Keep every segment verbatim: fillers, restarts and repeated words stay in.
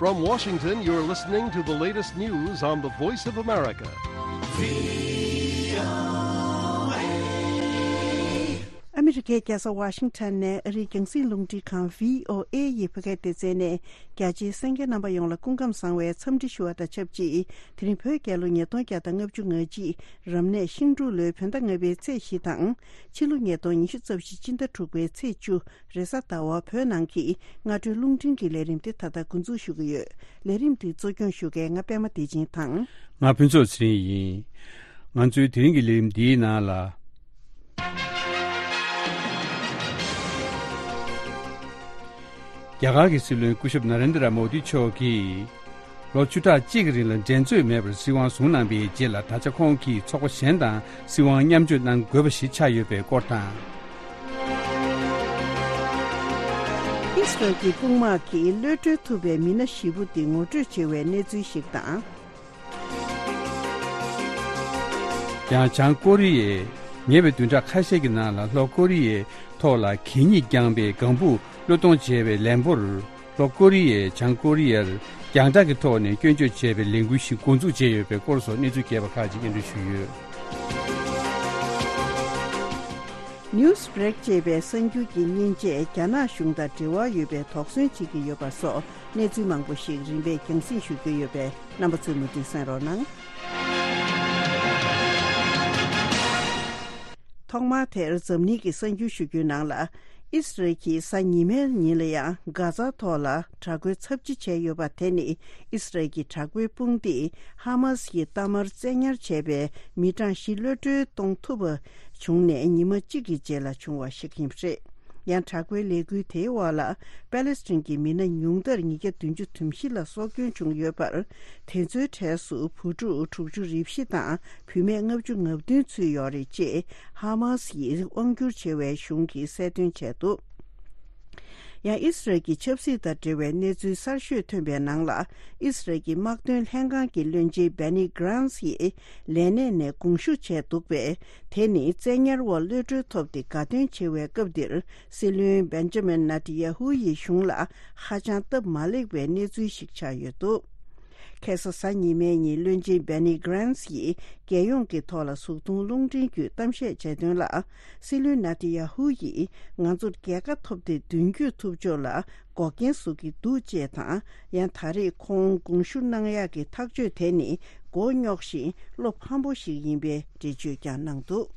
From Washington, you're listening to the latest news on the Voice of America. ཨ་མི་རི་ཀའི་རྒྱལ་ས་ཝ་ཤིང་ཊོན་ནས་ཨ་རིའི་རྒྱང་སྲིང་རླུང་འཕྲིན་ཁང་བྷི་ཨོ་ཨེ་ཡི་བོད་སྐད་སྡེ་ཚན་ནས། རྒྱ་ཆེའི་གསན་མཁན་རྣམ་པ་ཡོངས་ལ་སྐུ་ཁམས་བཟང་བའི་འཚམས་འདྲི་ཞུ་བ་དང་ཆབས་ཅིག་དེ་རིང་བོད་རྒྱལ་ལོ་ཉིས་སྟོང་བརྒྱ་དང་ལྔ་བཅུ་ང་གཅིག་རབ་གནས་ཤིང་འབྲུག་ལོའི་བོད་ཟླ་ལྔ་པའི་ཚེས་བཞི་དང་། ཕྱི་ལོ་ཉིས་སྟོང་ཉི་ཤུ་རྩ་བཞི་སྤྱི་ཟླ་དྲུག་པའི་ཚེས་བཅུ། རེས་གཟའ་ཟླ་བ་བོད་ནང་གི་སྔ་དྲོའི་རླུང་འཕྲིན་གྱི་ལས་རིམ་དེ་ད་ལྟ་འགོ་འཛུགས་ཞུ་གི་ཡོད། ལས་རིམ་འདི་གཙོ་སྐྱོང་ཞུ་མཁན་ང་པད་མ་བདེ་ཆེན་དང་། ང་ཕུན་ཚོགས་ཚེ་རིང་ཡིན། ང་ཚོའི་དེ་རིང་གི་ལས་རིམ་འདིའི་ནང་ལ། རྒྱ་གར་གྱི་སྲིད་བློན་སྐུ་ཞབས་ན་རེན་དྲ་མོ་དི་མཆོག་གིས། ལོ་བཅུ་ཕྲག་གཅིག་གི་རིང་ལ་འགྲན་རྩོད་མེད་པར་སྲིད་དབང་བཟུང་གནང་བའི་རྗེས་ལ། ད་ཆ་ཁོང་གིས་ཚོགས་པ་གཞན་དང་སྲིད་དབང་མཉམ་སྤྱོད་གནང་དགོས་པ་ཞིག་ཆགས་ཡོད་པའི་སྐོར་དང་། ཨིས་རལ་གྱི་དཔུང་དམག་གིས་གློད་གྲོལ་ཐུབ་པའི་མི་སྣ་བཞི་པོ་དེ་ངོ་སྤྲོད་བྱེད་པའི་གནས་ཚུལ་ཞིག་དང་། ཡང་བྱང་ཀོ་རི་ཡས་ཉེ་བའི་བདུན་ཕྲག་ཁ་ཤས་ཀྱི་ནང་ལ་ལྷོ་ཀོ་རི་ཡའི་ཐོག་ལ་གད་སྙིགས་བརྐྱངས་པའི་ལྒང་བུ་གློད་གཏོང་བྱས་པའི་ལན་པོར། ལྷོ་ཀོ་རི་ཡས་བྱང་ཀོ་རི་ཡར་རྒྱང་བསྒྲགས་ཀྱི་ཐོག་ནས་སྐྱོན་བརྗོད་བྱས་པའི་ལས་འགུལ་ཞིག་འགོ་འཛུགས་བྱས་ཡོད་པའི་སྐོར་སོགས་གནས་ཚུལ་རྒྱས་པ་ཁག་ཅིག་སྙན་སྒྲོན་ཞུས་ཡོད། Newsbreak ཅེས་པའི་གསར་འགྱུར་གྱི་མཉེན་ཆས་རྒྱ་ནག་གཞུང་དང་འབྲེལ་བ་ཡོད་པའི་དོགས་ཟོན་བྱེད་ཀྱི་ཡོད་པ་སོགས་གནས་ཚུལ་མང་པོ་ཞིག་རིམ་པས་རྒྱང་སྲིང་ཞུ་རྒྱུ་ཡོད་པས། རྣམ་པ་ཚོས་མུ་མཐུད་གསན་རོགས་གནང་། ཐོག་མར་དེར་འཛམ་གླིང་གི་གསར་འགྱུར་ཞུ་རྒྱུའི་ནང་ལ། ཨིས་རལ་གྱིས་གཟའ་ཉི་མའི་ཉིན་ལ་ཡང་གྷ་ཛ་ཐོག་ལ་དྲག་རྒོལ་ཚབས་ཆེ་བྱས་ཡོད་པ་དེ་ནི། ཨིས་རལ་གྱི་དྲག་པོའི་དཔུང་སྡེས་ཧ་མཱ་སི་ཡི་གཏའ་མར་བཙན་ཉར་བྱས་པའི་མི་གྲངས་བཞི་གློད་གྲོལ་གཏོང་ཐུབ་པ་བྱུང་ནས་ཉི་མ་གཅིག་གི་རྗེས་ལ་བྱུང་བ་ཞིག་ཡིན་པ་རེད། ཡང་དྲག་པོའི་ལས་འགུལ་དེའི་འོག་ལ་པེ་ལེ་སི་ཐན་གྱི་མི་སྣ་ཉུང་མཐར་ཉིས་བརྒྱ་བདུན་ཅུ་དོན་བཞི་ལ་སྲོག་སྐྱོན་བྱུང་ཡོད་པར། དེ་ཚོའི་གྲས་སུ་བུ་ཕྲུག་དྲུག་ཅུ་རེ་བཞི་དང་བུད་མེད་ལྔ་བཅུ་ང་བདུན་ཚུད་ཡོད་རེད་ཅེས་ཧ་མཱ་སི་ཡིས་དབང་བསྒྱུར་བྱེད་པའི་གཞུང་གིས་གསལ་སྟོན་བྱས་འདུག་ཡང་ཨིས་རལ་གྱི་ཆབ་སྲིད་དང་འབྲེལ་བའི་གནས་ཚུལ་གསར་ཤོས་ཐོན་པའི་ནང་ལ། ཨིས་རལ་གྱི་དམག་དོན་ལྷན་ཁང་གི་བློན་ཆེན་བྷེ་ནི་གྷ་རན་སི་ཡིས་ལས་གནས་ནས་དགོངས་ཞུ་བྱས་འདུག་པས། དེ་ནི་བཙན་ཉར་འོག་གློད་གྲོལ་ཐོབ་སྟེ་དགའ་སྟོན་བྱེད་པའི་སྐབས་འདིར། སྲིད་བློན་བེན་ཇ་མིན་ནེ་ཏན་ཡ་ཧུ་ཡི་གཞུང་ལ་ཧ་ཅང་སྟབས་མ་ལེགས་པའི་གནས་ཚུལ་ཞིག་ཆགས་ཡོད་འདུག་ཁ་སང་གཟའ་ཉི་མའི་ཉིན་བློན་ཆེན་བྷེ་ནི་གྷ་རན་སི་ཡིས་རྒྱལ་ཡོངས་ཀྱི་ཐོག་ལ་གཟུགས་མཐོང་རླུང་འཕྲིན་བརྒྱུད་གཏམ་བཤད་བྱས་དོན་ལ། སྲིད་བློན་ནེ་ཏན་ཡ་ཧུ་ཡིས་ང་ཚོར་རྒྱལ་ཁ་ཐོབ་སྟེ་མདུན་སྐྱོད་ཐུབ་ཕྱོགས་ལ་འགོག་རྐྱེན་བཟོ་གི་འདུག་ཅེས་དང་། ཡང་ད་རེས་ཁོང་དགོངས་ཞུ་གནང་ཡག་གི་ཐག་གཅོད་དེ་ནི་མགོ་རྙོག་ཞིང་བློ་ཕམ་པོ་ཞིག་ཡིན་པའི་འགྲེལ་བརྗོད་ཀྱང་གནང་འདུག་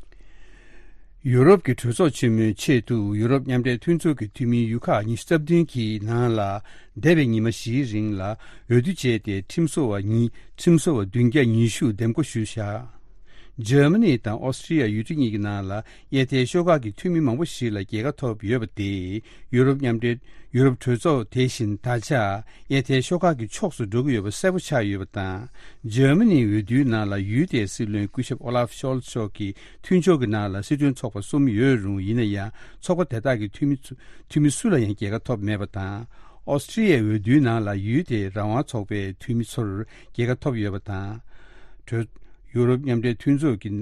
ཡུ་རོབ་ཀྱི་གྲོས་ཚོགས་ཆེན་མོའི་ཆེད་དུ་ཡུ་རོབ་མཉམ་འབྲེལ་མཐུན་ཚོགས་ཀྱི་འཐུས་མི་ཡུལ་ཁག་ཉི་ཤུ་རྩ་བདུན་གྱི་ནང་ལ། འདས་པའི་ཉི་མ་བཞིའི་རིང་ལ་འོས་བསྡུ་བྱས་ཏེ། ཁྲིམས་བཟོ་བ་ཉིས། ཁྲིམས་བཟོ་བ་བདུན་བརྒྱ་ཉི་ཤུ་འདེམས་བསྐོ་ཞུས་བཞག་འཇར་མ་ནི་དང་ཨོ་སི་ཀྲི་ཡ་ཡུལ་གྲུ་གཉིས་ཀྱི་ནང་ལ་གཡས་ཐལ་ཤོག་ཁག་གི་འཐུས་མི་མང་པོ་ཞིག་ལ་རྒྱལ་ཁ་ཐོབ་ཡོད་པ་དེས། ཡུ་རོབ་མཉམ་འབྲེལ། ཡུ་རོབ་གྲོས་ཚོགས་དེ་བཞིན་ད་ཆ་གཡས་ཐལ་ཤོག་ཁག་གི་ཕྱོགས་སུ་འགྲོ་གི་ཡོད་པ་གསལ་པོ་ཆགས་ཡོད་པ་དང་། འཇར་མ་ནིའི་འོས་བསྡུའི་ནང་ལ་ཡུལ་དེའི་སྲིད་བློན་སྐུ་ཞབས་ཨོ་ལཱབ་ཤོལ་ཚ་མཆོག་གི་མཐུན་ཕྱོགས་ཀྱི་ནང་ལ་སྲིད་དོན་ཚོགས་པ་གསུམ་ཡོད་རུང་། ཡིན་ན་ཡང་ཚོགས་པ་དེ་དག་གི་འཐུས་མི་ཚུ། འཐུས་མི་སུ་ལ་ཡང་རྒྱལ་ཁ་ཐོབ་མེད་པ་དང་། ཨོ་སི་ཀྲི་ཡའི་འོས་བསྡུའི་ནང་ལ་ཡུལ་དེའི་རང་དབང་ཚོགས་པའི་འཐུས་མི་ཚོར་རྒྱལ་ཁ་ཐོབ་ཡོད་པ་དང་། གྲོས། ཡུ་རོབ་མཉམ་འབྲེལ་མཐུན་ཚོགས་ཀྱི།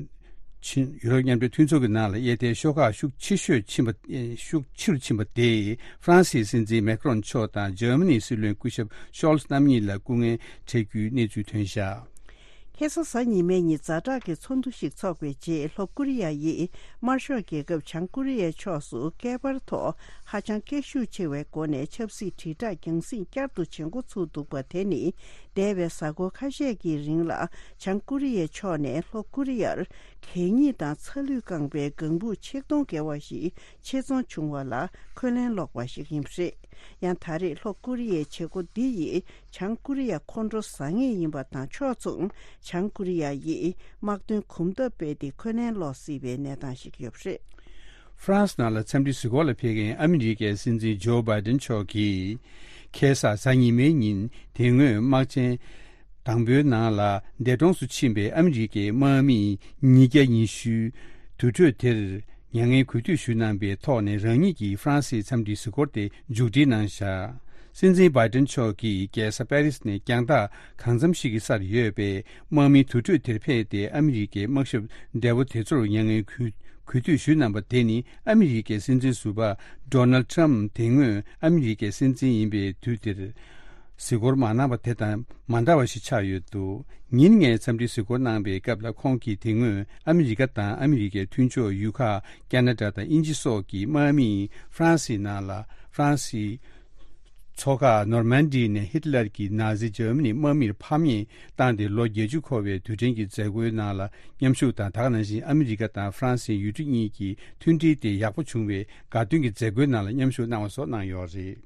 ཕྱིན། ཡུ་རོབ་མཉམ་འབྲེལ་མཐུན་ཚོགས་ཀྱི་ནང་ལ་གཡས་ཐལ་ཤོག་ཁག་ཤུགས་ཆེ་ཤོས་ཕྱིན་པ། ཨེ། ཤུགས་ཆེ་རུ་ཕྱིན་པ་དེས་ཧྥ་རན་སིའི་སྲིད་འཛིན་མེ་ཁ་རོན་མཆོག་དང་འཇར་མ་ནིའི་སྲིད་བློན་སྐུ་ཞབས་ཤོལ་ཚ་རྣམ་གཉིས་ལ་སྐུ་ངལ་འཕྲད་རྒྱུའི་གནས་ཚུལ་ཐོན་བཞག་ཁ་སང་གཟའ་ཉི་མའི་ཉིན་ཛ་དྲག་གི་ཚོགས་འདུ་ཞིག་འཚོགས་པའི་རྗེས། ལྷོ་ཀོ་རི་ཡ་ཡིས་དམར་ཤོག་རྒྱལ་ཁབ་བྱང་ཀོ་རི་ཡའི་ཕྱོགས་སུ་བསྐལ་པར་ཐོག་ཧ་ཅང་སྐད་ཤུགས་ཆེ་བའི་སྒོ་ནས་ཆབ་སྲིད་དྲིལ་བསྒྲགས་རྒྱང་སྲིང་བསྐྱར་དུ་བྱེད་འགོ་ཚུགས་འདུག་པ་དེ་ནི། འདས་པའི་གཟའ་འཁོར་ཁ་ཤས་ཀྱི་རིང་ལ་བྱང་ཀོ་རི་ཡའི་ཕྱོགས་ནས་ལྷོ་ཀོ་རི་ཡར་གད་སྙིགས་དང་ཚ་ལུད་བཀང་པའི་ལྒང་བུ་ཆིག་སྟོང་བརྒལ་བ་ཞིག་ཆེད་རྫོང་བྱུང་བ་ལ་འཁོན་ལན་སློག་པ་ཞིག་ཡིན་པ་རེད། ཡང་ད་རེས་ལྷོ་ཀོ་རི་ཡའི་བྱེད་སྒོ་འདི་ཡིས་བྱང་ཀོ་རི་ཡ་ཁོང་ཁྲོ་ཟ་ངེས་ཡིན་པ་དང་། ཕྱོགས་མཚུངས་བྱང་ཀོ་རི་ཡ་ཡིས་དམག་དོན་གོམ་སྟབས་སྤེལ་ཏེ་འཁོན་ལན་སློག་སྲིད་པའི་གནས་སྟངས་ཤིག་ཡོད་པ་རེད། ཧྥ་རན་སི་ནང་ལ་འཚམས་འདྲི་གཟིགས་སྐོར་ལ་ཕེབས་མཁན་ཨ་མི་རི་ཀའི་སྲིད་འཛིན་ཇོ་བྷའི་ཏན་མཆོག་གིས། ཁ་སང་གཟའ་ཉི་མའི་ཉིན་དེ་སྔོན་དམག་ཆེན་དང་པོའི་ནང་ལ་འདས་གྲོངས་སུ་ཕྱིན་པའི་ཨ་མི་རི་ཀའི་དམག་མི་ཉིས་བརྒྱ་ཉི་ཤུའི་དུར་ཁྲོད་དེར་མྱ་ངན་གུས་འདུད་ཞུ་གནང་པའི་ཐོག་ནས་རང་ཉིད་ཀྱིས་ཧྥ་རན་སིའི་འཚམས་འདྲིའི་གཟིགས་སྐོར་དེ་མཇུག་སྒྲིལ་གནང་བཞག་སྲིད་འཛིན་བྷའི་ཏན་མཆོག་གིས་རྒྱལ་ས་པེ་རིས་ནས་རྒྱང་ཐག་གང་འཚམ་ཞིག་གི་སར་ཡོད་པའི་དམག་མིའི་དུར་ཁྲོད་དེར་ཕེབས་ཏེ། ཨ་མི་རི་ཀའི་དམག་ཞབས་འདས་པོ་དེ་ཚོར་མྱ་ངན་གུས་གུས་འདུད་ཞུས་གནང་པ་དེ་ནི། ཨ་མི་རི་ཀའི་སྲིད་འཛིན་ཟུར་པ་ཌོ་ནལ་ཊམ་དེ་སྔོན་ཨ་མི་རི་ཀའི་སྲིད་འཛིན་ཡིན་པའི་དུས་དེར། གཟིགས་སྐོར་མ་གནང་བ་དེ་དང་མ་འདྲ་བ་ཞིག་ཆགས་ཡོད་འདུག་ཉིན་ལྔའི་འཚམས་འདྲིའི་གཟིགས་སྐོར་གནང་པའི་སྐབས་ལ་ཁོང་གིས་དེ་སྔོན་ཨ་མི་རི་ཀ་དང་ཨ་མི་རི་ཀའི་མཐུན་ཕྱོགས་ཡུལ་ཁག་ཁ་ན་ཌ་དང་དབྱིན་ཇི་སོགས་ཀྱི་དམག་མིས་ཧྥ་རན་སིའི་ནང་ལ་ཧྥ་རན་སིའི་མཚོ་ཁ་ནོར་མན་ཌི་ནས་ཧིཊ་ལར་གྱི་ནཱ་ཛི་འཇར་མ་ནི་དམག་མིར་ཕམ་ཉེས་བཏང་སྟེ་ལོ་བརྒྱད་ཅུ་འཁོར་བའི་དུས་དྲན་གྱི་མཛད་སྒོའི་ནང་ལ་མཉམ་ཞུགས་དང་། ད་ག་ནང་བཞིན་ཨ་མི་རི་ཀ་དང་ཧྥ་རན་སིའི་ཡུལ་གྲུ་གཉིས་ཀྱི་མཐུན་སྒྲིལ་དེ་ཡག་པོ་བྱུང་བའི་དགའ་སྟོན་གྱི་མཛད་སྒོའི་ནང་ལ་མཉམ་ཞུགས་གནང་བ་སོགས་གནང་ཡོད་རེད།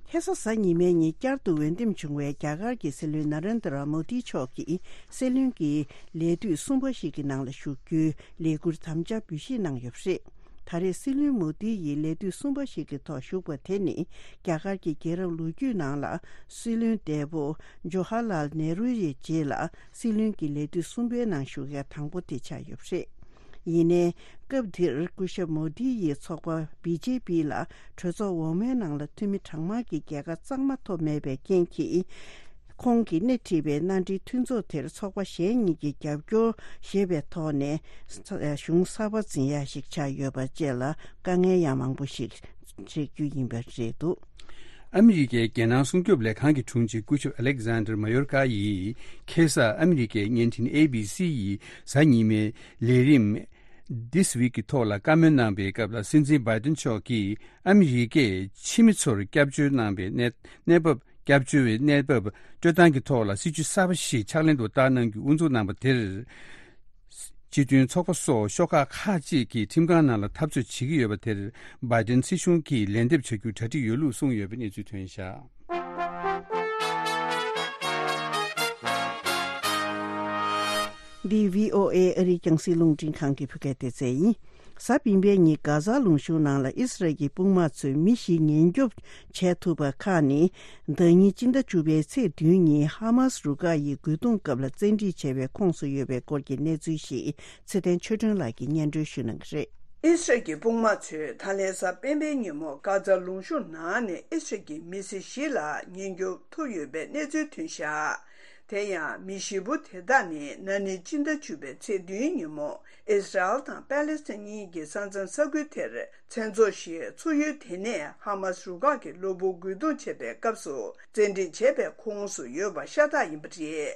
ཁ་སང་གཟའ་ཉི་མའི་ཉིན་བསྐྱར་དུ་འོས་འདེམས་བྱུང་བའི་རྒྱ་གར་གྱི་སྲིད་བློན་ན་རེན་དྲ་མོ་དི་མཆོག་གིས་སྲིད་བློན་གྱི་ལས་དུས་གསུམ་པ་ཞིག་གི་ནང་ལ་ཞུགས་རྒྱུའི་ལས་འཁུར་དམ་བཅའ་འབུལ་བཞེས་གནང་ཡོད་པ་རེད། ད་རེས་སྲིད་བློན་མོ་དི་ཡིས་ལས་དུས་གསུམ་པ་ཞིག་གི་ཐོག་ཞུགས་པ་དེ་ནི་རྒྱ་གར་གྱི་རྒྱལ་རབས་ལོ་རྒྱུས་ནང་ལ་སྲིད་བློན་འདས་པོ་ཇོ་ཧར་ལཱལ་ནེ་རུ་ཡི་རྗེས་ལ་སྲིད་བློན་གྱི་ལས་དུས་གསུམ་པའི་ནང་ཞུགས་མཁན་དང་པོ་དེ་ཆགས་ཡོད་པ་རེད། ཡིན་ནའི། སྐབས་དེར་སྐུ་ཞབས་མོ་དི་ཡི་ཚོགས་པ་བི་ཇེ་པི་ལ་གྲོས་ཚོགས་འོག་མའི་ནང་ལ་འཐུས་མི་གྲངས་མང་གི་རྒྱལ་ཁ་གཙང་མ་ཐོབ་མེད་པའི་རྐྱེན་གྱིས། ཁོང་གིས་སྣེ་ཁྲིད་པའི་མནའ་འབྲེལ་མཐུན་ཚོགས་དེར་ཚོགས་པ་གཞན་གཉིས་ཀྱི་རྒྱབ་སྐྱོར་ཞེས་པའི་ཐོག་ནས་གཞུང་གསར་པ་འཛིན་ཡ་ཞིག་ཆགས་ཡོད་པ་བཅས་ལ་དཀའ་ངལ་ཡང་མང་པོ་ཞིག་འཕྲད་རྒྱུ་ཡིན་པ་རེད་འདུག་ཨ་མི་རི་ཀའི་རྒྱལ་ནང་སྲུང་སྐྱོབ་ལས་ཁང་གི་དྲུང་ཆེ་སྐུ་ཞབས་ཨ་ལེག་ཟན་ཌར་མ་ཡོར་ཀ་ཡིས་ཁ་སང་ཨ་མི་རི་ཀའི་བརྙན་འཕྲིན་ཨེ་བི་སི་ཡི་གཟའ་ཉི་མའི་ལས་རིམ་This Week གི་ཐོག་ལ་བཀའ་མོལ་གནང་པའི་སྐབས་ལ། སྲིད་འཛིན་བྷའི་ཏིན་མཆོག་གིས་ཨ་མི་རི་ཀས་ཕྱི་མི་ཚོར་སྐྱབས་བཅོལ་གནང་པའི་གནས་གནས་བབ། སྐྱབས་བཅོལ་བའི་གནས་བབ་སྤྲོད་སྟངས་ཀྱི་ཐོག་ལ་སྲིད་ཇུས་གསར་པ་ཞིག་ཕྱག་ལེན་དུ་བསྟར་གནང་རྒྱུ་དབུ་འཛུགས་གནང་པ་དེར། སྤྱི་མཐུན་ཚོགས་པ་སོགས་ཤོག་ཁག་ཁག་ཅིག་གིས་ཁྲིམས་ཁང་ནང་ལ་འཐབ་རྩོད་བྱེད་ཀྱི་ཡོད་པ་དེར། བྷའི་ཏིན་སྲིད་གཞུང་གིས་ལན་འདེབས་བྱ་རྒྱུའི་གྲ་སྒྲིག་ཡོད་ལུགས་གསུངས་ཡོད་པའི་གནས་ཚུལ་ཐོན་བཞག་འདི་བྷི་ཨོ་ཨེ་ཨ་རིའི་རྒྱང་སྲིང་རླུང་འཕྲིན་ཁང་གི་བོད་སྐད་སྡེ་ཚན་ཡིན། གཟའ་སྤེན་པའི་ཉིན་གྷ་ཛ་ལུང་གཤོང་ནང་ལ་ཨི་སི་རལ་གྱི་དཔུང་དམག་ཚོས་མི་བཞི་ཉེན་སྐྱོབ་བྱས་ཐུབ་པ་ཁག་ནི། ཟླ་ཉིན་སྤྱི་ཟླ་བཅུ་པའི་ཚེས་བདུན་ཉིན་ཧ་མཱ་སི་རུ་ཁག་ཡིས་རྒོལ་རྡུང་སྐབས་ལ་བཙན་ཁྲིད་བྱས་པའི་ཁོངས་སུ་ཡོད་པའི་སྐོར་གྱི་གནས་ཚུལ་ཞིག་ཚེ་བརྟན་ཆོས་སྒྲོན་ལགས་ཀྱིས་སྙན་སྒྲོན་ཞུ་གནང་གི་རེད། ཨི་སི་རལ་གྱི་དཔུང་དམག་ཚོས་ད་ལན་གཟའ་སྤེན་པའི་ཉིན་མོ་གྷ་ཛ་ལུང་གཤོང་ནང་ནས་ཨི་སི་རལ་གྱི་མི་སེར་བཞི་ལ་ཉེན་སྐྱོབ་ཐུབ་ཡོད་པའི་གནས་ཚུལ་ཐོན་བཞག་དེ་ཡང་མི་བཞི་པོ་དེ་དག་ནི་ན་ནིང་སྤྱི་ཟླ་བཅུ་པའི་ཚེས་བདུན་ཉིན་མོ་ཨི་སི་རལ་དང་པ་ལེ་སི་ཐན་གཉིས་ཀྱི་ས་མཚམས་ས་ཁུལ་དེར་མཚན་ཚོགས་ཤིག་ཚོགས་ཡུལ་དེ་ནས་ཧ་མཱ་སི་རུ་ཁག་གི་གློ་བུར་རྒོལ་རྡུང་བྱས་པའི་སྐབས་སུ་བཙན་ཁྲིད་བྱས་པའི་ཁོངས་སུ་ཡོད་པ་ཤ་སྟག་ཡིན་པ་རེད།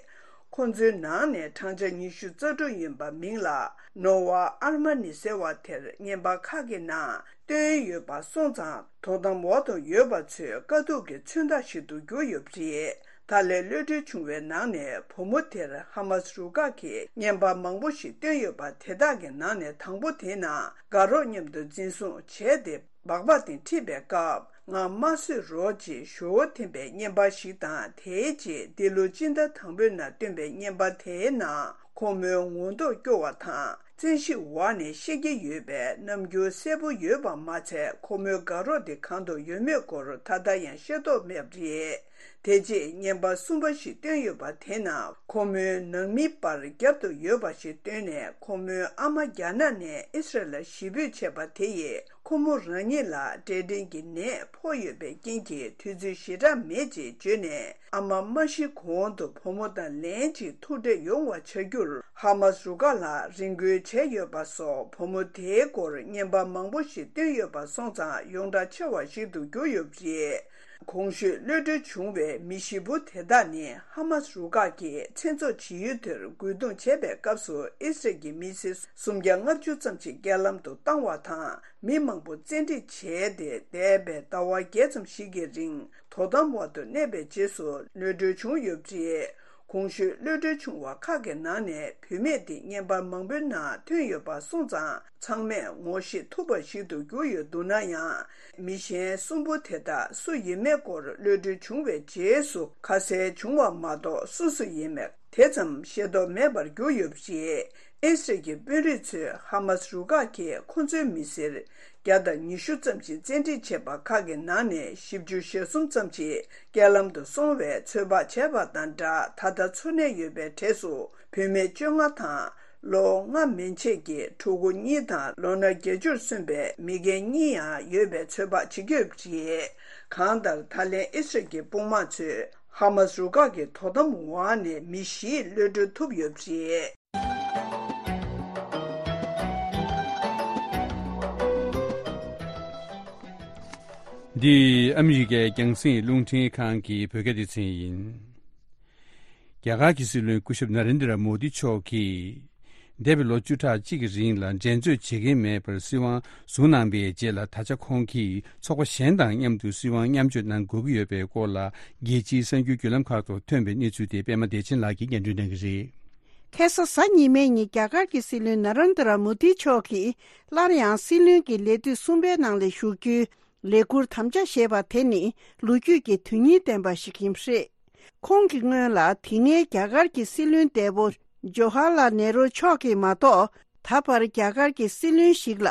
ཁོ་ཚོའི་ནང་ནས་བགྲང་བྱ་ཉི་ཤུ་རྩ་དྲུག་ཡིན་པ་མིང་ལ་ནོ་ཝ་ཨར་མ་ནི་ཟེར་བ་དེར་བརྙན་པར་ཁག་གི་ནང་བཏོན་ཡོད་པ་སོང་ཙང་། དོ་དམ་འོག་ཏུ་ཡོད་པ་ཚོའི་དཀའ་སྡུག་གི་མཚོན་རྟགས་ཤིག་ཏུ་གྱུར་ཡོད་པ་རེད། ད་ལན་གློད་གྲོལ་བྱུང་བའི་ནང་ནས་བུ་མོ་དེར་ཧ་མཱ་སི་རུ་ཁག་གིས་བརྙན་པར་མང་པོ་ཞིག་བཏོན་ཡོད་པ་དེ་དག་གི་ནང་ནས་དང་པོ་དེའི་ནང་དགའ་རོགས་མཉམ་དུ་འཛིན་བཟུང་བྱས་ཏེ། སྦག་སྦག་སྟེང་ཁྲིད་པའི་སྐབས་ང་མ་གསོད་རོགས་ཅེས་ཞུ་བོ་འཐེན་པའི་བརྙན་པར་ཞིག་དང་། དེའི་རྗེས་འདི་ལོ་སྤྱི་ཟླ་དང་པོའི་ནང་བཏོན་པའི་བརྙན་པར་དེའི་ནང་ཁོ་མོའི་ངོ་མདོག་སྐྱོ་བ་དང་། བཙན་ཤེད་འོག་ནས་བཤད་ཀྱི་ཡོད་པའི་རྣམ་འགྱུར་གསལ་པོ་ཡོད་པ་མ་ཚད། ཁོ་མོའི་དགའ་རོགས་དེ་གང་དུ་ཡོད་མེད་སྐོར་ད་ལྟ་ཡང་ཤེས་རྟོགས་མེད་པ་རེད། དེ་རྗེས་བརྙན་པར་གསུམ་པ་ཞིག་བཏོན་ཡོད་པ་དེའི་ནང་ཁོ་མོའི་ནང་མིའི་པར་རྒྱབ་ཏུ་ཡོད་པ་ཞིག་བཏོན་ནས། ཁོ་མོའི་ཨ་མ་རྒྱ་ནག་ནས་ཨི་སི་རལ་ལ་གཞིས་སྤོས་བྱས་པ་དེ་ཡིས། ཁོ་མོ་རང་ཉིད་ལ་འབྲས་སྐྲན་གྱི་ནད་ཕོག་ཡོད་པའི་རྐྱེན་གྱིས་དུས་ཚོད་ཞེ་དྲག་མེད་ཅེས་བརྗོད་ནས། ཨ་མ་མ་ཤི་གོང་དུ་བུ་མོ་དང་ལན་གཅིག་ཐུག་འཕྲད་ཡོང་བ་བྱ་རྒྱུར་ཧ་མཱ་སི་རུ་ཁག་ལ་རེ་སྐུལ་བྱས་ཡོད་པ་སོགས། བུ་མོ་དེའི་སྐོར་བརྙན་པར་མང་པོ་ཞིག་བཏོན་ཡོད་པ་སོང་ཙང་ཡོངས་གྲགས་ཆེ་བ་ཞིག་ཏུ་གྱུར་ཡོད་པ་རེད། གོང་ཞུས་གློད་གྲོལ་བྱུང་བའི་མི་བཞི་པོ་དེ་དག་ནི་ཧ་མཱ་སི་རུ་ཁག་གིས་མཚན་ཚོགས་བྱེད་ཡུལ་དེར་རྒོལ་རྡུང་བྱས་པའི་སྐབས་སུ་ཨི་སི་རལ་གྱི་མི་སེར་སུམ་བརྒྱ་ལྔ་བཅུ་ཙམ་ཞིག་རྐྱེན་ལམ་དུ་བཏང་བ་དང་། མི་མང་པོ་བཙན་ཁྲིད་བྱས་ཏེ། འདས་པའི་ཟླ་བ་བརྒྱད་ཙམ་ཞིག་གི་རིང་དོ་དམ་འོག་ཏུ་གནས་པའི་རྗེས་སུ་གློད་གྲོལ་བྱུང་ཡོད་པ་རེད། གོང་ཞུས་གློད་གྲོལ་བྱུང་བ་ཁག་གི་ནང་ནས་བུད་མེད་དེ་བརྙན་པར་མང་པོའི་ནང་ཐོན་ཡོད་པ་སོང་ཙང་། ཚང་མས་ངོ་ཤེས་ཐུབ་པ་ཞིག་ཏུ་གྱུར་ཡོད་འདུག་ན་ཡང་། མི་གཞན་གསུམ་པོ་དེ་དག་སུ་ཡིན་མེད་སྐོར་གློད་གྲོལ་བྱུང་བའི་རྗེས་སུ་ཁ་གསལ་བྱུང་བ་མ་གཏོགས། སུ་སུ་ཡིན་མེད་དེ་ཙམ་ཤེས་རྟོགས་མེད་པར་གྱུར་ཡོད་པ་རེད། ཨི་སི་རལ་གྱི་དཔོན་རིགས་ཚོས་ཧ་མཱ་སི་རུ་ཁག་གིས་ཁོ་ཚོའི་མི་སེར་བརྒྱ་དང་ཉི་ཤུ་ཙམ་ཞིག་བཙན་ཁྲིད་བྱས་པ་ཁག་གི་ནང་ནས་བཞི་བཅུ་ཞེ་གསུམ་ཙམ་ཞིག་རྐྱེན་ལམ་དུ་སོང་བའི་ཚོད་དཔག་བྱས་པ་དང་སྦྲགས། ད་ལྟ་འཚོ་གནས་ཡོད་པའི་གྲས་སུ་བུད་མེད་བཅོ་ལྔ་དང་། ལོ་ལྔ་མན་ཆད་ཀྱི་ཕྲུ་གུ་གཉིས་དང་། ལོ་ན་བརྒྱད་ཅུར་སོན་པའི་མི་རྒན་གཉིས་ཡང་ཡོད་པའི་ཚོད་དཔག་བྱེད་ཀྱི་ཡོད་པ་རེད། གང་ལྟར། ད་ལན་ཨི་སི་རལ་གྱི་དཔུང་དམག་ཚོས་ཧ་མཱ་སི་རུ་ཁག་གི་དོ་དམ་འོག་ནས་མི་བཞི་གློད་གྲོལ་ཐུབ་ཡོད་པ་རེད། འདི་ཨ་མི་རི་ཀའི་རྒྱང་སྲིང་རླུང་འཕྲིན་ཁང་གི་བོད་སྐད་སྡེ་ཚན་ཡིན། རྒྱ་གར་གྱི་སྲིད་བློན་སྐུ་ཞབས་ན་རེན་དྲ་མོ་དི་མཆོག་གིས། འདས་པའི་ལོ་བཅུ་ཕྲག་གཅིག་གི་རིང་ལ་འགྲན་རྩོད་བྱེད་ཀྱིན་མེད་པར་སྲིད་དབང་བཟུང་གནང་པའི་རྗེས་ལ། ད་ཆ་ཁོང་གིས་ཚོགས་པ་གཞན་དང་མཉམ་དུ་སྲིད་དབང་མཉམ་སྤྱོད་གནང་དགོས་ཀྱི་ཡོད་པའི་སྐོར་ལ། རྒྱལ་སྤྱིའི་གསར་འགྱུར་བརྒྱུད་ལམ་ཁག་ཏུ་ཐོན་པའི་གནས་ཚུལ་དེ་པད་མ་བདེ་ཆེན་ལགས་ཀྱིས་སྙན་སྒྲོན་གནང་གི་རེད། ཁ་སང་གཟའ་ཉི་མའི་ཉིན་རྒྱ་གར་གྱི་སྲིད་བློན་ན་རན་དྲ་མོ་དི་མཆོག་གིས་སླར་ཡང་སྲིད་བློན་གྱི་ལས་དུས་གསུམ་པའི་ནང་ལ་ཞུགས་རྒྱུའི་ལས་འཁུར་དམ་བཅའ་བཞེས་པ་དེ་ནི་ལོ་རྒྱུས་ཀྱི་དོན་སྙིང་ལྡན་པ་ཞིག་ཡིན་པ་རེད། ཁོང་གི་སྔོན་ལ་དེ་སྔའི་རྒྱ་གར་གྱི་སྲིད་བློན་འདས་པོ་ཇོ་ཧར་ལལ་ནེ་རུ་མཆོག་གིས་མ་གཏོགས། ད་བར་རྒྱ་གར་གྱི་སྲིད་བློན་ཞིག་ལ་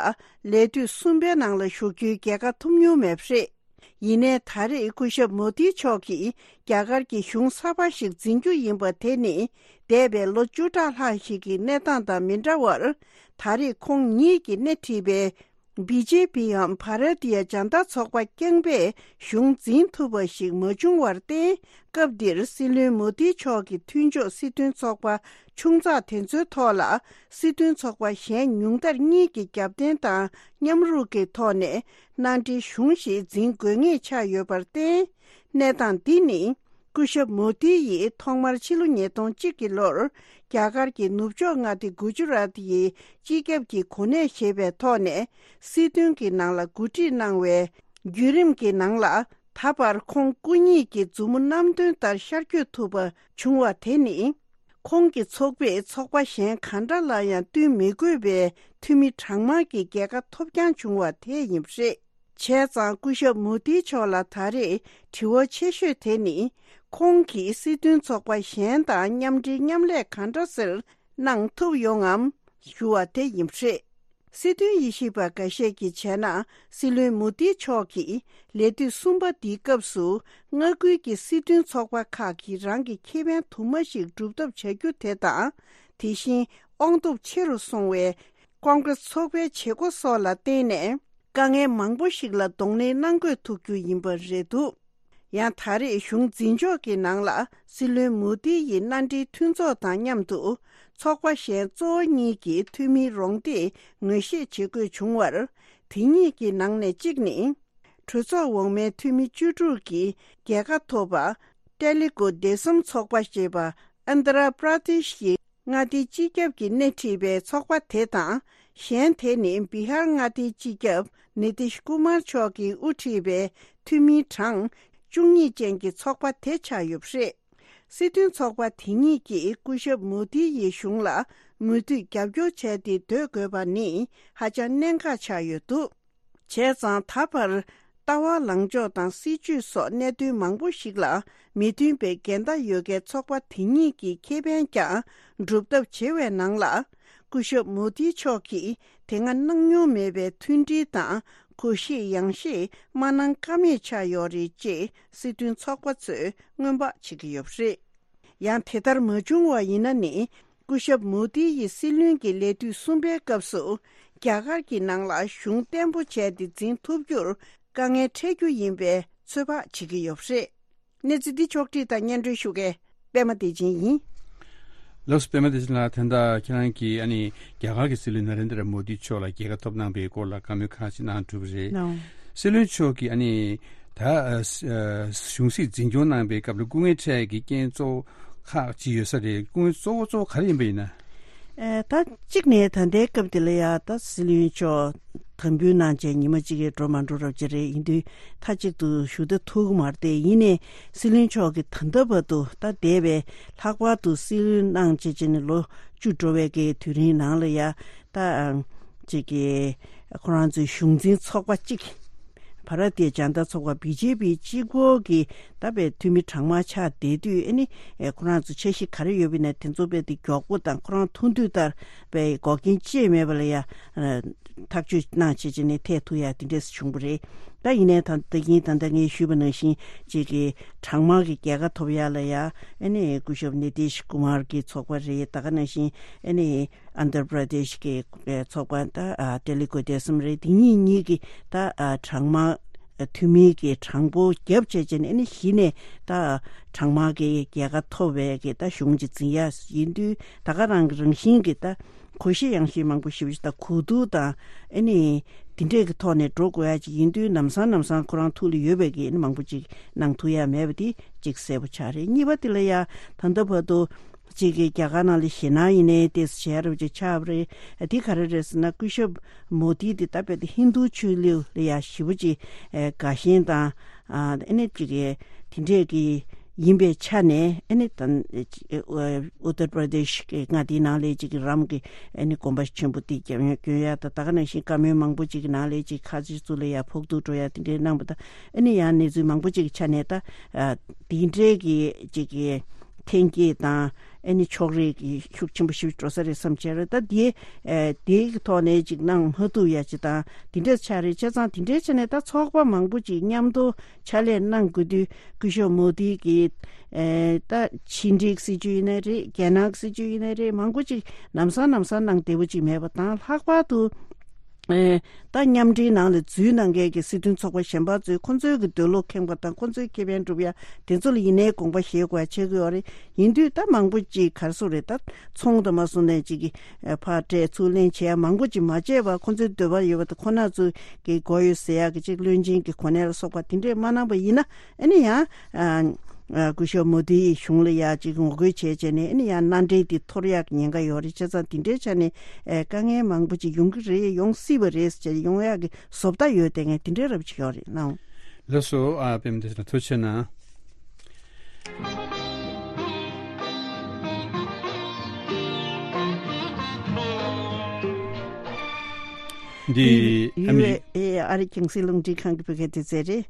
ལས་དུས་གསུམ་པའི་ནང་ལ་ཞུགས་རྒྱུའི་རྒྱལ་ཁ་ཐོབ་མྱོང་མེད་པ་རེད། ཡིན་ནའི་ད་རེས་སྐུ་ཞབས་མོ་དི་མཆོག་གིས་རྒྱ་གར་གྱི་གཞུང་གསར་པ་ཞིག་འཛིན་རྒྱུ་ཡིན་པ་དེ་ནི། འདས་པའི་ལོ་བཅུ་ཕྲག་ལྷག་ཞིག་གི་གནས་སྟངས་དང་མི་འདྲ་བར། ད་རེས་ཁོང་ཉིད་ཀྱིས་སྣེ་ཁྲིད་པའི་བི་ཇེ་པི་འམ་བྷ་ར་ཏི་ཡ་ཇན་ད་ཚོགས་པ་རྐྱང་པས་གཞུང་འཛིན་ཐུབ་པ་ཞིག་མ་བྱུང་བར་བརྟེན། སྐབས་འདིར་སྲིད་བློན་མོ་དི་མཆོག་གི་མཐུན་ཕྱོགས་སྲིད་དོན་ཚོགས་པ་ཆུང་ཙག་དེ་ཚོའི་ཐོག་ལ། སྲིད་དོན་ཚོགས་པ་གཞན་ཉུང་མཐར་གཉིས་ཀྱི་རྒྱབ་རྟེན་དང་མཉམ་རུབ་ཀྱི་ཐོག་ནས་མནའ་འབྲེལ་གཞུང་ཞིག་འཛིན་དགོས་ངེས་ཆགས་ཡོད་པར་བརྟེན། གནས་སྟངས་འདི་ནི། སྐུ་ཞབས་མོ་དི་ཡིས་ཐོག་མར་ཕྱི་ལོ་ཉིས་སྟོང་གཅིག་གི་ལོར། རྒྱ་གར་གྱི་ནུབ་ཕྱོགས་མངའ་སྡེ་གུ་ཇུ་རཱཏ་ཡི་སྤྱི་ཁྱབ་ཀྱི་གོ་གནས་བཞེས་པའི་ཐོག་ནས། སྲིད་དོན་གྱི་ནང་ལ་འགོ་ཁྲིད་གནང་བའི་བརྒྱུད་རིམ་གྱི་ནང་ལ། ད་བར་ཁོང་སྐུ་ཉིད་ཀྱི་མཛུབ་མོ་བསྣམས་དོན་ལྟར་ཤར་བསྐྱོད་ཐུབ་པ་བྱུང་བ་དེ་ནི། ཁོང་གི་ཚོགས་པས་ཚོགས་པ་གཞན་གང་འདྲ་ལ་ཡང་བསྟུན་མི་དགོས་པའི་འཐུས་མི་གྲངས་མང་གི་རྒྱལ་ཁ་ཐོབ་རྐྱང་བྱུང་བ་དེ་ཡིན་པ་རེད། བྱས་ཙང་སྐུ་ཞབས་མོ་དི་མཆོག་ལ་ད་རེས་དྲི་བ་ཆེ་ཤོས་དེ་ནི། ཁོང་གིས་སྲིད་དོན་ཚོགས་པ་གཞན་དང་མཉམ་འབྲེལ་མཉམ་ལས་གང་འདྲ་ཟེར་གནང་ཐུབ་ཡོང་ངམ་ཞུ་བ་དེ་ཡིན་པ་རེད། སྲིད་དོན་དབྱེ་ཞིབ་པ་འགའ་ཤས་ཀྱིས་བྱས་ན། སྲིད་བློན་མོ་དི་མཆོག་གིས་ལས་དུས་གསུམ་པ་འདིའི་སྐབས་སུ། མངའ་ཁུལ་གྱི་སྲིད་དོན་ཚོགས་པ་ཁག་གིས་རང་གི་ཁེ་ཕན་དུ་མ་ཞིག་སྒྲུབ་ཐབས་བྱ་རྒྱུ་དེ་དང་། དེ་བཞིན་དབང་སྟོབས་ཆེ་རུ་སོང་བའི་ཀོང་ཀྲེས་ཚོགས་པའི་བྱེད་སྒོ་སོགས་ལ་བརྟེན་ནས། དཀའ་ངལ་མང་པོ་ཞིག་ལ་གདོང་ལེན་གནང་དགོས་ཐུག་རྒྱུ་ཡིན་པ་རེད་འདུག་ཡང་ད་རེས་གཞུང་འཛིན་ཕྱོགས་ཀྱི་ནང་ལ་སྲིད་བློན་མོ་དི་ཡི་མནའ་འབྲེལ་མཐུན་ཚོགས་དང་མཉམ་དུ། ཚོགས་པ་གཞན་གཙོ་བོ་གཉིས་ཀྱི་འཐུས་མིའི་རོགས་འདེགས་ངོས་བཞེས་བྱེད་དགོས་བྱུང་བར། དེ་གཉིས་ཀྱི་ནང་ནས་གཅིག་ནི། གྲོས་ཚོགས་འོག་མའི་འཐུས་མི་བཅུ་དྲུག་གི་རྒྱལ་ཁ་ཐོབ་པ། ཏེ་ལི་གུ་དེ་སམ་ཚོགས་པ་ཞེས་པ། ཨན་དྷ་ར་པྲ་དེཤ་གི་མངའ་སྡེའི་སྤྱི་ཁྱབ་ཀྱིས་སྣེ་ཁྲིད་པའི་ཚོགས་པ་དེ་དང་། གཞན་དེ་ནི་བི་ཧར་མངའ་སྡེའི་སྤྱི་ཁྱབ་ནི་ཏིཤ་ཀུ་མར་མཆོག་གིས་དབུ་ཁྲིད་པའི་འཐུས་མིའི་གྲངས་བཅུ་གཉིས་ཅན་གྱི་ཚོགས་པ་དེ་ཆགས་ཡོད་པ་རེད། སྲིད་དོན་ཚོགས་པ་དེ་གཉིས་ཀྱིས་སྐུ་ཞབས་མོ་དི་ཡི་གཞུང་ལ་མུ་མཐུད་རྒྱབ་སྐྱོར་བྱས་ཏེ་སྡོད་དགོས་པ་ནི་ཧ་ཅང་གནད་འགག་ཆགས་ཡོད་འདུག་བྱས་ཙང་ད་བར། ལྟ་བ་ལངས་ཕྱོགས་དང་སྲིད་བྱུས་སོགས་གནད་དོན་མང་པོ་ཞིག་ལ་མི་མཐུན་པའི་འགལ་ཟླ་ཡོད་མཁན་ཚོགས་པ་དེ་གཉིས་ཀྱི་ཁེ་ཕན་ཀྱང་སྒྲུབ་ཐབས་བྱེད་པའི་ནང་ལ། སྐུ་ཞབས་མོ་དི་མཆོག་གིས་དེ་སྔ་གནང་མྱོང་མེད་པའི་མཐུན་སྒྲིལ་དང་གུས་ཞབས་ཡང་ཞིག་མ་གནང་ཀ་མེད་ཆགས་ཡོད་རེད་ཅེས་སྲིད་དོན་ཚོགས་པ་ཚོས་སྔོན་དཔག་བྱེད་ཀྱི་ཡོད་པ་རེད། ཡང་དེ་ལྟར་མ་བྱུང་བ་ཡིན་ན་ནི། སྐུ་ཞབས་མོ་དི་ཡི་སྲིད་བློན་གྱི་ལས་དུས་གསུམ་པའི་སྐབས་སུ། རྒྱ་གར་གྱི་ནང་ལ་གཞུང་བརྟན་པོ་བྱས་ཏེ་འཛིན་ཐུབ་རྒྱུར་དཀའ་ངལ་འཕྲད་རྒྱུ་ཡིན་པའི་ཚོད་དཔག་བྱེད་ཀྱི་ཡོད་པ་རེད། གནས་ཚུལ་འདི་ཕྱོགས་བསྒྲིགས་དང་སྙན་སྒྲོན་ཞུ་མཁན་པད་མ་བདེ་ཆེན་ཡིན། ལགས་སོ། པད་མ་བདེ་ཆེན་ལགས། ད་ལྟ་ཁྱེད་རང་གིས་ཨ་ནི་རྒྱ་གར་གྱི་སྲིད་བློན་ན་རེན་དྲ་མོ་དི་མཆོག་ལ་རྒྱལ་ཁ་ཐོབ་གནང་པའི་སྐོར་ལ་བཀའ་མོལ་ཁག་ཅིག་གནང་གྲུབ་པ་རེད། ལགས། སྲིད་བློན་མཆོག་གིས་ཨ་ནི་ད་ཨ་ཨ་གཞུང་སྲིད་འཛིན་སྐྱོང་གནང་པའི་སྐབས་ལ་སྐུ་ངལ་འཕྲད་ཀྱི་རྐྱེན་གཙོ་བོ་ཁག་ཅིག་ཡོད་ས་རེད། སྐུ་ངལ་གཙོ་བོ་གཙོ་བོ་ག་རེ་ཡིན་པ་ཡིན་ན། ཨ་ད་གཅིག་ནས་ད་ལྟའི་སྐབས་དེ་ལ་ཡ་ད་སྲིད་བློན་མཆོག་དམ་འབུལ་གནང་བྱས་ཉི་མ་གཅིག་གིས་འགྲོ་མ་འགྲོ་རབས་ཅིག་རེད། ཡིན་དུས་མཐའ་གཅིག་ཏུ་བཞུགས་ད་ཐུབ་ཀྱི་མ་རེད་དེ། ཡིན་ནའི་སྲིད་བློན་མཆོག་གིས་ད་ལྟ་བར་དུ་ད་འདས་པའི་ལྷག་པར་དུ་སྲིད་བློན་གནང་བྱས་བྱས་ནས་ལོ་བཅུ་འགྲོ་བའི་གི་དུས་རིང་ནང་ལ་ཡ་ད་ཅིག་གི་ཁོ་རང་ཚོའི་གཞུང་འཛིན་ཚོགས་པ་གཅིག་བྷ་ར་ཏི་ཡ་ཇན་ད་ཚོགས་པ་བི་ཇེ་པི་གཅིག་པོ་གི་ད་པའི་འཐུས་མི་གྲངས་མང་ཆགས་བསྡད་དུས། ཨ་ནི་ཁོ་རང་ཚོ་འཆར་གཞི་ག་རེ་ཡོད་པ་ཡིན་ན་དེ་ཚོ་དཔེ་དེ་མགྱོགས་པོ་དང་ཁོ་རང་ཐུགས་འདུན་ལྟར་པའི་འགོག་རྐྱེན་ཅི་ཡང་མེད་པ་ལ་ཡ་ཐག་གཅོད་གནང་བྱས་བྱས་ནས་ཐད་ཐུག་ཡ་དེ་འདྲས་བྱུང་བ་རེད། ད་ཡིན་ནའི་ད་ད་གིན་ད་ལྟ་ངས་ཞུས་པ་ནང་བཞིན་ཅིག་གི་གྲངས་མང་གི་རྒྱལ་ཁ་ཐོབ་ཡ་ལ་ཡ། ཨ་ནི་སྐུ་ཞབས་ནི་ཏིཤ་ཀུ་མར་གི་ཚོགས་པ་རེད། ད་ག་ནང་བཞིན་ཨ་ནི་ཨན་དྷྲ་པྲ་དེཤ་གི་ཚོགས་པ་ད་ཨ་ཏེ་ལི་གུ་དེ་སམ་རེད། དེ་གཉིས་གཉིས་ཀྱི་ད་ཨ་གྲངས་མང་ འཐུས་མི་གི་གྲངས་འབོར་བརྒྱབ་བྱས་བྱས་ནས་ཨ་ནི་གཞི་ནས་ད་གྲངས་མང་གི་རྒྱལ་ཁ་ཐོབ་པའི་གི་ད་གཞུང་ཅིག་འཛིན་ཡ་ཡིན་དུས་ད་ག་རང་གི་རང་བཞིན་གི་ད་གོ་ཤེས་ཡང་ཤེས་མང་པོ་ཞེ་པོ་ཅིག་ད་གོ་བསྡུར་དང་ཨ་ནི་དེ་འདྲས་ཀྱི་ཐོག་ནས་འགྲོ་དགོས་ཡ་ཅིག་ཡིན་དུས་ལམ་སང་ལམ་སང་ཁོ་རང་ཐུགས་ལ་ཡོད་པའི་གི་ཨ་ནི་མང་པོ་ཅིག་གནང་ཐུབ་ཡ་མེད་པ་དེ་ཅིག་གསལ་པོ་ཆགས་རེད། གཉིས་པ་དེ་ལ་ཡ་ད་ལྟ་བར་དུ་ཅིག་གི་རྒྱ་གར་ནང་ལ་ཞེད་སྣང་ཡིན་ནའི་ཏོག་ཙམ་བྱས་རབས་ཅིག་ཆགས་པ་རེད། དེ་ག་རེ་རེད་ཟེར་ན་སྐུ་ཞབས་མོ་དི་དེ་ད་དཔེ་དེ་ཧིན་རྡུ་ཆོས་ལུགས་ལ་ཡ་ཞེ་པོ་ཅིག་དགའ་ཞེན་དང་ཨ་ནི་ཅིག་གི་དེ་འདྲས་ཀྱི་ཡིན་པའི་ཆ་ནས་ཨ་ནི་ད་ཨུ་ཏར་པྲ་དེཤ་གི་མངའ་སྡེའི་ནང་ལ་ཅིག་གི་རམ་གྱི་ཨ་ནི་དགོན་པ་ཆེན་པོ་དེ་སྐྱོན་སྐྱོན་ཡ་ད་ད་ག་ནང་བཞིན་བཀའ་མོལ་མང་པོ་ཅིག་གི་ནང་ལ་ཅིག་ཁ་ཆེ་ཚོ་ལ་ཡ་ཕོག་ཐུག་འགྲོ་ཡ་དེ་འདྲས་གནང་པ་ད་ཨ་ནི་ཡང་གནས་ཚུལ་མང་པོ་ཅིག་གི་ཆ་ནས་ད་དེ་འདྲས་ཀྱི་ཅིག་གི་འཐེན་འཁྱེར་དང་ཨ་ནི་ཕྱོགས་རིས་ཀྱི་ཤུགས་ཆེན་པོ་ཞིག་འགྲོ་ས་རེད་བསམ་བྱས་རེད། ད་དེ་ཨ་དེའི་ཐོག་ནས་ཅིག་གནང་མ་ཐུབ་ཡ་ཅིག་དང་དེ་འདྲས་ཆགས་རེད། བྱས་ཙང་དེ་འདྲས་བྱས་ནས་ད་ཚོགས་པ་མང་པོ་ཅིག་མཉམ་དུ་ཕྱག་ལས་གནང་དགོས་དུས་སྐུ་ཞབས་མོ་དི་གི་ཨ་ད་ཕྱི་འབྲེལ་སྲིད་ཇུས་ཡིན་ནའི་རེད། རྒྱ་ནག་སྲིད་ཇུས་ཡིན་ནའི་རེད། མང་པོ་ཅིག་ལམ་སང་ལམ་སང་གནང་བདེ་པོ་ཅིག་མེད་པ་དང་ལྷག་པར་དུ། ཨེ། ད་མཉམ་འབྲེལ་ནང་ལ་འཛུལ་གནང་མཁན་གྱི་སྲིད་དོན་ཚོགས་པ་གཞན་པ་ཚོས་ཁོ་ཚོའི་གི་འདོད་བློ་ཁེངས་པ་དང་ཁོ་ཚོའི་ཁེ་ཕན་སྒྲུབ་ཡ་དེ་ཚོ་ལ་ཡིན་ནའི་དགོངས་པ་བཞེས་དགོས་ཡ་བྱེད་དགོས་ཡོད་རེད། ཡིན་དུས་ད་མང་པོ་ཅིག་ག་རེ་ཟེར་རེད། ད་ཚོང་དང་མ་སོང་ནས་ཅིག་གི་ཨེ་ཕར་སྤྲད་ཚུར་ལེན་བྱེད་ཡ་མང་པོ་ཅིག་མ་བྱས་པར་ཁོ་ཚོའི་འདོད་པ་ཡོད་པ་དང་ཁོ་ན་ཚོའི་གི་དགོས་ཡོད་ཟེར་ཡ་གི་ཅིག་བློན་ཆེན་གྱི་གོ་གནས་ལ་སོགས་པ་དེ་འདྲས་མ་གནང་པ་ཡིན་ན་ཨ་ནི་ཡང་ཨ། ཨ། སྐུ་ཞབས་མོ་དིའི་གཞུང་ལ་ཡ་གཅིག་ངོ་རྒོལ་བྱས་བྱས་ནས་ཨ་ནི་ཡང་མནའ་འབྲེལ་འདི་འཐོར་ཡག་གི་ཉེན་ཁ་ཡོད་རེད། བྱས་ཙང་འདི་འདྲའི་ཆ་ནས་ཨེ་དཀའ་ངལ་མང་པོ་ཅིག་ཡོང་གི་རེད། ཡོང་སྲིད་པ་རེད་ཟེར་ཡོང་ཡག་གི་བཟོ་ལྟ་ཡོད་བསྡད་མཁན་འདི་འདྲའི་རབ་ཅིག་ཡོད་རེད་གནང་། ལགས་སོ། ཨ་པད་མ་བདེ་ཆེན་ལགས་ཐུགས་རྗེ་གནང་། འདི་ཨ་མི་རི་ཨེ་ཨ་རི་རྒྱང་སྲིང་རླུང་འཕྲིན་ཁང་གི་བོད་སྐད་སྡེ་ཚན་རེད།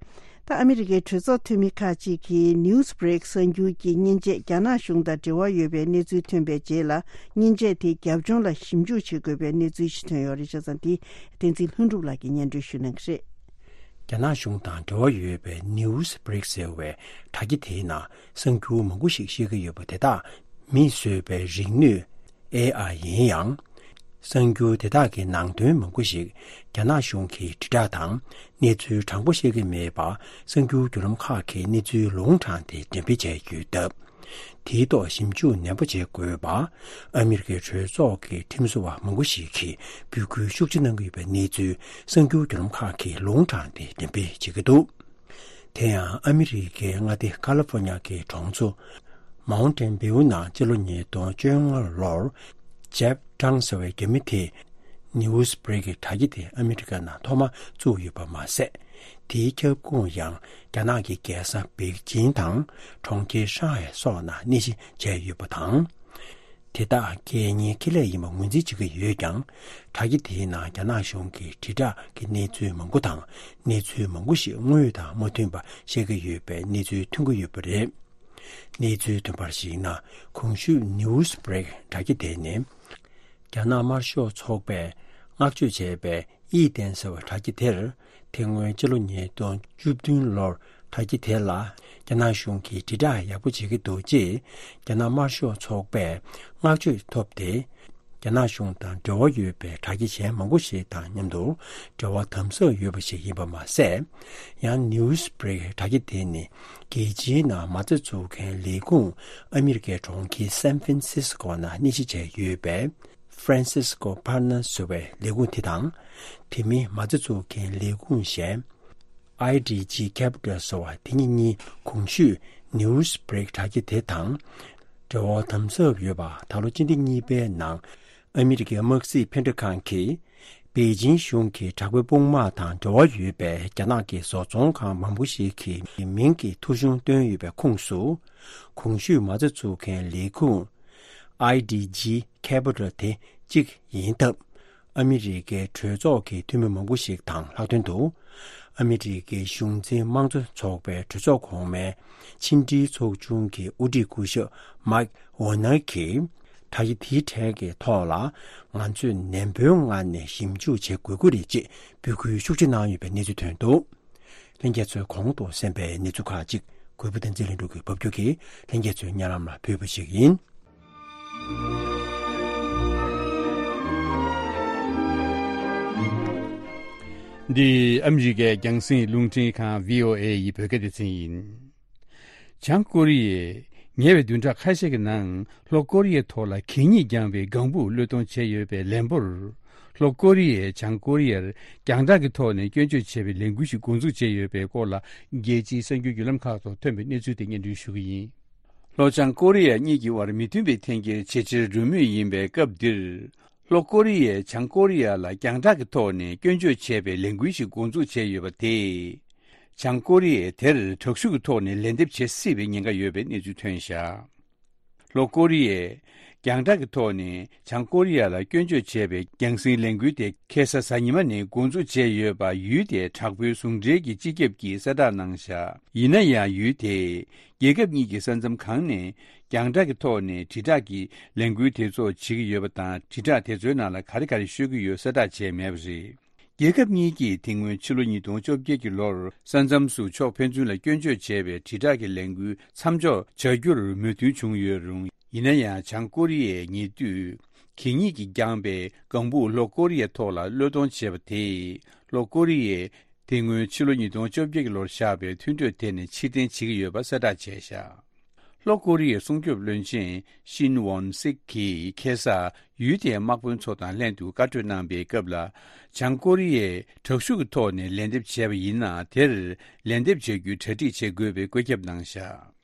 ད་ཨ་མི་རི་ཀའི་གྲོས་ཚོགས་འཐུས་མི་ཁག་ཅིག་གིས་Newsbreak གསར་འགྱུར་གྱི་མཉེན་ཆས་རྒྱ་ནག་གཞུང་དང་འབྲེལ་བ་ཡོད་པའི་གནས་ཚུལ་ཐོན་པའི་རྗེས་ལ་མཉེན་ཆས་དེ་རྒྱབ་ལྗོངས་ལ་ཞིབ་འཇུག་བྱེད་དགོས་པའི་གནས་ཚུལ་ཞིག་ཐོན་ཡོད་རེད། བྱས་ཙང་འདི་བསྟན་འཛིན་ལྷུན་གྲུབ་ལགས་ཀྱིས་སྙན་སྒྲོན་ཞུ་གནང་གི་རེད། རྒྱ་ནག་གཞུང་དང་འབྲེལ་བ་ཡོད་པའི་Newsbreak ཟེར་བའི་དྲ་རྒྱ་དེའི་ནང་གསར་འགྱུར་མང་པོ་ཞིག་བཤད་ཀྱི་ཡོད་པ་དེ་དག་མིས་བཟོས་པའི་རིག་ནུས་ཨེ་ཨའི་ཡིན་ཡང་། གསར་འགྱུར་དེ་དག་གི་ནང་དོན་མང་པོ་ཞིག་རྒྱ་ནག་གཞུང་གིས་དྲིལ་བསྒྲགས་དང་གནས་ཚུལ་དྲང་པོ་བཤད་ཀྱི་མེད་པ། གསར་འགྱུར་བརྒྱུད་ལམ་ཁག་གིས་གནས་ཚུལ་ལུང་དྲངས་ཏེ་འགྲེམས་སྤེལ་བྱས་ཡོད་སྟབས། དེའི་ཐོག་ཞིབ་འཇུག་ནན་པོ་བྱེད་དགོས་པ། ཨ་མི་རི་ཀའི་གྲོས་ཚོགས་ཀྱི་ཁྲིམས་བཟོ་བ་མང་པོ་ཞིག་གིས་འབོད་སྐུལ་ཤུགས་ཆེ་གནང་གི་ཡོད་པའི་གནས་ཚུལ་གསར་འགྱུར་བརྒྱུད་ལམ་ཁག་གིས་ལུང་དྲངས་ཏེ་འགྲེམས་སྤེལ་བྱེད་ཀྱི་འདུག་དེ་ཡང་ཨ་མི་རི་ཀའི་མངའ་སྡེ་ཀ་ལི་ཧྥོ་ཉ་གི་གྲོང་ཚོ་མའུན་ཊེན་བྷིའུ་ནང་སྤྱི་ལོ་ཉིས་སྟོང་བཅོ་ལྔ་ལོར་ཇེབ་ཀྲང་ཟེར་བའི་རྒྱ་མི་དེས་Newsbreak གི་དྲ་རྒྱ་དེ་ཨ་མི་རི་ཀ་ནང་ཐོག་མ་བཙུགས་ཡོད་པ་མ་ཟད། དེའི་ཁྱབ་ཁོངས་ཡང་རྒྱ་ནག་གི་རྒྱལ་ས་པེ་ཅིང་དང་གྲོང་ཁྱེར་ཧྲང་ཧའེ་སོགས་ནང་གནས་གཞི་བྱས་ཡོད་པ་དང་། དེ་དག་རྒྱལ་གཉེར་ཁེ་ལས་ཡིན་པ་ངོས་འཛིན་བྱེད་ཀྱི་ཡོད་ཀྱང་། དྲ་རྒྱ་དེའི་ནང་རྒྱ་ནག་གཞུང་གི་དྲིལ་བསྒྲགས་ཀྱི་གནས་ཚུལ་མང་པོ་དང་གནས་ཚུལ་མང་པོ་ཞིག་དངོས་ཡོད་དང་མ་མཐུན་པ་བཤད་ཀྱི་ཡོད་པའི་གནས་ཚུལ་ཐོན་གྱི་ཡོད་པ་རེད། གནས་ཚུལ་ཐོན་པར་གཞིགས་ན། གོང་ཞུས་Newsbreak དྲ་རྒྱ་དེ་ནི། རྒྱ་ནག་དམར་ཤོག་ཚོགས་པས་བསྔགས་བརྗོད་བྱས་པའི་ཡིད་བརྟན་ཟེར་བའི་དྲ་རྒྱ་དེར། དེ་སྔོན་སྤྱི་ལོ་ཉིས་སྟོང་བཅུ་བདུན་ལོར་དྲ་རྒྱ་དེ་ལ་རྒྱ་ནག་གཞུང་གིས་དྲིལ་བསྒྲགས་ཡག་པོ་བྱེད་ཀྱི་འདུག་ཅེས་རྒྱ་ནག་དམར་ཤོག་ཚོགས་པས་བསྔགས་བརྗོད་ཐོབ་སྟེ། རྒྱ་ནག་གཞུང་དང་འབྲེལ་བ་ཡོད་པའི་དྲ་རྒྱ་གཞན་མང་པོ་ཞིག་དང་མཉམ་དུ་འབྲེལ་བ་དམ་ཟབ་ཡོད་པ་ཞིག་ཡིན་པ་མ་ཟད། ཡང་Newsbreak དྲ་རྒྱ་དེ་ནི་རྒྱལ་སྤྱིའི་ནང་མ་རྩ་འཛུགས་མཁན་ལས་ཁུངས་ཨ་མི་རི་ཀའི་གྲོང་ཁྱེར་San Francisco ནང་གནས་གཞི་བྱས་ཡོད་པའི་Francisco Partners ཟེར་བའི་ལས་ཁུངས་དེ་དང་། དེ་མིན་མ་རྩ་འཛུགས་མཁན་ལས་ཁུངས་གཞན་I D G Capital ཟེར་བ་དེ་གཉིས་གཉིས་གོང་ཞུས་Newsbreak དྲ་རྒྱ་དེ་དང་འབྲེལ་བ་དམ་ཟབ་ཡོད་པ། ད་ལོ་སྤྱི་ཟླ་གཉིས་པའི་ནང་ཨ་མི་རི་ཀའི་དམག་སྲིད་ཕན་འབྲས་ཁང་གིས་པེ་ཅིང་གཞུང་གི་དྲག་པོའི་དཔུང་དམག་དང་འབྲེལ་བ་ཡོད་པའི་རྒྱ་ནག་གི་བཟོ་ཚོང་ཁང་མང་པོ་ཞིག་གི་མིང་གི་ཐོ་གཞུང་བཏོན་ཡོད་པའི་ཁོངས་སུ། གོང་ཞུས་མ་རྩ་འཛུགས་མཁན་ལས་ཁུངས་I D G Capital དེ་གཅིག་ཡིན་སྟབས། ཨ་མི་རི་ཀའི་གྲོས་ཚོགས་ཀྱི་འཐུས་མི་མང་པོ་ཞིག་དང་ལྷག་དོན་དུ། ཨ་མི་རི་ཀའི་གཞུང་འཛིན་དམངས་གཙོ་ཚོགས་པའི་གྲོས་ཚོགས་གོང་མའི་ཕྱི་འབྲེལ་ཚོགས་ཆུང་གི་དབུ་ཁྲིད་སྐུ་ཞབས་མཱིག་ཝོ་ནར་གྱིས། དྲ་རྒྱ་དེའི་གྲས་ཀྱི་ཐོག་ལ་ང་ཚོས་ནན་པོའི་ངང་ནས་ཞིབ་འཇུག་བྱེད་དགོས་ཀྱི་རེད་ཅེས་འབོད་སྐུལ་ཤུགས་ཆེ་གནང་ཡོད་པའི་གནས་ཚུལ་ཐོན་འདུག་ལྷན་རྒྱས་ཚོས་གོང་དུ་གསན་པའི་གནས་ཚུལ་ཁག་ཅིག་གུས་པ་བསྟན་འཛིན་ལྷུན་གྲུབ་ཀྱིས་ཕབ་སྒྱུར་གྱིས་ལྷན་རྒྱས་ཚོའི་སྙན་ལམ་ལ་ཕུལ་བ་ཞིག་ཡིན། འདི་ཨ་མི་རི་ཀའི་རྒྱང་སྲིང་རླུང་འཕྲིན་ཁང་བྷི་ཨོ་ཨེ་ཡི་བོད་སྐད་སྡེ་ཚན་ཡིན། བྱང་ཀོ་རི་ཡས་ཉེ་བའི་བདུན་ཕྲག་ཁ་ཤས་ཀྱི་ནང་ལྷོ་ཀོ་རི་ཡའི་ཐོག་ལ་གད་སྙིགས་རྐྱང་པའི་ལྒང་བུ་གློད་གཏོང་བྱས་ཡོད་པའི་ལན་པོར། ལྷོ་ཀོ་རི་ཡས་བྱང་ཀོ་རི་ཡར་རྒྱང་བསྒྲགས་ཀྱི་ཐོག་ནས་སྐྱོན་བརྗོད་བྱས་པའི་ལས་འགུལ་ཞིག་འགོ་འཛུགས་བྱས་ཡོད་པའི་སྐོར་ལ། རྒྱལ་སྤྱིའི་གསར་འགྱུར་བརྒྱུད་ལམ་ཁག་ཐོག་ཐོན་པའི་གནས་ཚུལ་དེ་སྙན་སྒྲོན་ཞུ་གི་ཡིན། ལྷོ་བྱང་ཀོ་རི་ཡ་གཉིས་ཀྱི་དབར་མི་མཐུན་པའི་འཐེན་འཁྱེར་ཇེ་ཆེར་འགྲོ་མུས་ཡིན་པའི་སྐབས་འདིར། ལྷོ་ཀོ་རི་ཡས་བྱང་ཀོ་རི་ཡ་ལ་རྒྱང་བསྒྲགས་ཀྱི་ཐོག་ནས་སྐྱོན་བརྗོད་བྱས་པའི་ལས་འགུལ་ཞིག་འགོ་འཛུགས་བྱས་ཡོད་པ་དེས། བྱང་ཀོ་རི་ཡས་དེར་དྲག་ཤུགས་ཀྱི་ཐོག་ནས་ལན་འདེབས་བྱེད་སྲིད་པའི་ཉེན་ཁ་ཡོད་པའི་གནས་ཚུལ་ཐོན་བཞག་ལྷོ་ཀོ་རི་ཡས་རྒྱང་བསྒྲགས་ཀྱི་ཐོག་ནས་བྱང་ཀོ་རི་ཡ་ལ་སྐྱོན་བརྗོད་བྱས་པའི་རྒྱང་སྲིང་ལས་འགུལ་དེ་ཁ་སང་གཟའ་ཉི་མ་ནས་འགོ་འཛུགས་བྱས་ཡོད་པ་ཡུལ་དེའི་དྲག་པོའི་ཟུང་འབྲེལ་གྱི་སྤྱི་ཁྱབ་ཀྱིས་གསལ་བསྒྲགས་གནང་བཞག་ཡིན་ན་ཡང་ཡུལ་དེས་རྒྱལ་ཁབ་གཉིས་ཀྱི་ས་མཚམས་གང་ནས་རྒྱང་བསྒྲགས་ཀྱི་ཐོག་ནས་དྲིལ་བསྒྲགས་ཀྱི་ལས་འགུལ་དེ་ཚོ་བྱེད་ཀྱི་ཡོད་པ་དང་། དྲིལ་བསྒྲགས་དེ་ཚོའི་ནང་ལ་ག་རེ་ག་རེ་ཤོད་ཀྱི་ཡོད་གསལ་བསྒྲགས་བྱས་མེད་པ་རེད། རྒྱལ་ཁབ་གཉིས་ཀྱིས་དེ་སྔོན་ཕྱི་ལོ་ཉིས་སྟོང་བཅོ་བརྒྱད་ཀྱི་ལོར་ས་མཚམས་སུ་ཕྱོགས་ཕན་ཚུན་ལ་སྐྱོན་བརྗོད་བྱས་པའི་དྲིལ་བསྒྲགས་ཀྱི་ལས་འགུལ་མཚམས་འཇོག་བྱ་རྒྱུར་མོས་མཐུན་བྱུང་ཡོད་རུང་། ཡིན་ན་ཡང་། བྱང་ཀོ་རི་ཡས་ཉེ་དུས་གད་སྙིགས་ཀྱིས་བརྒྱངས་པའི་ལྒང་བུ་ལྷོ་ཀོ་རི་ཡའི་ཐོག་ལ་གློད་གཏོང་བྱས་པ་དེས། ལྷོ་ཀོ་རི་ཡས་དེ་སྔོན་ཕྱི་ལོ་ཉིས་སྟོང་བཅོ་བརྒྱད་ཀྱི་ལོར་བཞག་པའི་མཐུན་གྲོས་དེ་ནས་ཕྱིར་འཐེན་བྱེད་ཀྱི་ཡོད་པ་གསལ་བསྒྲགས་བྱས་བཞག་ལྷོ་ཀོ་རི་ཡའི་སྲུང་སྐྱོབ་བློན་ཆེན་ཤིན་ཝོན་སིག་གིས་ཁ་སང་ཡུལ་དེའི་དམག་དཔོན་ཚོ་དང་ལྷན་དུ་བཀའ་གྲོས་གནང་པའི་སྐབས་ལ། བྱང་ཀོ་རི་ཡས་དྲག་ཤུགས་ཀྱི་ཐོག་ནས་ལན་འདེབས་བྱས་པ་ཡིན་ན། དེར་ལན་འདེབས་བྱ་རྒྱུའི་གྲ་སྒྲིག་བྱེད་དགོས་པའི་བཀོད་ཁྱབ་གནང་བཞག་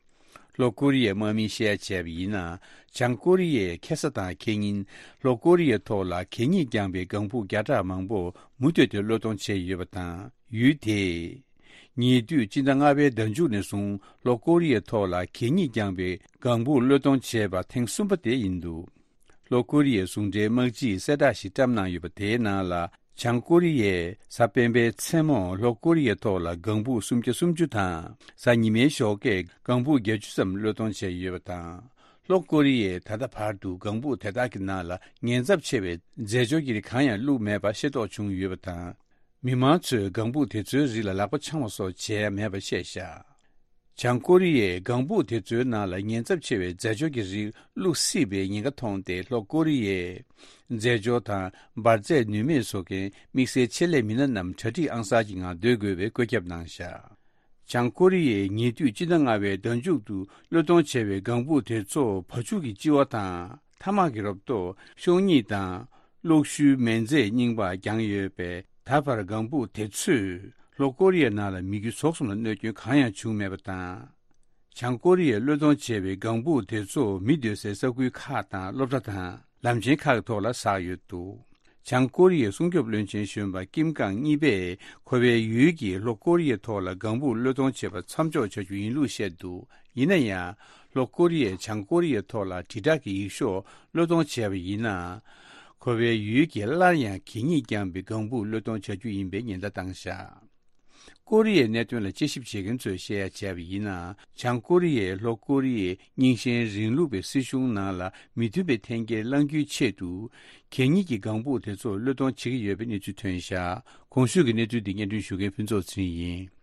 ལྷོ་ཀོ་རི་ཡའི་དམག་མིས་བཤད་ཡ་བྱས་པ་ཡིན་ན། བྱང་ཀོ་རི་ཡས་ཁ་སང་དང་ཁ་ཉིན་ལྷོ་ཀོ་རི་ཡའི་ཐོག་ལ་གད་སྙིགས་རྐྱང་པའི་ལྒང་བུ་བརྒྱ་ཕྲག་མང་པོ་མུ་མཐུད་དེ་གློད་གཏོང་བྱས་ཡོད་པ་དང་། ཡུལ་དེས་ཉེ་དུས་སྤྱི་ཟླ་ལྔ་པའི་ཟླ་མཇུག་ནས་བཟུང་ལྷོ་ཀོ་རི་ཡའི་ཐོག་ལ་གད་སྙིགས་རྐྱང་པའི་ལྒང་བུ་གློད་གཏོང་བྱས་པ་ཐེངས་གསུམ་པ་དེ་ཡིན་འདུག་ལྷོ་ཀོ་རི་ཡའི་ཟུང་འབྲེལ་དམག་སྤྱིས་གསལ་བསྒྲགས་ཤིག་བཀྲམ་གནང་ཡོད་པ་དེའི་ནང་ལ། བྱང་ཀོ་རི་ཡས་གཟའ་སྤེན་པའི་མཚན་མོར་ལྷོ་ཀོ་རི་ཡའི་ཐོག་ལ་ལྒང་བུ་སུམ་བརྒྱ་སུམ་ཅུ་དང་། གཟའ་ཉི་མའི་ཞོགས་ཀས་ལྒང་བུ་བརྒྱད་ཅུ་ཙམ་གློད་གཏོང་བྱས་ཡོད་པ་དང་། ལྷོ་ཀོ་རི་ཡས་ད་ལྟ་བར་དུ་ལྒང་བུ་དེ་དག་གི་ནང་ལ་ཉེན་ཚབས་ཆེ་བའི་རྫས་སྦྱོར་གྱི་རིགས་གང་ཡང་བླུགས་མེད་པ་ཤེས་རྟོགས་བྱུང་ཡོད་པ་དང་། མི་མང་ཚོས་ལྒང་བུ་དེ་ཚོའི་རིགས་ལ་ལག་པ་འཆང་བ་སོགས་བྱས་མེད་པ་བཤད་བཞག་བྱང་ཀོ་རི་ཡས་ལྒང་བུ་དེ་ཚོའི་ནང་ལ་ཉེན་ཚབས་ཆེ་བའི་རྫས་སྦྱོར་གྱི་རིགས་བླུགས་སྲིད་པའི་ཉེན་ཁ་མཐོང་སྟེ། ལྷོ་ཀོ་རི་ཡས་རྫས་སྦྱོར་དང་འབར་རྫས་ནུས་མེད་བཟོ་མཁན་དམིགས་བསལ་ཆེད་ལས་མི་སྣ་རྣམས་གྲ་སྒྲིག་ཨང་གསར་གྱི་ངང་སྡོད་དགོས་པའི་བཀོད་ཁྱབ་གནང་བཞག་བྱང་ཀོ་རི་ཡས་ཉེ་དུས་སྤྱི་ཟླ་ལྔ་པའི་ཟླ་མཇུག་ཏུ་གློད་གཏོང་བྱས་པའི་ལྒང་བུ་དེ་ཚོ་བ་ཕྱུགས་ཀྱི་ལྕི་བ་དང་། ཐ་མག་གི་རོབ་ཏོ་ཤོག་སྙིགས་དང་། གློག་ཤུལ་མེ་རྫས་རྙིང་པ་བརྒྱངས་ཡོད་པས། ད་བར་ལྒང་བུ་དེ་ཚོས་ལྷོ་ཀོ་རི་ཡའི་ནང་ལ་མི་རྒྱུ་ཟོག་གསུམ་ལ་གནོད་སྐྱོན་གང་ཡང་བྱུང་མེད་པ་དང་། བྱང་ཀོ་རི་ཡས་གློད་གཏོང་བྱས་པའི་ལྒང་བུ་དེ་ཚོ་མི་སྡོད་སའི་ས་ཁུལ་ཁག་དང་སློབ་གྲྭ་དང་ལམ་ཆེན་ཁག་གི་ཐོག་ལ་ཟགས་ཡོད་འདུག་བྱང་ཀོ་རི་ཡའི་སྲུང་སྐྱོབ་བློན་ཆེན་གཞོན་པ་ཀིམ་ཀང་གཉིས་པས་ཁོ་པའི་ཡུལ་གྱིས་ལྷོ་ཀོ་རི་ཡའི་ཐོག་ལ་ལྒང་བུ་གློད་གཏོང་བྱེད་པ་མཚམས་འཇོག་བྱ་རྒྱུ་ཡིན་ལུགས་བཤད་འདུག་ཡིན་ན་ཡང་། ལྷོ་ཀོ་རི་ཡས་བྱང་ཀོ་རི་ཡའི་ཐོག་ལ་དྲིལ་བསྒྲགས་ཀྱི་ཡིག་ཤོག་གློད་གཏོང་བྱས་པ་ཡིན་ན། ཁོ་པའི་ཡུལ་གྱིས་སླར་ཡང་གད་སྙིགས་རྐྱང་པའི་ལྒང་བུ་གློད་གཏོང་བྱ་རྒྱུ་ཡིན་པའི་ཉེན་བརྡ་བཏང་བཞག་ཀོ་རི་ཡའི་གནད་དོན་ལ་དཔྱད་ཞིབ་བྱེད་མཁན་ཚོས་བཤད་ཡ་བྱས་པ་ཡིན་ན། བྱང་ཀོ་རི་ཡས་ལྷོ་ཀོ་རི་ཡའི་རྙིང་ཞེན་རིང་ལུགས་པའི་སྲིད་གཞུང་ནང་ལ་མི་མཐུན་པའི་འཐེན་འཁྱེར་བསླང་རྒྱུའི་ཆེད་དུ། གད་སྙིགས་ཀྱི་ལྒང་བུ་དེ་ཚོ་གློད་གཏོང་བྱེད་ཀྱི་ཡོད་པའི་གནས་ཚུལ་ཐོན་བཞག་གོང་ཞུས་ཀྱི་གནས་ཚུལ་འདི་སྙན་སྒྲོན་ཞུ་མཁན་ཕུན་ཚོགས་ཚེ་རིང་ཡིན།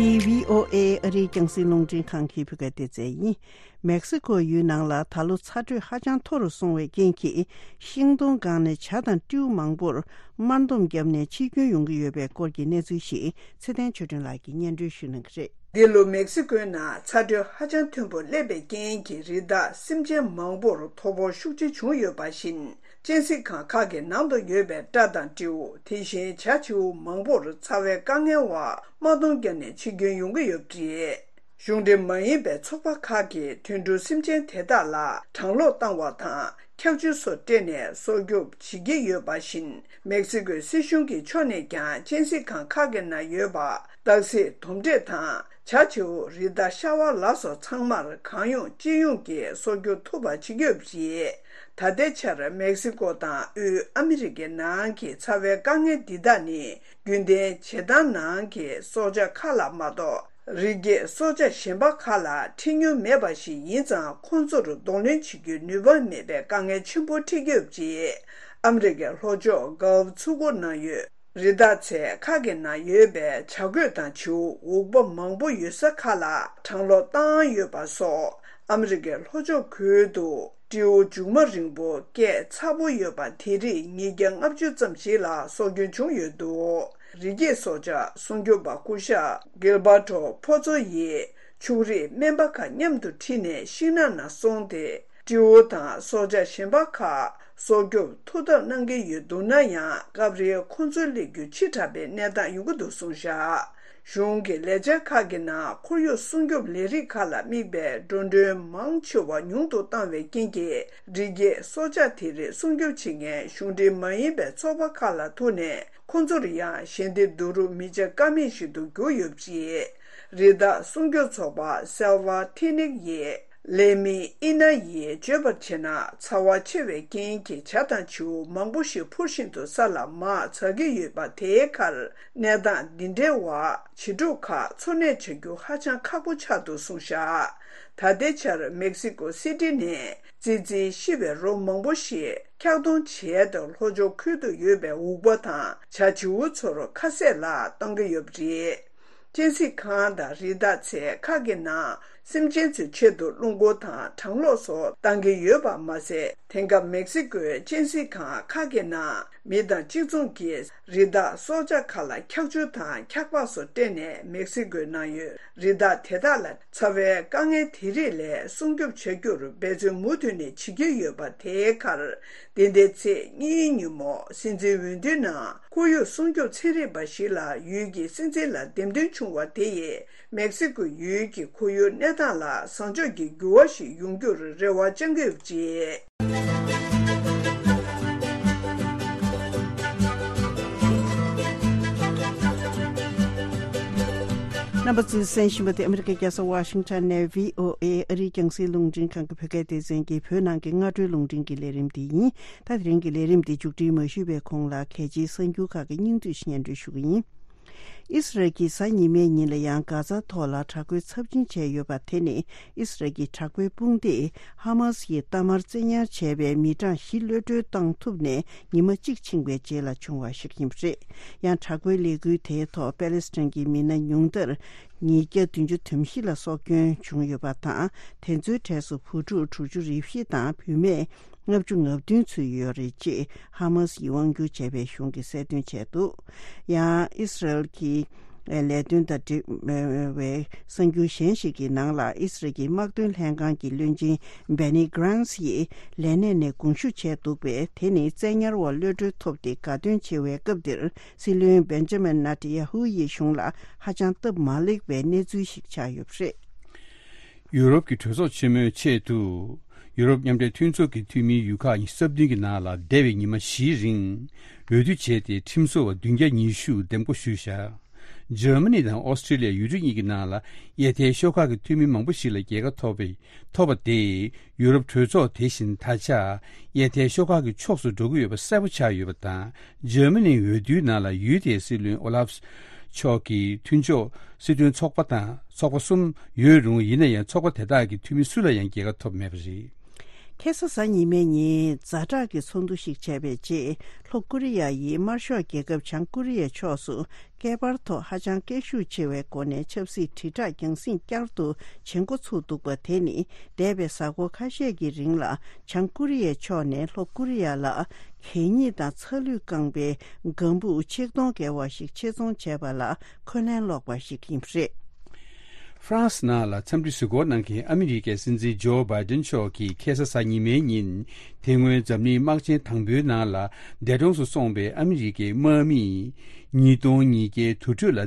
འདི་བྷི་ཨོ་ཨེ་ཨ་རིའི་རྒྱང་སྲིང་རླུང་འཕྲིན་ཁང་གི་བོད་སྐད་སྡེ་ཚན་ཡིན། མེག་སི་ཀོ་ཡུལ་ནང་ལ་ད་ལོ་ཚ་དྲོད་ཧ་ཅང་མཐོ་རུ་སོང་བའི་རྐྱེན་གྱིས། ཤིང་སྡོང་སྒང་ནས་བྱ་དང་སྤྲེའུ་མང་པོར་དམར་འདོམས་བརྒྱབ་ནས་འཆི་སྐྱོན་ཡོང་གི་ཡོད་པའི་སྐོར་གྱི་གནས་ཚུལ་ཞིག་ཚེ་བརྟན་ཆོས་སྒྲོན་ལགས་ཀྱིས་སྙན་སྒྲོན་ཞུ་གནང་གི་རེད། འདི་ལོ་མེག་སི་ཀོའི་ནང་ཚ་དྲོད་ཧ་ཅང་མཐོན་པོ་སླེབས་པའི་རྐྱེན་གྱིས། རི་དྭགས་སེམས་ཅན་མང་པོར་ཐོ་ཕོག་ཤུགས་ཆེ་བྱུང་ཡོད་པ་བཞིན། གཅན་གཟན་ཁང་ཁག་གི་ནང་དུ་ཡོད་པའི་སྤྲ་དང་སྤྲེའུ། དེ་བཞིན་བྱ་བྱིའུ་མང་པོར་ཚ་བའི་དཀའ་ངལ་འོག་དམག་དོང་བརྒྱབ་ནས་འཆི་སྐྱོན་ཡོང་གི་ཡོད་པ་རེད། གཞུང་འབྲེལ་མ་ཡིན་པའི་ཚོགས་པ་ཁག་གིས་དུད་འགྲོ་སེམས་ཅན་དེ་དག་ལ་གྲང་གློག་བཏང་བ་དང་། འཁྱག་ཆུ་སོགས་སྤྲད་ནས་སྲོག་སྐྱོབ་བྱེད་ཀྱི་ཡོད་པ་བཞིན། མེག་སི་ཀོའི་སྲིད་གཞུང་གི་ཕྱོགས་ནས་ཀྱང་གཅན་གཟན་ཁང་ཁག་གི་ནང་ཡོད་པ། སྟག་གཟིག་དོམ་དྲེད་དང་། བྱ་བྱིའུ། རི་དྭགས་ཤ་བ་ལ་སོགས་ཚང་མར་གང་ཡོང་ཅི་ཡོང་གིས་སྲོག་སྐྱོབ་ཐུབ་པ་བྱེད་ཀྱི་ཡོད་པ་རེད། ད་ལྟའི་ཆར་མེག་སི་ཀོ་དང་དབུས་ཨ་མི་རི་ཀའི་ནང་གི་ཚ་བའི་དཀའ་ངལ་འདི་དག་ནི། རྒྱུན་ལྡན་བྱེ་ཐང་ནང་གི་སྲོག་ཆགས་ཁག་ལ་མ་གཏོགས། རི་སྐྱེས་སྲོག་ཆགས་གཞན་པ་ཁག་ལ་འཕྲད་མྱོང་མེད་པ་ཞིག་ཡིན་ཙང་། ཁོང་ཚོར་གདོང་ལེན་བྱེད་རྒྱུའི་ནུས་པ་མེད་པའི་དཀའ་ངལ་ཆེན་པོ་འཕྲད་ཀྱི་ཡོད་པ་རེད། ཨ་མི་རི་ཀའི་ལྷོ་ཕྱོགས་གྷལཕ་མཚོ་ཁུག་ནང་ཡོད། རི་དྭགས་ཚལ་ཁག་གི་ནང་ཡོད་པའི་བྱ་རྒོད་དང་བྱིའུ། འུག་པ་མང་པོ་ཡོད་ས་ཁག་ལ་གྲང་གློག་བཏང་ཡོད་པ་སོགས། ཨ་མི་རི་ཀའི་ལྷོ་ཕྱོགས་ཁུལ་དུ་སྤྲེའུ་མཇུག་མ་རིང་པོ་སྐད་ཚ་པོ་ཡོད་པ་དེ་རིགས་ཉིས་བརྒྱ་ལྔ་བཅུ་ཙམ་ཞིག་ལ་སྲོག་སྐྱོན་བྱུང་ཡོད་འདུག་རི་སྐྱེས་སྲོག་ཆགས་སྲུང་སྐྱོབ་པ་སྐུ་ཞབས་གིལ་བར་ཏོ་ཕོ་ཚོ་ཡིས་ཕྱུགས་རིགས་སྨན་པ་ཁག་མཉམ་དུ་ཁྲིད་ནས་ཤིང་ནགས་ནང་སོང་སྟེ། སྤྲེའུ་དང་སྲོག་ཆགས་གཞན་པ་ཁག་སྲོག་སྐྱོབ་ཐུགས་འཐབ་གནང་གི་ཡོད་འདུག་ན་ཡང་། སྐབས་རེ་ཁོང་ཚོའི་སླེབས་རྒྱུ་ཕྱི་དྲགས་པའི་གནས་སྟངས་ཡོང་གི་འདུག་གསུངས་བཞག་གཞུང་གི་ལས་འཆར་ཁག་གི་ནང་ཁོར་ཡུག་སྲུང་སྐྱོབ་ལས་རིགས་ཁག་ལ་དམིགས་པའི་འགྲོ་གྲོན་མང་ཆེ་བ་ཉུང་དུ་བཏང་བའི་རྐྱེན་གྱིས། རི་སྐྱེས་སྲོག་ཆགས་དེ་རིགས་སྲུང་སྐྱོབ་བྱེད་མཁན་གཞུང་འབྲེལ་མ་ཡིན་པའི་ཚོགས་པ་ཁག་ལ་ཐུག་ནས། ཁོང་ཚོར་ཡང་ཞལ་འདེབས་བསྡུ་རུབ་མི་བྱ་ཀ་མེད་ཞིག་ཏུ་གྱུར་ཡོད་པ་རེད། རི་དྭགས་སྲུང་སྐྱོབ་ཚོགས་པ་སེལ་ཝ་ཐི་ནིག་ཡིས། ལས་མི་ཨི་ན་ཡིས་བརྗོད་པར་བྱས་ན། ཚ་བ་ཆེ་བའི་རྐྱེན་གྱིས་བྱ་དང་བྱིའུ་མང་པོ་ཞིག་འཕུར་བཞིན་དུ་ས་ལ་མར་འཛག་གི་ཡོད་པ་དེའི་ཁར། གནས་སྟངས་འདི་འདྲའི་འོག་བྱི་ཕྲུག་ཁག་འཚོ་གནས་བྱ་རྒྱུ་ཧ་ཅང་ཁག་པོ་ཆགས་འདུག་གསུངས་བཞག་ད་ལྟའི་ཆར་མེག་སི་ཀོ་སི་ཏི་ནས་ཙི་ཙིའི་ཤི་བའི་རོ་མང་པོ་ཞིག་འཁྱག་གཏོང་བྱས་ཏེ། ལྷོ་ཕྱོགས་ཁུལ་དུ་ཡོད་པའི་འུག་པ་དང་བྱ་བྱིའུ་ཚོར་ཁ་ཟས་ལ་གཏོང་གི་ཡོད་པ་རེད། གཅན་གཟན་ཁང་དང་རི་དྭགས་ཚལ་ཁག་གི་ནང་སེམས་ཅན་ཚོའི་ཆེད་དུ་རླུང་འཁོར་དང་གྲང་གློག་སོགས་གཏང་གི་ཡོད་པ་མ་ཟད། དེང་སྐབས་མེག་སི་ཀོའི་གཅན་གཟན་ཁང་ཁག་གི་ནང་མི་དང་གཅིག་མཚུངས་ཀྱིས་རི་དྭགས་སྲོག་ཆགས་ཁག་ལ་འཁྱག་ཆུ་དང་འཁྱག་པགས་སོགས་སྤྲད་ནས་མེག་སི་ཀོའི་ནང་ཡོད་རི་དྭགས་དེ་དག་ལ་ཚ་བའི་དཀའ་ངལ་དེ་རིགས་ལས་སྲུང་སྐྱོབ་བྱ་རྒྱུར་འབད་བརྩོན་མུ་མཐུད་ནས་བྱེད་ཀྱི་ཡོད་པ་དེའི་ཁར། འདི་ཟླའི་ཚེས་གཉིས་ཉིན་མོ་སྲིད་འཛིན་འོས་བསྡུའི་ནང་ཁོར་ཡུག་སྲུང་སྐྱོབ་ཚན་རིག་པ་ཞིག་ལ་ཡུལ་གྱི་སྲིད་འཛིན་ལ་འདེམས་ཐོན་བྱུང་བ་དེ་ཡིས་མེག་སི་ཀོ་ཡུལ་གྱི་ཁོར་ཡུག་གནས་སྟངས་ལ་བཟང་ཕྱོགས་ཀྱི་འགྱུར་བ་ཞིག་ཡོང་རྒྱུར་རེ་བ་བཅང་གི་ཡོད་པ་རེད། རྣམ་པ་ཚོས་གསན་བཞིན་པ་དེ་ཨ་མི་རི་ཀའི་རྒྱལ་ས་ཝ་ཤིང་ཊོན་ནས་བྷི་ཨོ་ཨེ་ཨ་རིའི་རྒྱང་སྲིང་རླུང་འཕྲིན་ཁང་གི་བོད་སྐད་སྡེ་ཚན་གྱི་བོད་ནང་གི་སྔ་དྲོའི་རླུང་འཕྲིན་གྱི་ལས་རིམ་དེ་ཡིན། ད་དེ་རིང་གི་ལས་རིམ་དེ་མཇུག་སྒྲིལ་མ་ཞུས་པའི་གོང་ལ། གལ་ཆེའི་གསར་འགྱུར་ཁག་གི་སྙིང་བསྡུས་ཤིག་སྙན་སྒྲོན་ཞུ་གི་ཡིན། ཨིས་རལ་གྱིས་གཟའ་ཉི་མའི་ཉིན་ལ་ཡང་གྷ་ཛ་ཐོག་ལ་དྲག་རྒོལ་ཚབས་ཆེན་བྱས་ཡོད་པ་དེ་ནི། ཨིས་རལ་གྱི་དྲག་པོའི་དཔུང་སྡེས་ཧ་མ་སི་ཡིས་གཏའ་མར་བཙན་ཉར་བྱས་པའི་མི་གྲངས་བཞི་གློད་གྲོལ་བཏང་ཐུབ་ནས་ཉི་མ་གཅིག་ཕྱིན་པའི་རྗེས་ལ་བྱུང་བ་ཞིག་ཡིན་པ་རེད། ཡང་དྲག་པོའི་ལས་འགུལ་དེའི་ཐོག་པེ་ལེ་སི་ཐན་གྱི་མི་སྣ་ཉུང་མཐར་ཉིས་བརྒྱ་བདུན་ཅུ་དོན་བཞི་ལ་སྲོག་སྐྱོན་བྱུང་ཡོད་པ་དང་། དེ་ཚོའི་གྲས་སུ་བུ་ཕྲུག་དྲུག་ཅུ་རེ་བཞི་དང་བུད་མེད་ལྔ་བཅུ་ང་བདུན་ཚུད་ཡོད་རེད་ཅེས་ཧ་མ་སི་ཡིས་དབང་སྒྱུར་བྱས་པའི་གཞུང་གིས་གསལ་སྟོན་བྱས་འདུག་ཡང་ཨིས་རལ་གྱི་ལས་དོན་དང་འབྲེལ་བའི་གསར་འགྱུར་གཞན་ཞིག་གི་ནང་ལ། ཨིས་རལ་གྱི་དམག་དོན་ལྷན་ཁང་གི་བློན་ཆེན་བྷེ་ནི་གྷ་རན་སི་ཡིས་ལས་གནས་ནས་དགོངས་ཞུ་བྱས་འདུག་པས། དེ་ནི་བཙན་ཉར་བ་གློད་གྲོལ་ཐོབ་སྟེ་དགའ་སྟོན་ཆེ་བའི་སྐབས་འདིར། སྲིད་བློན་བེན་ཇ་མིན་ནེ་ཐན་ཡ་ཧུ་ཡི་གཞུང་ལ་ཧ་ཅང་སྟབས་མ་ལེགས་པའི་གནས་ཚུལ་ཞིག་ཆགས་ཡོད་པ་རེད། ཡུ་རོབ་ཀྱི་གྲོས་ཚོགས་ཆེན་མོའི་ཆེད་དུ། ཡུ་རོབ་མཉམ་འབྲེལ་མཐུན་ཚོགས་ཀྱི་འཐུས་མིའི་ཡུལ་ཁག་ཉི་ཤུ་རྩ་བདུན་གྱི་ནང་ལ་འདས་པའི་ཉི་མ་བཞིའི་རིང་འོས་བསྡུ་བྱས་ཏེ། ཁྲིམས་བཟོ་བ་བདུན་བརྒྱ་ཉི་ཤུ་འདེམས་བསྐོ་ཞུས་བཞག་འཇར་མ་ནི་དང་ཨོ་སི་ཀྲི་ལི་ཡ་ཡུལ་གྲུ་གཉིས་ཀྱི་ནང་ལ་གཡས་ཐལ་ཤོག་ཁག་གི་འཐུས་མི་མང་པོ་ཞིག་ལ་རྒྱལ་ཁ་ཐོབ་པའི་ཐོབ་པ་དེས། ཡུ་རོབ་གྲོས་ཚོགས་དེ་བཞིན་ད་ཆ་གཡས་ཐལ་ཤོག་ཁག་གི་ཕྱོགས་སུ་འགྲོ་གི་ཡོད་པ་གསལ་པོ་ཆགས་ཡོད་པ་དང་། འཇར་མ་ནིའི་འོས་བསྡུའི་ནང་ལ་ཡུལ་དེའི་སྲིད་བློན་ཨོ་ལཱབ་མཆོག་གི་མཐུན་ཕྱོགས་སྲིད་དོན་ཚོགས་པ་དང་ཚོགས་པ་གསུམ་ཡོད་རུང་། ཡིན་ན་ཡང་ཚོགས་པ་དེ་དག་གི་འཐུས་མི་སུ་ལ་ཡང་རྒྱལ་ཁ་ཐོབ་མེད་པ་རེད། ཁ་སང་གཟའ་ཉི་མའི་ཉིན་ཛ་དྲག་གི་ཚོགས་འདུ་ཞིག་བྱས་པའི་རྗེས། ལྷོ་ཀོ་རི་ཡ་ཡིས་དམར་ཤོག་རྒྱལ་ཁབ་བྱང་ཀོ་རི་ཡའི་ཕྱོགས་སུ་སྐད་འབར་ཐོག་ཧ་ཅང་སྐད་ཤུགས་ཆེ་བའི་སྒོ་ནས་ཆབ་སྲིད་དྲིལ་བསྒྲགས་རྒྱང་སྲིང་བསྐྱར་དུ་བྱེད་འགོ་ཚུགས་འདུག་པ་དེ་ནི། འདས་པའི་གཟའ་འཁོར་ཁ་ཤས་ཀྱི་རིང་ལ་བྱང་ཀོ་རི་ཡའི་ཕྱོགས་ནས་ལྷོ་ཀོ་རི་ཡ་ལ་གད་སྙིགས་དང་ཚ་ལུད་བཀང་པའི་ལྒང་བུ་ཆིག་སྟོང་བརྒལ་བ་ཞིག་ཆེད་རྫོང་བྱས་པ་ལ་འཁོན་ལན་སློག་པ་ཞིག་ཡིན་པ་རེད། ཧྥ་རན་སི་ནང་ལ་འཚམས་འདྲི་གཟིགས་སྐོར་གནང་མཁན་ཨ་མི་རི་ཀའི་སྲིད་འཛིན་ཇོ་བྷའི་ཏིན་མཆོག་གིས་ཁ་སང་གཟའ་ཉི་མའི་ཉིན། དེ་སྔོན་འཛམ་གླིང་དམག་ཆེན་དང་པོའི་ནང་ལ་འདས་གྲོངས་སུ་སོང་པའི་ཨ་མི་རི་ཀའི་དམག་མི་ཉིས་སྟོང་ཉིས་བརྒྱའི་དུར་ཁྲོད་ལ་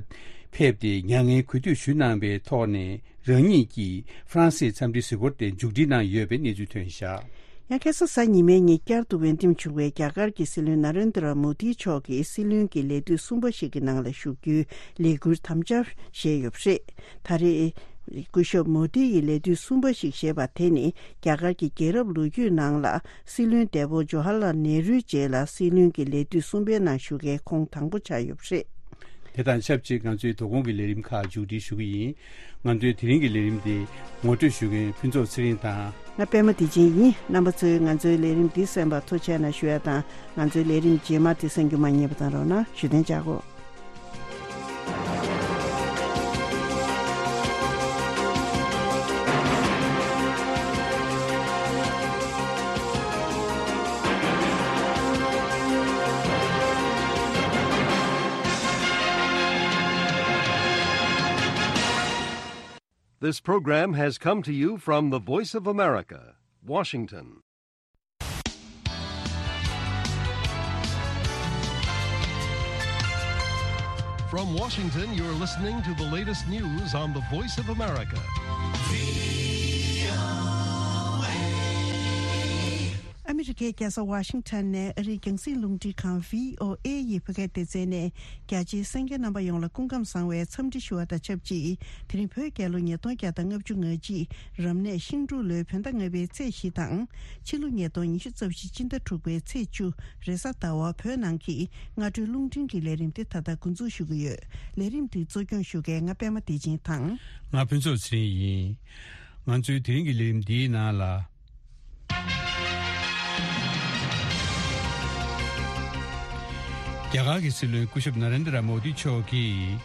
ཕེབས་ཏེ་མྱ་ངན་གུས་འདུད་ཞུས་གནང་པའི་ཐོག་ནས། རང་ཉིད་ཀྱིས་ཧྥ་རན་སིའི་འཚམས་འདྲིའི་གཟིགས་སྐོར་དེ་མཇུག་སྒྲིལ་གནང་ཡོད་པའི་གནས་ཚུལ་ཐོན་བཞག་ཡང་ཁ་སང་གཟའ་ཉི་མའི་ཉིན་བསྐྱར་དུ་འོས་འདེམས་བྱུང་བའི་རྒྱ་གར་གྱི་སྲིད་བློན་ན་རེན་དྲ་མོ་དི་མཆོག་གིས་སྲིད་བློན་གྱི་ལས་དུས་གསུམ་པ་ཞིག་གི་ནང་ལ་ཞུགས་རྒྱུའི་ལས་འཁུར་དམ་བཅའ་བཞེས་ཡོད་པ་རེད། ད་རེས་སྐུ་ཞབས་མོ་དི་ཡི་ལས་དུས་གསུམ་པ་ཞིག་བཞེས་པ་དེ་ནི། རྒྱ་གར་གྱི་རྒྱལ་རབས་ལོ་རྒྱུས་ནང་ལ་སྲིད་བློན་འདས་པོ་ཇོ་ཧར་ལལ་ནེ་རུའི་རྗེས་ལ་སྲིད་བློན་གྱི་ལས་དུས་གསུམ་པའི་ནང་ཞུགས་མཁན་ཁོང་དང་པོ་ཆགས་ཡོད་པ་རེད། དེ་དང་ཆབས་ཅིག་ང་ཚོའི་དོ་དགོང་གི་ལས་རིམ་ཁག་མཇུག་སྒྲིལ་ཞུ་གི་ཡིན། ང་ཚོའི་དེ་རིང་གི་ལས་རིམ་དེ་ངོ་སྤྲོད་ཞུ་མཁན་ཕུན་ཚོགས་ཚེ་རིང་དང་། ང་པད་མ་བདེ་ཆེན་ཡིན། རྣམ་པ་ཚོས་ང་ཚོའི་ལས་རིམ་འདི་གསན་པར་ཐུགས་རྗེ་གནང་ཞུ་ཡ་དང་། ང་ཚོའི་ལས་རིམ་རྗེས་མ་དེ་གསན་རྒྱུ་མ་བསྙེལ་བ་དང་རོགས་གནང་ཞུ་དན་བྱ་གོ། This program has come to you from the Voice of America, Washington. From Washington, you're listening to the latest news on the Voice of America. ཨ་མི་རི་ཀའི་རྒྱལ་ས་ཝ་ཤིང་ཊོན་ནས་ཨ་རིའི་རྒྱང་སྲིང་རླུང་འཕྲིན་ཁང་བྷི་ཨོ་ཨེ་ཡི་བོད་སྐད་སྡེ་ཚན་ནས། རྒྱ་ཆེའི་གསན་མཁན་རྣམ་པ་ཡོངས་ལ་སྐུ་ཁམས་བཟང་བའི་འཚམས་འདྲི་ཞུ་བ་དང་ཆབས་ཅིག་དེ་རིང་བོད་རྒྱལ་ལོ་ཉིས་སྟོང་བརྒྱ་དང་ལྔ་བཅུ་ང་གཅིག་རབ་གནས་ཤིང་འབྲུག་ལོའི་བོད་ཟླ་ལྔ་པའི་ཚེས་བཞི་དང་། ཕྱི་ལོ་ཉིས་སྟོང་ཉི་ཤུ་རྩ་བཞི་སྤྱི་ཟླ་དྲུག་པའི་ཚེས་བཅུ་རེས་གཟའ་ཟླ་བ་བོད་ནང་གི་སྔ་དྲོའི་རླུང་འཕྲིན་གྱི་ལས་རིམ་དེ་ད་ལྟ་འགོ་འཛུགས་ཞུ་གི་ཡོད། ལས་རིམ་དེ་གཙོ་སྐྱོང་ཞུ་མཁན་ང་པད་མ་བདེ་ཆེན་དང་། ང་ཕུན་ཚོགས་ཚེ་རིང་ཡིན། ང་ཚོའི་དེ་རིང་གི་ལས་རིམ་འདིའི་ནང་ལ། རྒྱ་གར་གྱི་སྲིད་བློན་སྐུ་ཞབས་ན་རེན་དྲ་མོ་དི་མཆོག་གིས།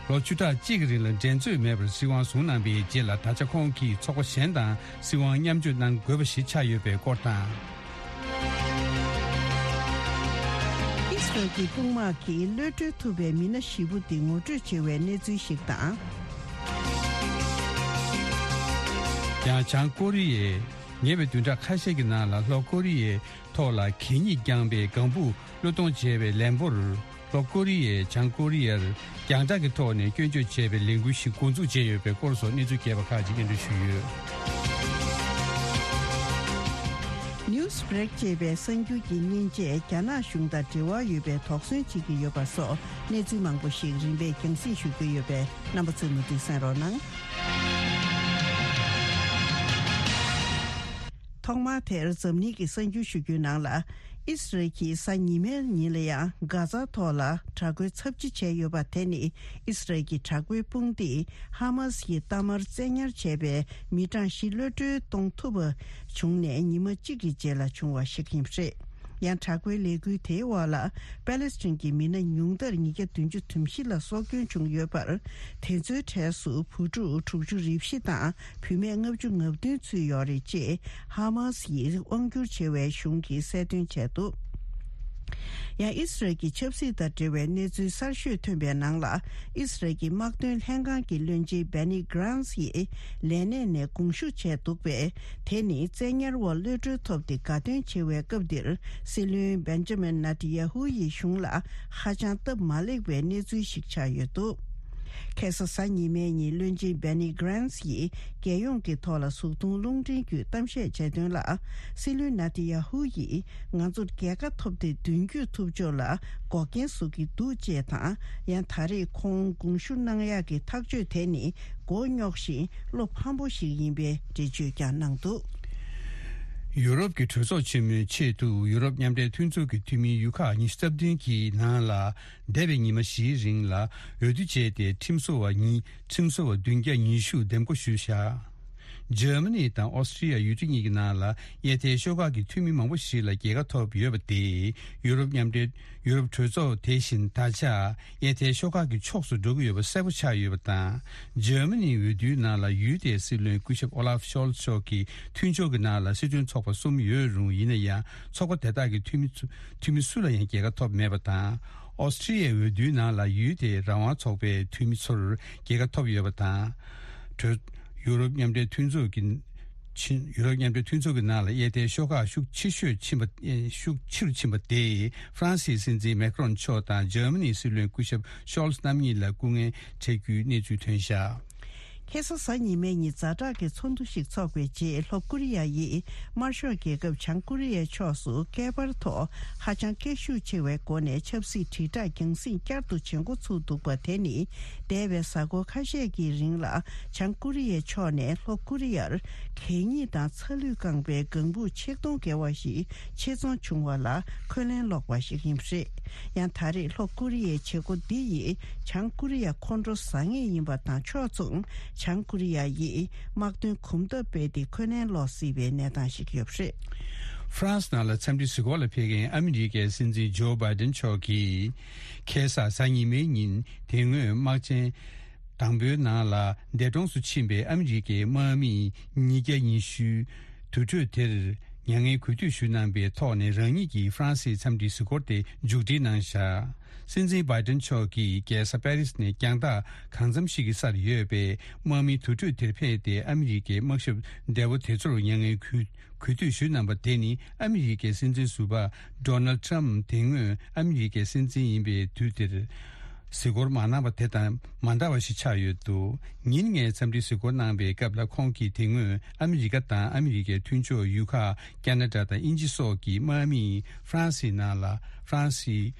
ལོ་བཅུ་ཕྲག་གཅིག་གི་རིང་ལ་འགྲན་རྩོད་མེད་པར་སྲིད་དབང་བཟུང་གནང་པའི་རྗེས་ལ། ད་ཆ་ཁོང་གིས་ཚོགས་པ་གཞན་དང་སྲིད་དབང་མཉམ་སྤྱོད་གནང་དགོས་པ་ཞིག་ཆགས་ཡོད་པའི་སྐོར་དང་། ཨི་སི་རལ་གྱི་དཔུང་དམག་གིས་གློད་གྲོལ་ཐུབ་པའི་མི་སྣ་བཞི་པོ་དེ་ངོ་སྤྲོད་བྱེད་པའི་གནས་ཚུལ་ཞིག་དང་། ཡང་བྱང་ཀོ་རི་ཡས་ཉེ་བའི་བདུན་ཕྲག་ཁ་ཤས་ཀྱི་ནང་ལ་ལྷོ་ཀོ་རི་ཡའི་ཐོག་ལ་གད་སྙིགས་བརྐྱངས་པའི་ལྒང་བུ་བློས་གཏོང་བྱས་པའི་ལན་པོར། ལྷོ་ཀོ་རི་ཡས་བྱང་ཀོ་རི་ཡར་རྒྱང་བསྒྲགས་ཀྱི་ཐོག་ནས་སྐྱོན་བརྗོད་བྱས་པའི་ལས་འགུལ་ཞིག་འགོ་འཛུགས་བྱས་ཡོད་པའི་སྐོར་སོགས་གནས་ཚུལ་རྒྱས་པ་ཁག་ཅིག་སྙན་སྒྲོན་ཞུས་ཡོད། Newsbreak ཅེས་པའི་གསར་འགྱུར་གྱི་མཉེན་ཆས་རྒྱ་ནག་གཞུང་དང་འབྲེལ་བ་ཡོད་པའི་དོགས་ཟོན་བྱེད་ཀྱི་ཡོད་པ་སོགས་གནས་ཚུལ་མང་པོ་ཞིག་རིམ་པས་རྒྱང་སྲིང་ཞུ་རྒྱུ་ཡོད་པས། རྣམ་པ་ཚོས་མུ་མཐུད་གསན་རོགས་གནང་། ཐོག་མར་དེར་འཛམ་གླིང་གི་གསར་འགྱུར་ཞུ་རྒྱུའི་ནང་ལ། ཨི་སི་རལ་གྱིས་གཟའ་ཉི་མའི་ཉིན་ལ་ཡང་གྷ་ཛ་ཐོག་ལ་དྲག་རྒོལ་ཚབས་ཆེ་བྱས་ཡོད་པ་དེ་ནི། ཨི་སི་རལ་གྱི་དྲག་པོའི་དཔུང་སྡེས་ཧ་མ་སི་ཡི་གཏའ་མར་བཙན་ཉར་བྱས་པའི་མི་གྲངས་བཞི་གློད་གྲོལ་གཏོང་ཐུབ་པ་བྱུང་ནས་ཉི་མ་གཅིག་གི་རྗེས་ལ་བྱུང་བ་ཞིག་ཡིན་པ་རེད། ཡང་དྲག་པོའི་ལས་འགུལ་དེའི་འོག་ལ་པེ་ལེ་སི་ཐན་གྱི་མི་སྣ་ཉུང་མཐར་ཉིས་བརྒྱ་བདུན་ཅུ་དོན་བཞི་ལ་སྲོག་སྐྱོན་བྱུང་ཡོད་པར། དེ་ཚོའི་གྲས་སུ་བུ་ཕྲུག་དྲུག་ཅུ་རེ་བཞི་དང་བུད་མེད་ལྔ་བཅུ་ང་བདུན་ཚུད་ཡོད་རེད་ཅེས་ཧ་མ་སི་ཡིས་དབང་བསྒྱུར་བྱེད་པའི་གཞུང་གིས་གསལ་སྟོན་བྱས་འདུག་ཡང་ཨི་སི་རལ་གྱི་ཆབ་སྲིད་དང་འབྲེལ་བའི་གནས་ཚུལ་གསར་ཤོས་ཐོན་པའི་ནང་ལ། ཨི་སི་རལ་གྱི་དམག་དོན་ལྷན་ཁང་གི་བློན་ཆེན་བྷེ་ནི་གྷི་རན་སི་ཡིས་ལས་གནས་ནས་དགོངས་ཞུ་བྱས་འདུག་པས། དེ་ནི་བཙན་ཉར་འོག་གློད་གྲོལ་ཐོབ་སྟེ་དགའ་སྟོན་བྱེད་པའི་སྐབས་འདིར། སྲིད་བློན་བེན་ཇ་མིན་ནེ་ཐན་ཡ་ཧུ་ཡི་གཞུང་ལ་ཧ་ཅང་སྟབས་མ་ལེགས་པའི་གནས་ཚུལ་ཞིག་ཆགས་ཡོད་འདུག་ཁ་སང་གཟའ་ཉི་མའི་ཉིན་བློན་ཆེན་བྷེ་ནི་གྷི་རན་སི་ཡིས་རྒྱལ་ཡོངས་ཀྱི་ཐོག་ལ་གཟུགས་མཐོང་རླུང་འཕྲིན་བརྒྱུད་གཏམ་བཤད་བྱས་དོན་ལ། སྲིད་བློན་ནེ་ཐན་ཡ་ཧུ་ཡིས་ང་ཚོར་རྒྱལ་ཁ་ཐོབ་སྟེ་མདུན་སྐྱོད་ཐུབ་ཕྱོགས་ལ་འགོག་རྐྱེན་བཟོ་གི་འདུག་ཅེས་དང་། ཡང་ད་རེས་ཁོང་དགོངས་ཞུ་གནང་ཡག་གི་ཐག་གཅོད་དེ་ནི་མགོ་རྙོག་ཞིང་བློ་ཕམ་པོ་ཞིག་ཡིན་པའི་འགྲེལ་བརྗོད་ཀྱང་གནང་འདུག་ཡུ་རོབ་ཀྱི་གྲོས་ཚོགས་ཆེན་མོའི་ཆེད་དུ་ཡུ་རོབ་མཉམ་འབྲེལ་མཐུན་ཚོགས་ཀྱི་འཐུས་མི་ཡུལ་ཁག་ཉི་ཤུ་རྩ་བདུན་གྱི་ནང་ལ། འདས་པའི་ཉི་མ་བཞིའི་རིང་ལ་འོས་བསྡུ་བྱས་ཏེ། ཁྲིམས་བཟོ་བ་ཉིས། ཁྲིམས་བཟོ་བ་བདུན་བརྒྱ་ཉི་ཤུ་འདེམས་བསྐོ་ཞུས་བཞག་འཇར་མ་ནི་དང་ཨོ་སི་ཀྲི་ཡ་ཡུལ་གྲུ་གཉིས་ཀྱི་ནང་ལ་གཡས་ཐལ་ཤོག་ཁག་གི་འཐུས་མི་མང་པོ་ཞིག་ལ་རྒྱལ་ཁ་ཐོབ་ཡོད་པ་དེས། ཡུ་རོབ་མཉམ་འབྲེལ། ཡུ་རོབ་གྲོས་ཚོགས་དེ་བཞིན་ད་ཆ་གཡས་ཐལ་ཤོག་ཁག་གི་ཕྱོགས་སུ་འགྲོ་གི་ཡོད་པ་གསལ་པོ་ཆགས་ཡོད་པ་དང་། འཇར་མ་ནིའི་འོས་བསྡུའི་ནང་ལ་ཡུལ་དེའི་སྲིད་བློན་སྐུ་ཞབས་ཨོ་ལཱབ་ཤོལ་ཚ་མཆོག་གིས་མཐུན་ཕྱོགས་ཀྱི་ནང་ལ་སྲིད་དོན་ཚོགས་པ་གསུམ་ཡོད་རུང་། ཡིན་ན་ཡང་ཚོགས་པ་དེ་དག་གི་འཐུས་མི་ཚུ། འཐུས་མི་སུ་ལ་ཡང་རྒྱལ་ཁ་ཐོབ་མེད་པ་དང་། ཨོ་སི་ཀྲི་ཡའི་འོས་བསྡུའི་ནང་ལ་ཡུལ་དེའི་རང་དབང་ཚོགས་པའི་འཐུས་མི་ཚོར་རྒྱལ་ཁ་ཐོབ་ཡོད་པ་དང་། གྲོས། ཡུ་རོབ་མཉམ་འབྲེལ་མཐུན་ཚོགས་ཀྱི་ཕྱིན། ཡུ་རོབ་མཉམ་འབྲེལ་མཐུན་ཚོགས་ཀྱི་ནང་ལ་གཡས་ཐལ་ཤོག་ཁག་ཤུགས་ཆེ་ཤོས་ཕྱིན་པ། ཨེ། ཤུགས་ཆེ་རུ་ཕྱིན་པ་དེས་ཧྥ་རན་སིའི་སྲིད་འཛིན་མེ་ཀྲོན་མཆོག་དང་འཇར་མ་ནིའི་སྲིད་བློན་སྐུ་ཞབས་ཤོལ་ཚ་རྣམ་གཉིས་ལ་སྐུ་ངལ་འཕྲད་རྒྱུའི་གནས་ཚུལ་ཐོན་བཞག་ཁ་སང་གཟའ་ཉི་མའི་ཉིན་ཛ་དྲག་གི་ཚོགས་འདུ་ཞིག་འཚོགས་པའི་རྗེས། ལྷོ་ཀོ་རི་ཡ་ཡིས་དམར་ཤོག་རྒྱལ་ཁབ་བྱང་ཀོ་རི་ཡའི་ཕྱོགས་སུ་བསྐལ་པར་ཐོག་ཧ་ཅང་སྐད་ཤུགས་ཆེ་བའི་སྒོ་ནས་ཆབ་སྲིད་དྲིལ་བསྒྲགས་རྒྱང་སྲིང་བསྐྱར་དུ་བྱེད་འགོ་ཚུགས་འདུག་པ་དེ་ནི། འདས་པའི་གཟའ་འཁོར་ཁ་ཤས་ཀྱི་རིང་ལ་བྱང་ཀོ་རི་ཡའི་ཕྱོགས་ནས་ལྷོ་ཀོ་རི་ཡར་གད་སྙིགས་དང་ཚ་ལུད་བཀང་པའི་ལྒང་བུ་ཆིག་སྟོང་བརྒལ་བ་ཞིག་ཆེད་རྫོང་བྱུང་བ་ལ་འཁོན་ལན་སློག་པ་ཞིག་ཡིན་པ་རེད། ཡང་ད་རེས་ལྷོ་ཀོ་རི་ཡའི་བྱེད་སྒོ་འདི་ཡིས་བྱང་ཀོ་རི་ཡ་ཁོང་ཁྲོ་ཟ་ངེས་ཡིན་པ་དང་། ཕྱོགས་མཚུངས་བྱང་ཀོ་རི་ཡ་ཡིས་དམག་དོན་གོམ་སྟབས་སྤེལ་ཏེ་འཁོན་ལན་སློག་སྲིད་པའི་གནས་སྟངས་ཤིག་ཡོད་པ་རེད། ཧྥ་རན་སི་ནང་ལ་འཚམས་འདྲི་གཟིགས་སྐོར་ལ་ཕེབས་མཁན་ཨ་མི་རི་ཀའི་སྲིད་འཛིན་ཇོ་བྷའི་ཏན་མཆོག་གིས། ཁ་སང་གཟའ་ཉི་མའི་ཉིན་དེ་སྔོན་དམག་ཆེན་དང་པོའི་ནང་ལ་འདས་གྲོངས་སུ་ཕྱིན་པའི་ཨ་མི་རི་ཀའི་དམག་མི་ཉིས་བརྒྱ་ཉི་ཤུའི་དུར་ཁྲོད་དེར། མྱ་ངན་གུས་འདུད་ཞུ་གནང་པའི་ཐོག་ནས་རང་ཉིད་ཀྱི་ཧྥ་རན་སིའི་འཚམས་འདྲིའི་གཟིགས་སྐོར་དེ་མཇུག་སྒྲིལ་གནང་བཞག་སྲིད་འཛིན་བྷའི་ཏན་མཆོག་གིས་རྒྱལ་ས་པེ་རིས་ནས་རྒྱང་ཐག་གང་འཚམ་ཞིག་གི་སར་ཡོད་པའི་དམག་མིའི་དུར་ཁྲོད་དེར་ཕེབས་ཏེ། ཨ་མི་རི་ཀའི་དམག་ཞབས་འདས་པོ་དེ་ཚོར་མྱ་ངན་གུས་གུས་འདུད་ཞུས་གནང་པ་དེ་ནི། ཨ་མི་རི་ཀའི་སྲིད་འཛིན་ཟུར་པ་ཌོ་ནལ་ཊམ་དེ་སྔོན་ཨ་མི་རི་ཀའི་སྲིད་འཛིན་ཡིན་པའི་དུས་དེར་གཟིགས་སྐོར་མ་གནང་བ་དེ་དང་མ་འདྲ་བ་ཞིག་ཆགས་ཡོད་འདུག་ཉིན་ལྔའི་འཚམས་འདྲིའི་གཟིགས་སྐོར་གནང་པའི་སྐབས་ལ། ཁོང་གིས་དེ་སྔོན་ཨ་མི་རི་ཀ་དང་ཨ་མི་རི་ཀའི་མཐུན་ཕྱོགས་ཡུལ་ཁག་ཁ་ན་ཌ་དང་དབྱིན་ཇི་སོགས་ཀྱི་དམག་མིས་ཧྥ་རན་སིའི་ནང་ལ། ཧྥ་རན་སིའི་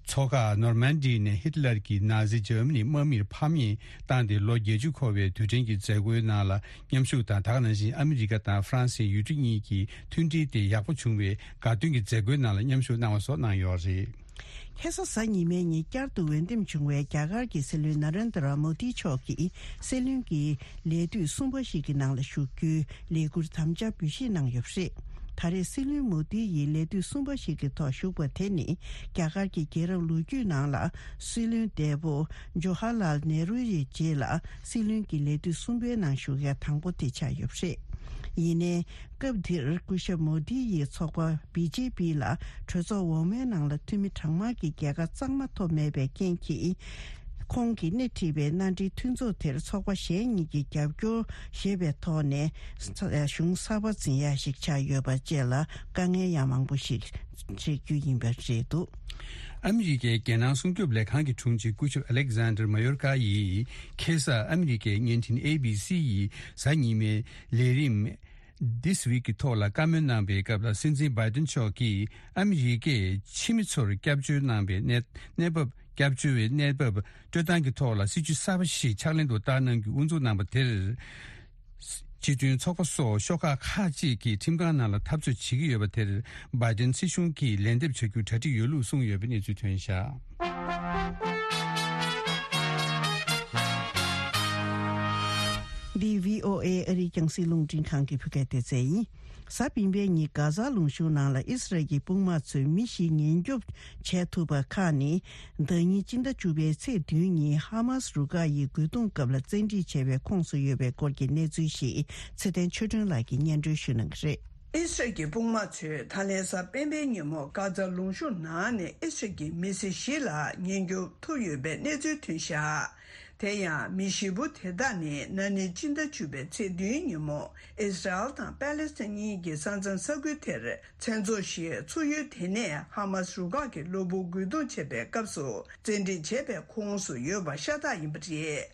མཚོ་ཁ་ནོར་མན་ཌི་ནས་ཧི་ཊི་ལར་གྱི་ནཱ་ཛི་འཇར་མ་ནིའི་དམག་མིར་ཕམ་ཉེས་བཏང་སྟེ། ལོ་བརྒྱད་ཅུ་འཁོར་བའི་དུས་དྲན་གྱི་མཛད་སྒོའི་ནང་ལ་མཉམ་ཞུགས་དང་། དེ་ག་ནང་བཞིན་ཨ་མི་རི་ཀ་དང་ཧྥ་རན་སིའི་ཡུལ་གྲུ་གཉིས་ཀྱི་མཐུན་སྒྲིལ་དེ་ཡག་པོ་བྱུང་བའི་དགའ་སྟོན་གྱི་མཛད་སྒོའི་ནང་ལ་མཉམ་ཞུགས་གནང་བ་སོགས་གནང་ཡོད་རེད། ཁ་སང་གཟའ་ཉི་མའི་ཉིན་བསྐྱར་དུ་འོས་འདེམས་བྱུང་བའི་རྒྱ་གར་གྱི་སྲིད་བློན་ན་རེན་དྲ་མོ་དི་མཆོག་གིས་སྲིད་བློན་གྱི་ལས་དུས་གསུམ་པ་ཞིག་གི་ནང་ལ་ཞུགས་རྒྱུའི་ལས་འཁུར་དམ་བཅའ་འབུལ་བཞེས་གནང་ཡོད་པ་རེད། ད་རེས་སྲིད་བློན་མོ་དི་ཡིས་ལས་དུས་གསུམ་པ་ཞིག་གི་ཐོག་ཞུགས་པ་དེ་ནི། རྒྱ་གར་གྱི་རྒྱལ་རབས་ལོ་རྒྱུས་ནང་ལ་སྲིད་བློན་འདས་པོ་ཇོ་ཧར་ལཱལ་ནེ་རུ་ཡི་རྗེས་ལ་སྲིད་བློན་གྱི་ལས་དུས་གསུམ་པའི་ནང་ཞུགས་མཁན་དང་པོ་དེ་ཆགས་ཡོད་པ་རེད། ཡིན་ནའི། སྐབས་དེར་སྐུ་ཞབས་མོ་དི་ཡི་ཚོགས་པ་བི་ཇེ་པི་ལ་གྲོས་ཚོགས་འོག་མའི་ནང་ལ་འཐུས་མི་གྲངས་མང་གི་རྒྱལ་ཁ་གཙང་མ་ཐོབ་མེད་པའི་རྐྱེན་གྱིས། ཁོང་གིས་སྣེ་ཁྲིད་པའི་མནའ་འབྲེལ་མཐུན་ཚོགས་དེར་ཚོགས་པ་གཞན་གཉིས་ཀྱིས་རྒྱབ་སྐྱོར་བཞེས་པའི་ཐོག་ནས། གཞུང་གསར་པ་འཛིན་ཡ་ཞིག་ཆགས་ཡོད་པ་བཅས་ལ་དཀའ་ངལ་ཡང་མང་པོ་ཞིག་འཕྲད་རྒྱུ་ཡིན་པ་རེད་འདུག་ཨ་མི་རི་ཀའི་རྒྱལ་ནང་སྲུང་སྐྱོབ་ལས་ཁང་གི་དྲུང་ཆེ་སྐུ་ཞབས་ཨ་ལེག་ཟན་ཌར་མ་ཡོར་ཀ་ཡིས་ཁ་སང་ཨ་མི་རི་ཀའི་བརྙན་འཕྲིན་ཨེ་བི་སི་ཡི་གཟའ་ཉི་མའི་ལས་རིམ། This Week གི་ཐོག་ལ་བཀའ་མོལ་གནང་པའི་སྐབས་ལ། སྲིད་འཛིན་བྷའི་ཏན་མཆོག་གིས་ཨ་མི་རི་ཀས་ཕྱི་མི་ཚོར་སྐྱབས་བཅོལ་གནང་པའི་གནས་གནས་བབ། སྐྱབས་བཅོལ་བའི་གནས་བབ་སྤྲོད་སྟངས་ཀྱི་ཐོག་ལ་སྲིད་ཇུས་གསར་པ་ཞིག་ཕྱག་ལེན་དུ་བསྟར་གནང་རྒྱུ་དབུ་འཛུགས་གནང་པ་དེར། སྤྱི་མཐུན་ཚོགས་པ་སོགས་ཤོག་ཁག་ཁག་ཅིག་གིས་ཁྲིམས་ཁང་ནང་ལ་འཐབ་རྩོད་བྱེད་ཀྱི་ཡོད་པ་དེར། བྷའི་ཏན་སྲིད་གཞུང་གིས་ལན་འདེབས་བྱ་རྒྱུར་གྲ་སྒྲིག་ཡོད་ལུགས་གསུངས་ཡོད་པའི་གནས་ཚུལ་ཐོན་བཞག་འདི་བྷི་ཨོ་ཨེ་ཨ་རིའི་རྒྱང་སྲིང་རླུང་འཕྲིན་ཁང་གི་བོད་སྐད་སྡེ་ཚན་ཡིན། གཟའ་སྤེན་པའི་ཉིན་གྷ་ཛ་ལུང་གཤོང་ནང་ལ་ཨི་སི་རལ་གྱི་དཔུང་དམག་ཚོས་མི་བཞི་ཉེན་སྐྱོབ་བྱས་ཐུབ་པ་ཁག་ནི། ཟླ་ཉིན་སྤྱི་ཟླ་བཅུ་པའི་ཚེས་བདུན་ཉིན་ཧ་མཱ་སི་རུ་ཁག་ཡིས་རྒོལ་རྡུང་སྐབས་ལ་བཙན་ཁྲིད་བྱས་པའི་ཁོངས་སུ་ཡོད་པའི་སྐོར་གྱི་གནས་ཚུལ་ཞིག་ཚེ་བརྟན་ཆོས་སྒྲོན་ལགས་ཀྱིས་སྙན་སྒྲོན་ཞུ་གནང་གི་རེད། ཨི་སི་རལ་གྱི་དཔུང་དམག་ཚོས་ད་ལན་གཟའ་སྤེན་པའི་ཉིན་མོ་གྷ་ཛ་ལུང་གཤོང་ནང་ནས་ཨི་སི་རལ་གྱི་མི་སེར་བཞི་ལ་ཉེན་སྐྱོབ་ཐུབ་ཡོད་པའི་གནས་ཚུལ་ཐོན་བཞག་དེ་ཡང་མི་བཞི་པོ་དེ་དག་ནི་ན་ནིང་སྤྱི་ཟླ་བཅུ་པའི་ཚེས་བདུན་ཉིན་མོ་ཨི་སི་རལ་དང་པེ་ལེ་སི་ཐན་གཉིས་ཀྱི་ས་མཚམས་ས་ཁུལ་དེར་མཚན་ཚོགས་ཤིག་ཚུགས་ཡུལ་དེ་ནས་ཧ་མཱ་སི་རུ་ཁག་གི་གློ་བུར་རྒོལ་རྡུང་བྱས་པའི་སྐབས་སུ་བཙན་ཁྲིད་བྱས་པའི་ཁོངས་སུ་ཡོད་པ་ཤ་སྟག་ཡིན་པ་རེད།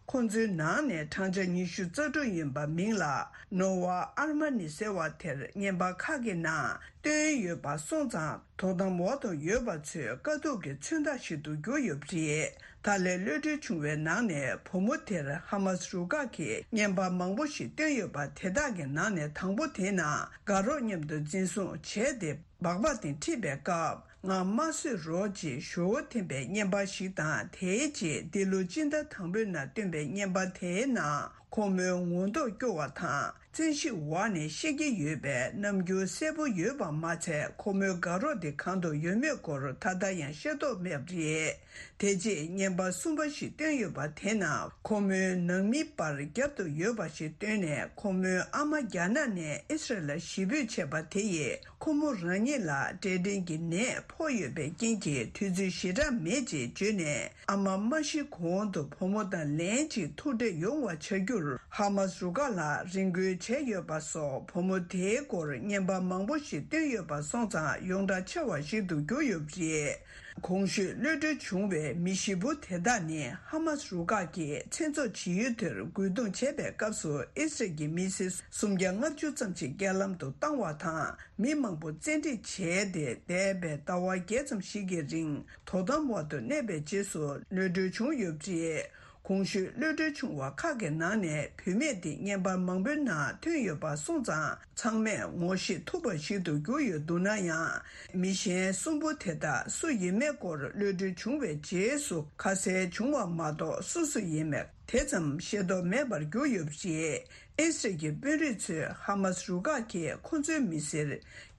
ཁོང་ཚོའི་ནང་ནས་བགྲང་བྱ་ཉི་ཤུ་རྩ་དྲུག་ཡིན་པ་མིང་ལ་ནོ་ཝ་ཨར་མ་ནི་ཟེར་བ་དེར་བརྙན་པར་ཁག་གི་ནང་བཏོན་ཡོད་པ་སོང་ཙང་། དོ་དམ་འོག་ཏུ་ཡོད་པ་ཚོའི་དཀའ་སྡུག་གི་མཚོན་རྟགས་ཤིག་ཏུ་གྱུར་ཡོད་པ་རེད། ད་ལན་གློད་གྲོལ་བྱུང་བའི་ནང་ནས་བུ་མོ་དེར་ཧ་མཱ་སི་རུ་ཁག་གིས་བརྙན་པར་མང་པོ་ཞིག་བཏོན་ཡོད་པ་དེ་དག་གི་ནང་ནས་དང་པོ་དེའི་ནང་དགའ་རོགས་མཉམ་དུ་འཛིན་བཟུང་བྱས་ཏེ། སྦག་སྦག་སྟེང་ཁྲིད་པའི་སྐབས། ང་མ་གསོད་རོགས་ཅེས་ཞུ་བོ་འཐེན་པའི་བརྙན་པར་ཞིག་དང་། དེའི་རྗེས་འདི་ལོ་སྤྱི་ཟླ་དང་པོའི་ནང་བཏོན་པའི་བརྙན་པར་དེའི་ནང་ཁོ་མོའི་ངོ་མདོག་སྐྱོ་བ་དང་། བཙན་ཤེད་འོག་ནས་བཤད་ཀྱི་ཡོད་པའི་རྣམ་འགྱུར་གསལ་པོ་ཡོད་པ་མ་ཚད། ཁོ་མོའི་དགའ་རོགས་དེ་གང་དུ་ཡོད་མེད་སྐོར་ད་ལྟ་ཡང་ཤེས་རྟོགས་མེད་པ་རེད། དེ་རྗེས་བརྙན་པར་གསུམ་པ་ཞིག་བཏོན་ཡོད་པ་དེ་ནང་ཁོ་མོའི་ནང་མི་པར་རྒྱབ་ཏུ་ཡོད་པ་ཞིག་བཏོན་ནས། ཁོ་མོའི་ཨ་མ་རྒྱ་ནག་ནས་ཨི་སི་རལ་ལ་གཞིས་སྤོས་བྱས་པ་དེ་ཡིས། ཁོ་མོ་རང་ཉིད་ལ་འབྲས་སྐྲན་གྱི་ནད་ཕོག་ཡོད་པའི་རྐྱེན་གྱིས། དུས་ཚོད་ཞེ་དྲག་མེད་ཅེས་བརྗོད་ནས། ཨ་མ་མ་ཤི་གོང་དུ་བུ་མོ་དང་ལན་གཅིག་ཐུག་འཕྲད་ཡོང་བ་བྱ་རྒྱུར་ཧ་མཱ་སི་རུ་ཁག་ལ་རེ་སྐུལ་བྱས་ཡོད་པ་སོགས། བུ་མོ་དེའི་སྐོར་བརྙན་པར་མང་པོ་ཞིག་བཏོན་ཡོད་པ་སོང་ཙང་། ཡོངས་གྲགས་ཆེ་བ་ཞིག་ཏུ་གྱུར་ཡོད་པ་རེད། གོང་ཞུས་གློད་གྲོལ་བྱུང་བའི་མི་བཞི་པོ་དེ་དག་ནི་ཧ་མཱ་སི་རུ་ཁག་གིས་མཚན་ཚོགས་བྱེད་ཡུལ་དེར་རྒོལ་རྡུང་བྱས་པའི་སྐབས་སུ། ཨི་སི་རལ་གྱི་མི་སེར་སུམ་བརྒྱ་ལྔ་བཅུ་ཙམ་ཞིག་རྐྱེན་ལམ་དུ་བཏང་བ་དང་། མི་མང་པོ་བཙན་ཁྲིད་བྱས་ཏེ། འདས་པའི་ཟླ་བ་བརྒྱད་ཙམ་ཞིག་གི་རིང་དོ་དམ་འོག་ཏུ་གནས་པའི་རྗེས་སུ། གློད་གྲོལ་བྱུང་ཡོད་པ་རེད། གོང་ཞུས་གློད་གྲོལ་བྱུང་བ་ཁག་གི་ནང་ནས་བུད་མེད་དེ་བརྙན་པར་མང་པོའི་ནང་ཐོན་ཡོད་པ་སོང་ཙང་། ཚང་མས་ངོ་ཤེས་ཐུབ་པ་ཞིག་ཏུ་གྱུར་ཡོད་འདུག་ན་ཡང་། མི་གཞན་གསུམ་པོ་དེ་དག་སུ་ཡིན་མེད་སྐོར་གློད་གྲོལ་བྱུང་བའི་རྗེས་སུ་ཁ་གསལ་བྱུང་བ་མ་གཏོགས། སུ་སུ་ཡིན་མེད་དེ་ཙམ་ཤེས་རྟོགས་མེད་པར་གྱུར་ཡོད་པ་རེད། ཨི་སི་རལ་གྱི་དཔོན་རིགས་ཚོས་ཧ་མཱ་སི་རུ་ཁག་གིས་ཁོ་ཚོའི་མི་སེར་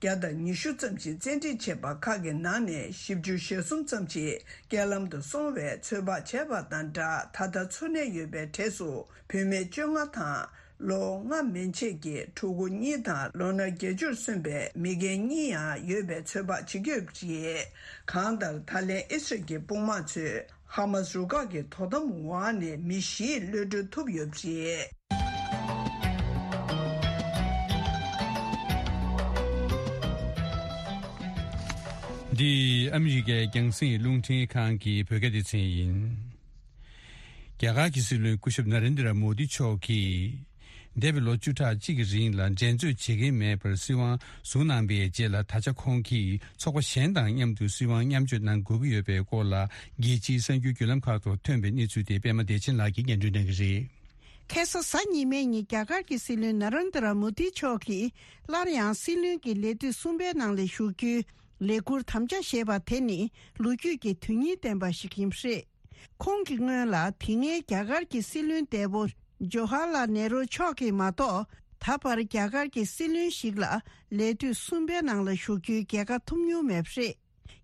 བརྒྱ་དང་ཉི་ཤུ་ཙམ་ཞིག་བཙན་ཁྲིད་བྱས་པ་ཁག་གི་ནང་ནས་བཞི་བཅུ་ཞེ་གསུམ་ཙམ་ཞིག་རྐྱེན་ལམ་དུ་སོང་བའི་ཚོད་དཔག་བྱས་པ་དང་སྦྲགས། ད་ལྟ་འཚོ་གནས་ཡོད་པའི་གྲས་སུ་བུད་མེད་བཅོ་ལྔ་དང་། ལོ་ལྔ་མན་ཆད་ཀྱི་ཕྲུ་གུ་གཉིས་དང་ལོ་ན་བརྒྱད་ཅུར་སོན་པའི་མི་རྒན་གཉིས་ཡང་ཡོད་པའི་ཚོད་དཔག་བྱེད་ཀྱི་ཡོད་པ་རེད། གང་ལྟར་ད་ལན་ཨི་སི་རལ་གྱི་དཔུང་དམག་ཚོས་ཧ་མ་སི་རུ་ཁག་གི་དོ་དམ་འོག་ནས་མི་བཞི་གློད་གྲོལ་ཐུབ་ཡོད་པ་རེད། འདི་ཨ་མི་རི་ཀའི་རྒྱང་སྲིང་རླུང་འཕྲིན་ཁང་གི་བོད་སྐད་སྡེ་ཚན་ཡིན། རྒྱ་གར་གྱི་སྲིད་བློན་སྐུ་ཞབས་ན་རེན་དྲ་མོ་དི་མཆོག་གིས། འདས་པའི་ལོ་བཅུ་ཕྲག་གཅིག་གི་རིང་ལ་འགྲན་རྩོད་བྱེད་ཀྱིན་མེད་པར་སྲིད་དབང་བཟུང་གནང་པའི་རྗེས་ལ། ད་ཆ་ཁོང་གིས་ཚོགས་པ་གཞན་དང་མཉམ་དུ་སྲིད་དབང་མཉམ་སྤྱོད་གནང་དགོས་ཀྱི་ཡོད་པའི་སྐོར་ལ། རྒྱལ་སྤྱིའི་གསར་འགྱུར་བརྒྱུད་ལམ་ཁག་ཏུ་ཐོན་པའི་གནས་ཚུལ་དེ་པད་མ་བདེ་ཆེན་ལགས་ཀྱིས་སྙན་སྒྲོན་གནང་གི་རེད། ཁ་སང་གཟའ་ཉི་མའི་ཉིན་རྒྱ་གར་གྱི་སྲིད་བློན་ན་རེན་དྲ་མོ་དི་མཆོག་གིས་སླར་ཡང་སྲིད་བློན་གྱི་ལས་དུས་གསུམ་པའི་ནང་ལ་ཞུགས་རྒྱུའི་ལས་འཁུར་དམ་བཅའ་བཞེས་པ་དེ་ནི་ལོ་རྒྱུས་ཀྱི་དོན་སྙིང་ལྡན་པ་ཞིག་ཡིན་པ་རེད། ཁོང་གི་སྔོན་ལ་དེ་སྔའི་རྒྱ་གར་གྱི་སྲིད་བློན་འདས་པོ་ཇོ་ཧར་ལལ་ནེ་རུ་མཆོག་གིས་མ་གཏོགས། ད་བར་རྒྱ་གར་གྱི་སྲིད་བློན་ཞིག་ལ་ལས་དུས་གསུམ་པའི་ནང་ལ་ཞུགས་རྒྱུའི་རྒྱལ་ཁ་ཐོབ་མྱོང་མེད་པ་རེད།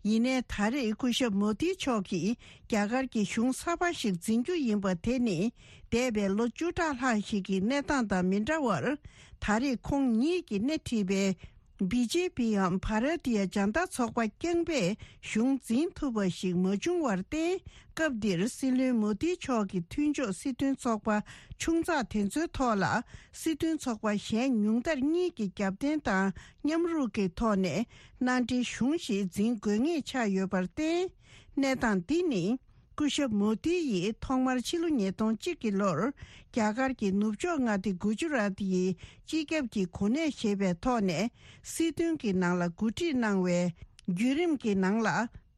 ཡིན་ནའི་ད་རེས་སྐུ་ཞབས་མོ་དི་མཆོག་གིས་རྒྱ་གར་གྱི་གཞུང་གསར་པ་ཞིག་འཛིན་རྒྱུ་ཡིན་པ་དེ་ནི། འདས་པའི་ལོ་བཅུ་ཕྲག་ལྷག་ཞིག་གི་གནས་སྟངས་དང་མི་འདྲ་བར། ད་རེས་ཁོང་ཉིད་ཀྱིས་སྣེ་ཁྲིད་པའི་བི་ཇེ་པི་འམ་བྷ་ར་ཏི་ཡ་ཇན་ཏ་ཚོགས་པ་རྐྱང་པས་གཞུང་འཛིན་ཐུབ་པ་ཞིག་མ་བྱུང་བར་བརྟེན། སྐབས་འདིར་སྲིད་བློན་མོ་དི་མཆོག་གི་མཐུན་ཕྱོགས་སྲིད་དོན་ཚོགས་པ་ཆུང་ཙག་དེ་ཚོའི་ཐོག་ལ། སྲིད་དོན་ཚོགས་པ་གཞན་ཉུང་མཐར་གཉིས་ཀྱི་རྒྱབ་རྟེན་དང་མཉམ་རུབ་ཀྱི་ཐོག་ནས་མནའ་འབྲེལ་གཞུང་ཞིག་འཛིན་དགོས་ངེས་ཆགས་ཡོད་པར་བརྟེན། གནས་སྟངས་འདི་ནི། སྐུ་ཞབས་མོ་དི་ཡིས་ཐོག་མར་ཕྱི་ལོ་ཉིས་སྟོང་གཅིག་གི་ལོར། རྒྱ་གར་གྱི་ནུབ་ཕྱོགས་མངའ་སྡེ་གུ་ཇུ་རཱཏ་ཡི་སྤྱི་ཁྱབ་ཀྱི་གོ་གནས་བཞེས་པའི་ཐོག་ནས། སྲིད་དོན་གྱི་ནང་ལ་འགོ་ཁྲིད་གནང་བའི་བརྒྱུད་རིམ་གྱི་ནང་ལ།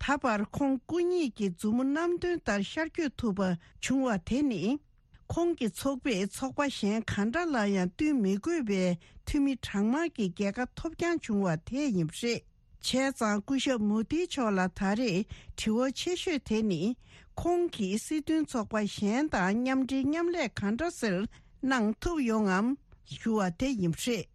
ད་བར་ཁོང་སྐུ་ཉིད་ཀྱི་མཛུབ་མོ་རྣམ་རྟོན་ལྟར་ཤར་བསྐྱོད་ཐུབ་པ་བྱུང་བ་དེ་ནི། ཁོང་གི་ཚོགས་པས་ཚོགས་པ་གཞན་གང་འདྲ་ལ་ཡང་བསྟུན་མི་དགོས་པའི་འཐུས་མི་གྲངས་མང་གི་རྒྱལ་ཁ་ཐོབ་རྐྱང་བྱུང་བ་དེ་ཡིན་པ་རེད། བྱས་ཙང་སྐུ་ཞབས་མོ་དི་མཆོག་ལ་ད་རེས་དྲི་བ་ཆེ་ཤོས་དེ་ནི། ཁོང་གིས་སྲིད་དོན་ཚོགས་པ་གཞན་དང་མཉམ་འབྲེལ་མཉམ་ལས་གང་འདྲ་ཟེར་གནང་ཐུབ་ཡོང་ངམ་ཞུ་བ་དེ་ཡིན་པ་རེད།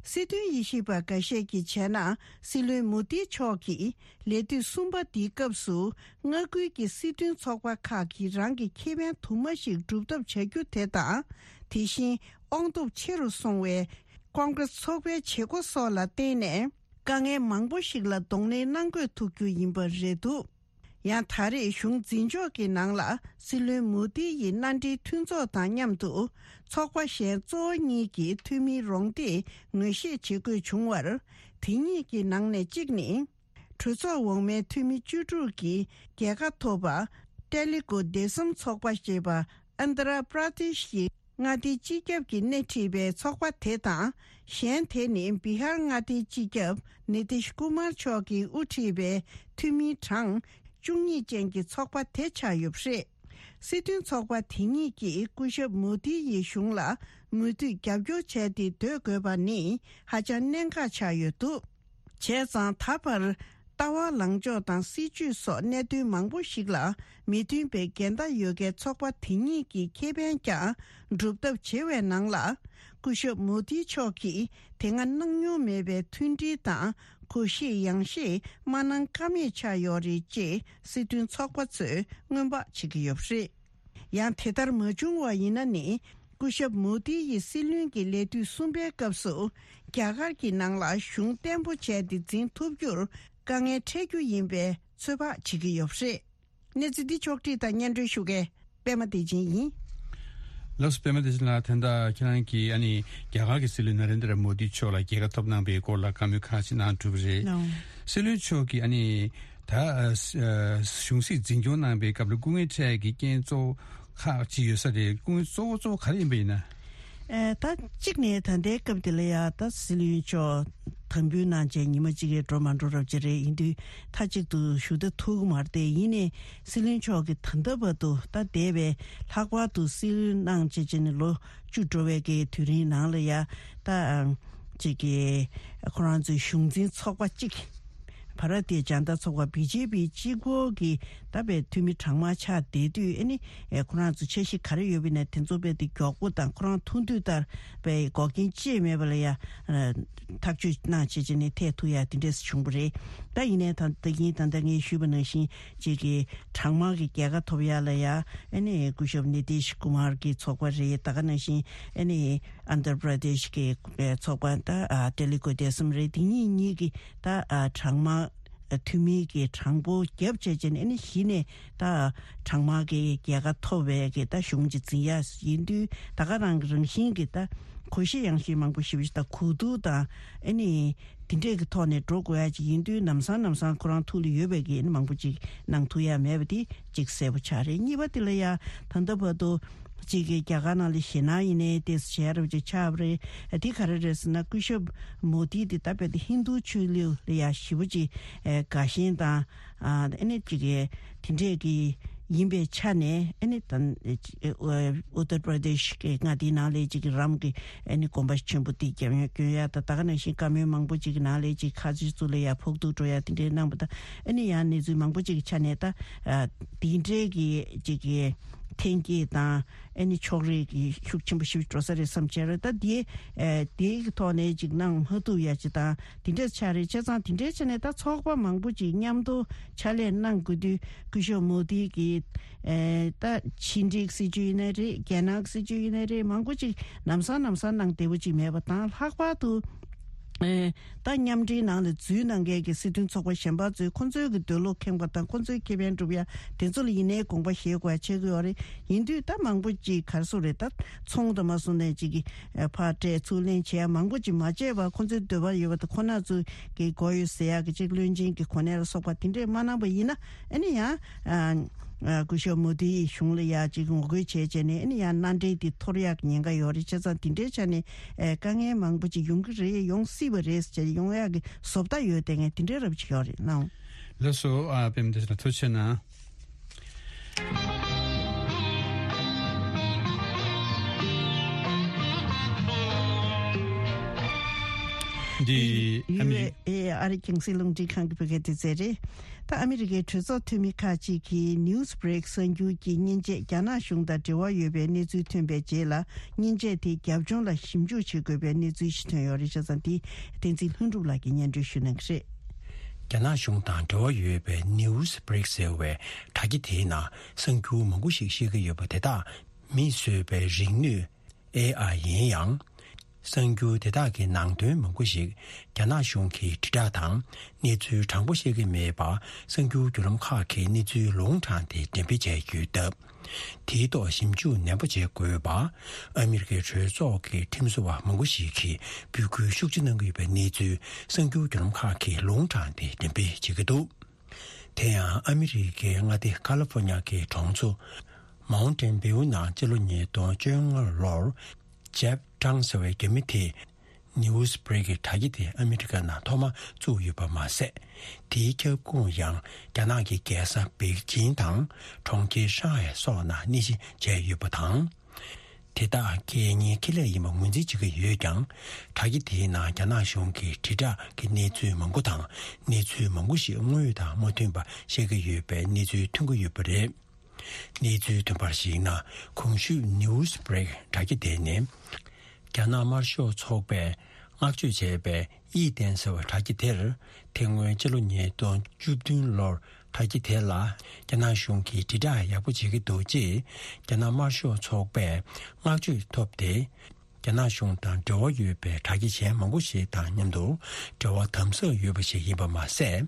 སྲིད་དོན་དབྱེ་ཞིབ་པ་འགའ་ཤས་ཀྱིས་བྱས་ན། སྲིད་བློན་མོ་དི་མཆོག་གིས་ལས་དུས་གསུམ་པ་འདིའི་སྐབས་སུ། མངའ་ཁུལ་གྱི་སྲིད་དོན་ཚོགས་པ་ཁག་གིས་རང་གི་ཁེ་ཕན་དུ་མ་ཞིག་སྒྲུབ་ཐབས་བྱ་རྒྱུ་དེ་དང་། དེ་བཞིན་དབང་སྟོབས་ཆེ་རུ་སོང་བའི་ཀོང་ཀྲེས་ཚོགས་པའི་བྱེད་སྒོ་སོགས་ལ་བརྟེན་ནས། དཀའ་ངལ་མང་པོ་ཞིག་ལ་གདོང་ལེན་གནང་དགོས་ཐུག་རྒྱུ་ཡིན་པ་རེད་འདུག་ཡང་ད་རེས་གཞུང་འཛིན་ཕྱོགས་ཀྱི་ནང་ལ་སྲིད་བློན་མོ་དི་ཡི་མནའ་འབྲེལ་མཐུན་ཚོགས་དང་མཉམ་དུ་ཚོགས་པ་གཞན་གཙོ་བོ་གཉིས་ཀྱི་འཐུས་མིའི་རོགས་འདེགས་ངོས་བཞེས་བྱེད་དགོས་བྱུང་བར། དེ་གཉིས་ཀྱི་ནང་ནས་གཅིག་ནི། གྲོས་ཚོགས་འོག་མའི་འཐུས་མི་བཅུ་དྲུག་གིས་རྒྱལ་ཁ་ཐོབ་པ། ཏེ་ལི་གུ་དེ་སམ་ཚོགས་པ་ཞེས་པ། ཨན་དྷ་ར་པྲ་དེ་ཤི་ཡི་མངའ་སྡེའི་སྤྱི་ཁྱབ་ཀྱིས་སྣེ་ཁྲིད་པའི་ཚོགས་པ་དེ་དང་། གཞན་དེ་ནི་བི་ཧར་མངའ་སྡེའི་སྤྱི་ཁྱབ་ནི་ཏིཤ་ཀུ་མར་མཆོག་གིས་དབུ་ཁྲིད་པའི་འཐུས་མིའི་གྲངས་བཅུ་གཉིས་ཅན་གྱི་ཚོགས་པ་དེ་ཆགས་ཡོད་པ་རེད། སྲིད་དོན་ཚོགས་པ་དེ་གཉིས་ཀྱིས་སྐུ་ཞབས་མོ་དི་ཡི་གཞུང་ལ་མུ་མཐུད་རྒྱབ་སྐྱོར་བྱས་ཏེ་སྡོད་དགོས་པ་ནི་ཧ་ཅང་གནད་འགག་ཆགས་ཡོད་འདུག་བྱས་ཙང་ད་བར་ལྟ་བ་ལངས་ཕྱོགས་དང་སྲིད་ཇུས་སོགས་གནད་དོན་མང་པོ་ཞིག་ལ་མི་མཐུན་པའི་འགལ་ཟླ་ཡོད་མཁན་ཚོགས་པ་དེ་གཉིས་ཀྱི་ཁེ་ཕན་ཀྱང་སྒྲུབ་ཐབས་བྱེད་པའི་ནང་ལ། སྐུ་ཞབས་མོ་དི་མཆོག་གིས་དེ་སྔ་གནང་མྱོང་མེད་པའི་མཐུན་སྒྲིལ་དང་གོ་ཤེས་ཡང་ཤེས་མ་གནང་ཀ་མེད་ཆགས་ཡོད་རེད་ཅེས་སྲིད་དོན་ཚོགས་པ་ཚོས་སྔོན་དཔག་བྱེད་ཀྱི་ཡོད་པ་རེད། ཡང་དེ་ལྟར་མ་བྱུང་བ་ཡིན་ན་ནི། སྐུ་ཞབས་མོ་དི་ཡི་སྲིད་བློན་གྱི་ལས་དུས་གསུམ་པའི་སྐབས་སུ། རྒྱ་གར་གྱི་ནང་ལ་གཞུང་བརྟན་པོ་བྱས་ཏེ་འཛིན་ཐུབ་རྒྱུར་དཀའ་ངལ་འཕྲད་རྒྱུ་ཡིན་པའི་ཚོད་དཔག་བྱེད་ཀྱི་ཡོད་པ་རེད། གནས་ཚུལ་འདི་ཕྱོགས་བསྒྲིགས་དང་སྙན་སྒྲོན་ཞུ་མཁན་པད་མ་བདེ་ཆེན་ཡིན། ལགས་སོ། པད་མ་བདེ་ཆེན་ལགས། ད་ལྟ་ཁྱེད་རང་གིས་ཨ་ནི་རྒྱ་གར་གྱི་སྲིད་བློན་ན་རེན་དྲ་མོ་དི་མཆོག་ལ་རྒྱལ་ཁ་ཐོབ་གནང་པའི་སྐོར་ལ་བཀའ་མོལ་ཁག་ཅིག་གནང་གྲུབ་པ་རེད། ལགས། སྲིད་བློན་མཆོག་གིས་ཨ་ནི། ད་ཨ་ཨ་གཞུང་སྲིད་འཛིན་སྐྱོང་གནང་པའི་སྐབས་ལ་སྐུ་ངལ་འཕྲད་ཀྱི་རྐྱེན་གཙོ་བོ་ཁག་ཅིག་ཡོད་ས་རེད། སྐུ་ངལ་གཙོ་བོ་གཙོ་བོ་ག་རེ་ཡིན་པ་ཡིན་ན། ཨ་ད་གཅིག་ནས་ད་ལྟའི་སྐབས་དེ་ལ་ཡ་ད་སྲིད་བློན་མཆོག་དམ་འབུལ་གནང་བྱས་ཉི་མ་གཅིག་གིས་འགྲོ་མ་འགྲོ་རབས་ཅིག་རེད། ཡིན་དུས་མཐའ་གཅིག་ཏུ་བཞུགས་ད་ཐུབ་ཀྱི་མ་རེད་དེ། ཡིན་ནའི་སྲིད་བློན་མཆོག་གིས་ད་ལྟ་བར་དུ་ད་འདས་པའི་ལྷག་པར་དུ་སྲིད་བློན་གནང་བྱས་བྱས་ནས་ལོ་བཅུ་འགྲོ་བའི་གི་དུས་རིང་ནང་ལ་ཡ་ད་ཨ་ཅིག་གི་ཁོ་རང་ཚོའི་གཞུང་འཛིན་ཚོགས་པ་གཅིག་བྷ་ར་ཏི་ཇན་ཏ་ཚོགས་པ་བི་ཇེ་པི་གཅིག་པོ་གི་ད་པའི་འཐུས་མི་གྲངས་མང་ཆགས་བསྡད་དུས། ཨ་ནི་ཨེ་ཁོ་རང་ཚོ་འཆར་གཞི་ག་རེ་ཡོད་པ་ཡིན་ན་དེ་ཚོ་དཔེ་དེ་མགྱོགས་པོ་དང་ཁོ་རང་ཐུགས་འདོད་ལྟར་པའི་འགོག་རྐྱེན་ཅི་ཡང་མེད་པ་ལ་ཡ་ཨ་ཐག་གཅོད་གནང་བྱས་བྱས་ནས་ཐད་ཐུག་ཡ་དེ་འདྲས་བྱུང་བ་རེད། ད་ཡིན་ནའི་ད་ད་ཡིན་ད་ལྟ་ངས་ཞུས་པ་ནང་བཞིན་ཅིག་གི་གྲངས་མང་གི་རྒྱལ་ཁ་ཐོབ་ཡ་ལ་ཡ་ཨ་ནི་སྐུ་ཞབས་ནི་ཏིཤ་ཀུ་མར་གི་ཚོགས་པ་རེད། ད་ག་ནང་བཞིན་ཨ་ནི་ཨན་དྷྲ་པྲ་དེཤ་གི་ཚོགས་པ་ད་ཨ་ཏེ་ལུ་གུ་དེ་སམ་རེད། དེ་གཉིས་གཉིས་ཀྱི་ད་ཨ་གྲངས་མང་འཐུས་མི་གི་གྲངས་འབོར་བརྒྱབ་བྱས་བྱས་ནས་ཨ་ནི་གཞི་ནས་ད་གྲངས་མང་གི་རྒྱལ་ཁ་ཐོབ་པའི་གི་ད་གཞུང་ཅིག་འཛིན་ཡ་ཡིན་དུས། ད་ག་རང་གི་རང་བཞིན་གི་ད་གོ་ཤེས་ཡང་ཤེས་མང་པོ་ཞེ་པོ་ཞིག་ད་གོ་བསྡུར་དང་ཨ་ནི་དེ་འདྲས་ཀྱི་ཐོག་ནས་འགྲོ་དགོས་ཡ་ཅིག་ཡིན་དུས། ལམ་སང་ལམ་སང་ཁོ་རང་ཐུགས་ལ་ཡོད་པའི་གི་ཨ་ནི་མང་པོ་ཅིག་གནང་ཐུབ་ཡ་མེད་པ་དེ་གཅིག་གསལ་པོ་ཆགས་རེད། གཉིས་པ་དེ་ལ་ཡ་ད་ལྟ་བར་དུ་གཅིག་གི་རྒྱ་གར་ནང་ལ་ཞེད་སྣང་ཡིན་ནའི་ཏོག་ཙམ་བྱས་རབས་ཅིག་ཆགས་པ་རེད། དེ་ག་རེ་རེད་ཟེར་ན། སྐུ་ཞབས་མོ་དི་དེ་ད་དཔེ་དེ་ཧིན་རྡུ་ཆོས་ལུགས་ལ་ཡ་ཞེ་པོ་ཅིག་དགའ་ཞེན་དང་ཨ་ནི་ཅིག་གི་དེ་འདྲས་ཀྱི་ཡིན་པའི་ཆ་ནས། ཨ་ནི་ད་ཨུ་ཏར་པྲ་དེཤ་གི་མངའ་སྡེའི་ནང་ལ་ཅིག་གི་རམ་གྱི་ཨ་ནི་དགོན་པ་ཆེན་པོ་དེ་རྒྱབ་ཡོང་སྐྱོན་ཡ་ད་ད་ག་ནང་བཞིན་བཀའ་མོལ་མང་པོ་ཅིག་གི་ནང་ལ་ཅིག་ཁ་ཆེ་ཚོ་ལ་ཡ་ཕོག་ཐུག་འགྲོ་ཡ་དེ་འདྲས་གནང་བ་ད། ཨ་ནི་ཡང་གནས་ཚུལ་མང་པོ་ཅིག་གི་ཆ་ནས་ད་དེ་འདྲས་ཀྱི་ཅིག་གི་འཐེན་འཁྱེར་དང་ཨ་ནི་ཕྱོགས་རིས་ཀྱི་ཤུགས་ཆེན་པོ་ཞིག་འགྲོ་ས་རེད་བསམ་བྱས་རེད། ད་དེ་ཨ་དེའི་ཐོག་ནས་ཅིག་གནང་མ་ཐུབ་ཡ་ཅིག་དང་དེ་འདྲས་ཆགས་རེད། བྱས་ཙང་དེ་འདྲས་བྱས་ནས་ད་ཚོགས་པ་མང་པོ་ཅིག་མཉམ་དུ་ཕྱག་ལས་གནང་དགོས་དུས། སྐུ་ཞབས་མོ་དི་གི་ཨེ་ད་ཕྱི་འབྲེལ་སྲིད་ཇུས་ཡིན་ནའི་རེད། རྒྱ་ནག་སྲིད་ཇུས་ཡིན་ནའི་རེད། མང་པོ་ཅིག་ལམ་སང་ལམ་སང་གནང་བདེ་པོ་ཅིག་མེད་པ་དང་། ལྷག་པར་དུ་ཨེ་ད་མཉམ་འབྲེལ་ནང་ལ་འཛུལ་གནང་མཁན་གྱི་སྲིད་དོན་ཚོགས་པ་གཞན་པ་ཚོས་ཁོང་ཚོའི་གི་འདོད་བློ་ཁེངས་པ་དང་། ཁོང་ཚོའི་ཁེ་ཕན་སྒྲུབ་ཡ་དེ་ཚོ་ལ་ཡིན་ནའི་དགོངས་པ་བཞེས་དགོས་ཡ་བྱེད་དགོས་ཡོད་རེད། ཡིན་དུས་ད་མང་པོ་ཅིག་ག་རེ་ཟེར་རེད། ད་ཚོང་དང་མ་སོང་ནས་ཅིག་གི་ཨེ་ཕར་སྤྲད་ཚུར་ལེན་བྱེད་ཡ་མང་པོ་ཅིག་མ་བྱས་པར། ཁོང་ཚོའི་འདོད་པ་ཡོད་པ་དང་ཁོ་ན་ཚོ་གི་དགོས་ཡོད་ཟེར་ཡག་གི་ཅིག་བློན་ཆེན་གྱི་གོ་གནས་ལ་སོགས་པ་དེ་འདྲས་མ་གནང་པ་ཡིན་ན། ཨ་ནི་ཡང་ཨ་ཨ་སྐུ་ཞབས་མོ་དིའི་གཞུང་ལ་ཡ་ཅིག་ངོ་རྒོལ་བྱས་བྱས་ནས། ཨ་ནི་ཡང་མནའ་འབྲེལ་དེ་འཐོར་ཡག་གི་ཉེན་ཁ་ཡོད་རེད། བྱས་ཙང་དེ་འདྲའི་ཆ་ནས་ཨ་དཀའ་ངལ་མང་པོ་ཅིག་ཡོང་གི་རེད། ཡོང་སྲིད་པ་རེད་ཟེར་བྱས་ཡོང་ཡག་གི་བཟོ་ལྟ་ཡོད་བསྡད་མཁན་དེ་འདྲའི་རབ་ཅིག་ཡོད་རེད་གནང་། ལགས་སོ། ཨ་པད་མ་བདེ་ཆེན་ལགས་ཐུགས་རྗེ་གནང་། འདི་ཨ་མི་རི་ཨེ་ཨ་རི་རྒྱང་སྲིང་རླུང་འཕྲིན་ཁང་གི་བོད་སྐད་སྡེ་ཚན་རེད། ད་ཨ་མི་རི་ཀའི་གྲོས་ཚོགས་འཐུས་མི་ཁག་ཅིག་གིས་ནིའུ་སི་བྷི་རེག་གསར་འགྱུར་གྱི་མཉེན་ཆས་རྒྱ་ནག་གཞུང་དང་འབྲེལ་བ་ཡོད་པའི་གནས་ཚུལ་ཐོན་པའི་རྗེས་ལ། མཉེན་ཆས་དེ་རྒྱབ་ལྗོངས་ལ་ཞིབ་འཇུག་བྱེད་དགོས་པའི་གནས་ཚུལ་ཞིག་ཐོན་ཡོད་རེད། བྱས་ཙང་འདི་བསྟན་འཛིན་ལྷུན་གྲུབ་ལགས་ཀྱིས་སྙན་སྒྲོན་ཞུ་གནང་གི་རེད། རྒྱ་ནག་གཞུང་དང་འབྲེལ་བ་ཡོད་པའི་ནིའུ་སི་བྷི་རེག་ཟེར་བའི་དྲ་རྒྱ་དེའི་ནང་གསར་འགྱུར་མང་པོ་ཞིག་བཤད་ཀྱི་ཡོད་པ་དེ་དག་མིས་བཟོས་པའི་རིག་ནུས་ཨེ་ཨའི་ཡིན་ཡང་། གསར་འགྱུར་དེ་དག་གི་ནང་དོན་མང་པོ་ཞིག་རྒྱ་ནག་གཞུང་གིས་དྲིལ་བསྒྲགས་དང་གནས་ཚུལ་དྲང་པོ་བཤད་ཀྱི་མེད་པར། གསར་འགྱུར་བརྒྱུད་ལམ་ཁག་གིས་གནས་ཚུལ་ལུང་དྲངས་ཏེ་འགྲེམས་སྤེལ་བྱས་ཡོད་སྟབས། དེའི་ཐོག་ཞིབ་འཇུག་ནན་པོ་བྱེད་དགོས་པ། ཨ་མི་རི་ཀའི་གྲོས་ཚོགས་ཀྱི་ཁྲིམས་བཟོ་བ་མང་པོ་ཞིག་གིས་འབོད་སྐུལ་ཤུགས་ཆེ་གནང་གི་ཡོད་པའི་གནས་ཚུལ་གསར་འགྱུར་བརྒྱུད་ལམ་ཁག་གིས་ལུང་དྲངས་ཏེ་འགྲེམས་སྤེལ་བྱེད་ཀྱི་འདུག་དེ་ཡང་ཨ་མི་རི་ཀའི་མངའ་སྡེ་ཀ་ལི་ཧྥོ་ཉ་གི་གྲོང་ཚོ་མའུན་ཏན་བྷིའུ་ནང་སྤྱི་ལོ་ཉིས་སྟོང་བཅོ་ལྔ་ལོར་ཇེབ་ཀྲང་ཟེར་བའི་རྒྱ་མི་དེས་ནིའུ་སི་བྷི་རེག་གི་དྲ་རྒྱ་དེ་ཨ་མི་རི་ཀ་ནང་ཐོག་མ་བཙུགས་ཡོད་པ་མ་ཟད། དེའི་ཁྱབ་ཁོངས་ཡང་རྒྱ་ནག་གི་རྒྱལ་ས་པེ་ཅིང་དང་གྲོང་ཁྱེར་ཧྲང་ཧའེ་སོགས་ནང་གནས་གཞི་བྱས་ཡོད་པ་དང་། དེ་དག་རྒྱལ་གཉེར་ཁེ་ལས་ཡིན་པ་ངོས་འཛིན་བྱེད་ཀྱི་ཡོད་ཀྱང་། དྲ་རྒྱ་དེའི་ནང་རྒྱ་ནག་གཞུང་གི་དྲིལ་བསྒྲགས་ཀྱི་གནས་ཚུལ་མང་པོ་དང་། གནས་ཚུལ་མང་པོ་ཞིག་དངོས་དང་མ་མཐུན་པ་བཤད་ཀྱི་ཡོད་པའི་གནས་ཚུལ་ཐོན་གྱི་ཡོད་པ་རེད། གནས་ཚུལ་ཐོན་པར་གཞིགས་ན། གོང་ཞུས་ནིའུ་སི་བྷི་རེག་དྲ་རྒྱ་དེ་ནི། རྒྱ་ནག་དམར་ཤོག་ཚོགས་པས་བསྔགས་བརྗོད་བྱས་པའི་ཡིག་ཐེན་ཟེར་བའི་དྲ་རྒྱ་དེར། དེ་སྔོན་སྤྱི་ལོ་ཉིས་སྟོང་བཅུ་བདུན་ལོར་དྲ་རྒྱ་དེ་ལ་རྒྱ་ནག་གཞུང་གིས་དྲིལ་བསྒྲགས་ཡག་པོ་བྱེད་ཀྱི་འདུག་ཅེས་རྒྱ་ནག་དམར་ཤོག་ཚོགས་པས་བསྔགས་བརྗོད་ཐོབ་སྟེ། རྒྱ་ནག་གཞུང་དང་འབྲེལ་བ་ཡོད་པའི་དྲ་རྒྱ་གཞན་མང་པོ་ཞིག་དང་མཉམ་དུ་འབྲེལ་བ་དམ་ཟབ་ཡོད་པ་ཞིག་ཡིན་པ་མ་ཟད།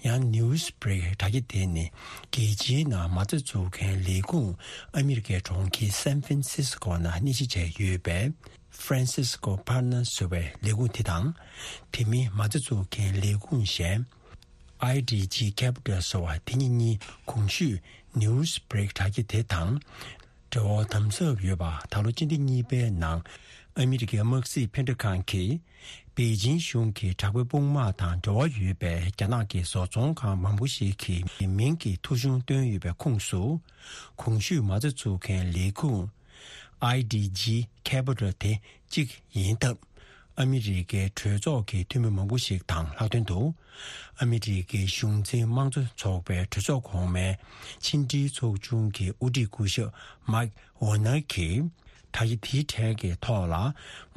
ཡང་ནིའུ་སི་བྷི་རེག་དྲ་རྒྱ་དེ་ནི་རྒྱལ་སྤྱིའི་ནང་མ་རྩ་འཛུགས་མཁན་ལས་ཁུངས་ཨ་མི་རི་ཀའི་གྲོང་ཁྱེར་སན་ཧྥན་སིས་ཀོ་ནང་གནས་གཞི་བྱས་ཡོད་པའི་Francisco Partners ཟེར་བའི་ལས་ཁུངས་དེ་དང་། དེ་མིན་མ་རྩ་འཛུགས་མཁན་ལས་ཁུངས་གཞན་I D G Capital ཟེར་བ་དེ་གཉིས་གཉིས་གོང་ཞུས་ནིའུ་སི་བྷི་རེག་དྲ་རྒྱ་དེ་དང་འབྲེལ་བ་དམ་ཟབ་ཡོད་པ། ད་ལོ་སྤྱི་ཟླ་གཉིས་པའི་ནང་ཨ་མི་རི་ཀའི་དམག་སྲིད་ཕན་འབྲས་ཁང་གིས་པེ་ཅིང་གཞུང་གི་དྲག་པོའི་དཔུང་དམག་དང་འབྲེལ་བ་ཡོད་པའི་རྒྱ་ནག་གི་བཟོ་ཚོང་ཁང་མང་པོ་ཞིག་གི་མིང་གི་ཐོ་གཞུང་བཏོན་ཡོད་པའི་ཁོངས་སུ། གོང་ཞུས་མ་རྩ་འཛུགས་མཁན་ལས་ཁུངས་I D G Capital དེ་གཅིག་ཡིན་སྟབས། ཨ་མི་རི་ཀའི་གྲོས་ཚོགས་ཀྱི་འཐུས་མི་མང་པོ་ཞིག་དང་ལྷག་དོན་དུ། ཨ་མི་རི་ཀའི་གཞུང་འཛིན་དམངས་གཙོ་ཚོགས་པའི་གྲོས་ཚོགས་གོང་མའི་ཕྱི་འབྲེལ་ཚོགས་ཆུང་གི་དབུ་ཁྲིད་སྐུ་ཞབས་མཱིག་ཝོ་ནར་གྱིས། དྲ་རྒྱ་དེའི་གྲས་ཀྱི་ཐོག་ལ་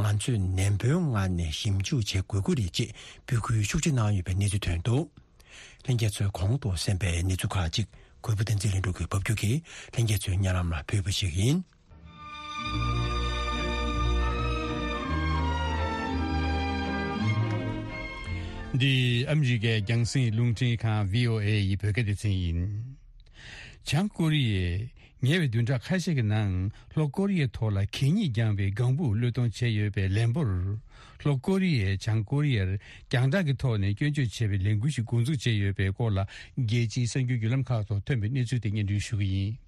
ང་ཚོས་ནན་པོའི་ངང་ནས་ཞིབ་འཇུག་བྱེད་དགོས་ཀྱི་རེད་ཅེས་འབོད་སྐུལ་ཤུགས་ཆེ་གནང་ཡོད་པའི་གནས་ཚུལ་ཐོན་འདུག། ལྷན་རྒྱས་ཚོས་གོང་དུ་གསན་པའི་གནས་ཚུལ་ཁག་ཅིག་གུས་པ་བསྟན་འཛིན་ལྷུན་གྲུབ་ཀྱིས་ཕབ་སྒྱུར་གྱིས་ལྷན་རྒྱས་ཚོའི་སྙན་ལམ་ལ་ཕུལ་བ་ཞིག་ཡིན། འདི་ཨ་མི་རི་ཀའི་རྒྱང་སྲིང་རླུང་འཕྲིན་ཁང་བྷི་ཨོ་ཨེ་ཡི་བོད་སྐད་སྡེ་ཚན་ཡིན། བྱང་ཀོ་རི་ཡས་ཉེ་བའི་བདུན་ཕྲག་ཁ་ཤས་ཀྱི་ནང་ལྷོ་ཀོ་རི་ཡའི་ཐོག་ལ་གད་སྙིགས་རྐྱང་པའི་ལྒང་བུ་གློད་གཏོང་བྱས་ཡོད་པའི་ལན་པོར། ལྷོ་ཀོ་རི་ཡས་བྱང་ཀོ་རི་ཡར་རྒྱང་བསྒྲགས་ཀྱི་ཐོག་ནས་སྐྱོན་བརྗོད་བྱས་པའི་ལས་འགུལ་ཞིག་འགོ་འཛུགས་བྱས་ཡོད་པའི་སྐོར་ལ། རྒྱལ་སྤྱིའི་གསར་འགྱུར་བརྒྱུད་ལམ་ཁག་ཐོག་ཐོན་པའི་གནས་ཚུལ་དེ་སྙན་སྒྲོན་ཞུ་གི་ཡིན།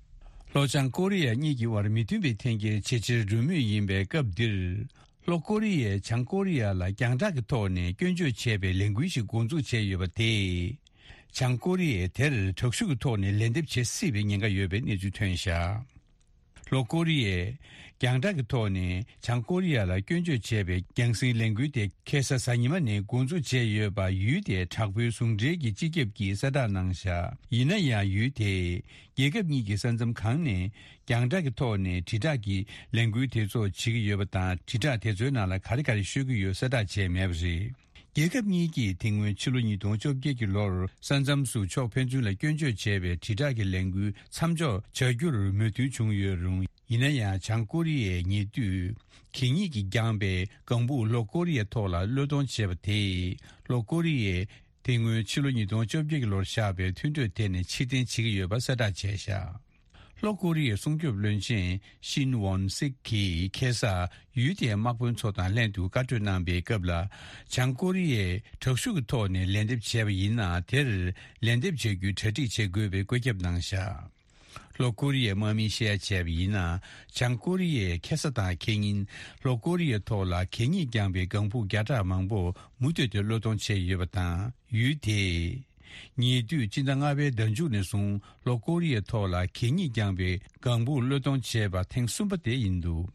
ལྷོ་བྱང་ཀོ་རི་ཡ་གཉིས་ཀྱི་དབར་མི་མཐུན་པའི་འཐེན་འཁྱེར་ཇེ་ཆེར་འགྲོ་མུས་ཡིན་པའི་སྐབས་འདིར། ལྷོ་ཀོ་རི་ཡས་བྱང་ཀོ་རི་ཡ་ལ་རྒྱང་བསྒྲགས་ཀྱི་ཐོག་ནས་སྐྱོན་བརྗོད་བྱས་པའི་ལས་འགུལ་ཞིག་འགོ་འཛུགས་བྱས་ཡོད་པ་དེས། བྱང་ཀོ་རི་ཡས་དེར་དྲག་ཤུགས་ཀྱི་ཐོག་ནས་ལན་འདེབས་བྱེད་སྲིད་པའི་ཉེན་ཁ་ཡོད་པའི་གནས་ཚུལ་ཐོན་བཞག། ལྷོ་ཀོ་རི་ཡས་རྒྱང་བསྒྲགས་ཀྱི་ཐོག་ནས་བྱང་ཀོ་རི་ཡ་ལ་སྐྱོན་བརྗོད་བྱས་པའི་རྒྱང་སྲིང་ལས་འགུལ་དེ་ཁ་སང་གཟའ་ཉི་མ་ནས་འགོ་འཛུགས་བྱས་ཡོད་པ། ཡུལ་དེའི་དྲག་པོའི་ཟུང་འབྲེལ་གྱི་སྤྱི་ཁྱབ་ཀྱིས་གསལ་བསྒྲགས་གནང་བཞག། ཡིན་ན་ཡང་ཡུལ་དེས་རྒྱལ་ཁབ་གཉིས་ཀྱི་ས་མཚམས་སྒང་ནས་རྒྱང་བསྒྲགས་ཀྱི་ཐོག་ནས་དྲིལ་བསྒྲགས་ཀྱི་ལས་འགུལ་དེ་ཚོ་བྱེད་ཀྱི་ཡོད་པ་དང་། དྲིལ་བསྒྲགས་དེ་ཚོའི་ནང་ལ་ག་རེ་ག་རེ་ཤོད་ཀྱི་ཡོད་གསལ་བསྒྲགས་བྱས་མེད་པ་རེད། རྒྱལ་ཁབ་གཉིས་ཀྱིས་དེ་སྔོན་ཕྱི་ལོ་ཉིས་སྟོང་བཅོ་བརྒྱད་ཀྱི་ལོར་ས་མཚམས་སུ་ཕྱོགས་ཕན་ཚུན་ལ་སྐྱོན་བརྗོད་བྱས་པའི་དྲིལ་བསྒྲགས་ཀྱི་ལས་འགུལ་མཚམས་འཇོག་བྱ་རྒྱུར་མོས་མཐུན་བྱུང་ཡོད་རུང་། ཡིན་ན་ཡང་བྱང་ཀོ་རི་ཡས་ཉེ་དུས་གད་སྙིགས་ཀྱིས་བརྒྱངས་པའི་ལྒང་བུ་ལྷོ་ཀོ་རི་ཡའི་ཐོག་ལ་གློད་གཏོང་བྱས་པ་དེས། ལྷོ་ཀོ་རི་ཡས་དེ་སྔོན་ཕྱི་ལོ་ཉིས་སྟོང་བཅོ་བརྒྱད་ཀྱི་ལོར་བཞག་པའི་མཐུན་གྲོས་དེ་ནས་ཕྱིར་འཐེན་བྱེད་ཀྱི་ཡོད་པ་གསལ་བསྒྲགས་བྱས་བཞག། ལྷོ་ཀོ་རི་ཡའི་སྲུང་སྐྱོབ་བློན་ཆེན་ཤིན་ཝོན་སིག་གིས་ཁ་སང་ཡུལ་དེའི་དམག་དཔོན་ཚོ་དང་ལྷན་དུ་བཀའ་གྲོས་གནང་པའི་སྐབས་ལ། བྱང་ཀོ་རི་ཡས་དྲག་ཤུགས་ཀྱི་ཐོག་ནས་ལན་འདེབས་བྱས་པ་ཡིན་ན། དེར་ལན་འདེབས་བྱ་རྒྱུའི་གྲ་སྒྲིག་བྱེད་དགོས་པའི་བཀོད་ཁྱབ་གནང་བཞག། ལྷོ་ཀོ་རི་ཡའི་དམག་མིས་བཤད་ཡ་བྱས་པ་ཡིན་ན། བྱང་ཀོ་རི་ཡས་ཁ་སང་དང་ཁེ་ཉིན་ལྷོ་ཀོ་རི་ཡའི་ཐོག་ལ་གད་སྙིགས་རྐྱང་པའི་ལྒང་བུ་བརྒྱ་ཕྲག་མང་པོ་མུ་མཐུད་དུ་གློད་གཏོང་བྱས་ཡོད་པ་དང་། ཡུལ་དེས་ཉེ་དུས་སྤྱི་ཟླ་ལྔ་པའི་ཟླ་མཇུག་ནས་བཟུང་ལྷོ་ཀོ་རི་ཡའི་ཐོག་ལ་གད་སྙིགས་རྐྱང་པའི་ལྒང་བུ་གློད་གཏོང་བྱས་པ་ཐེངས་གསུམ་པ་དེ་ཡིན་འདུག།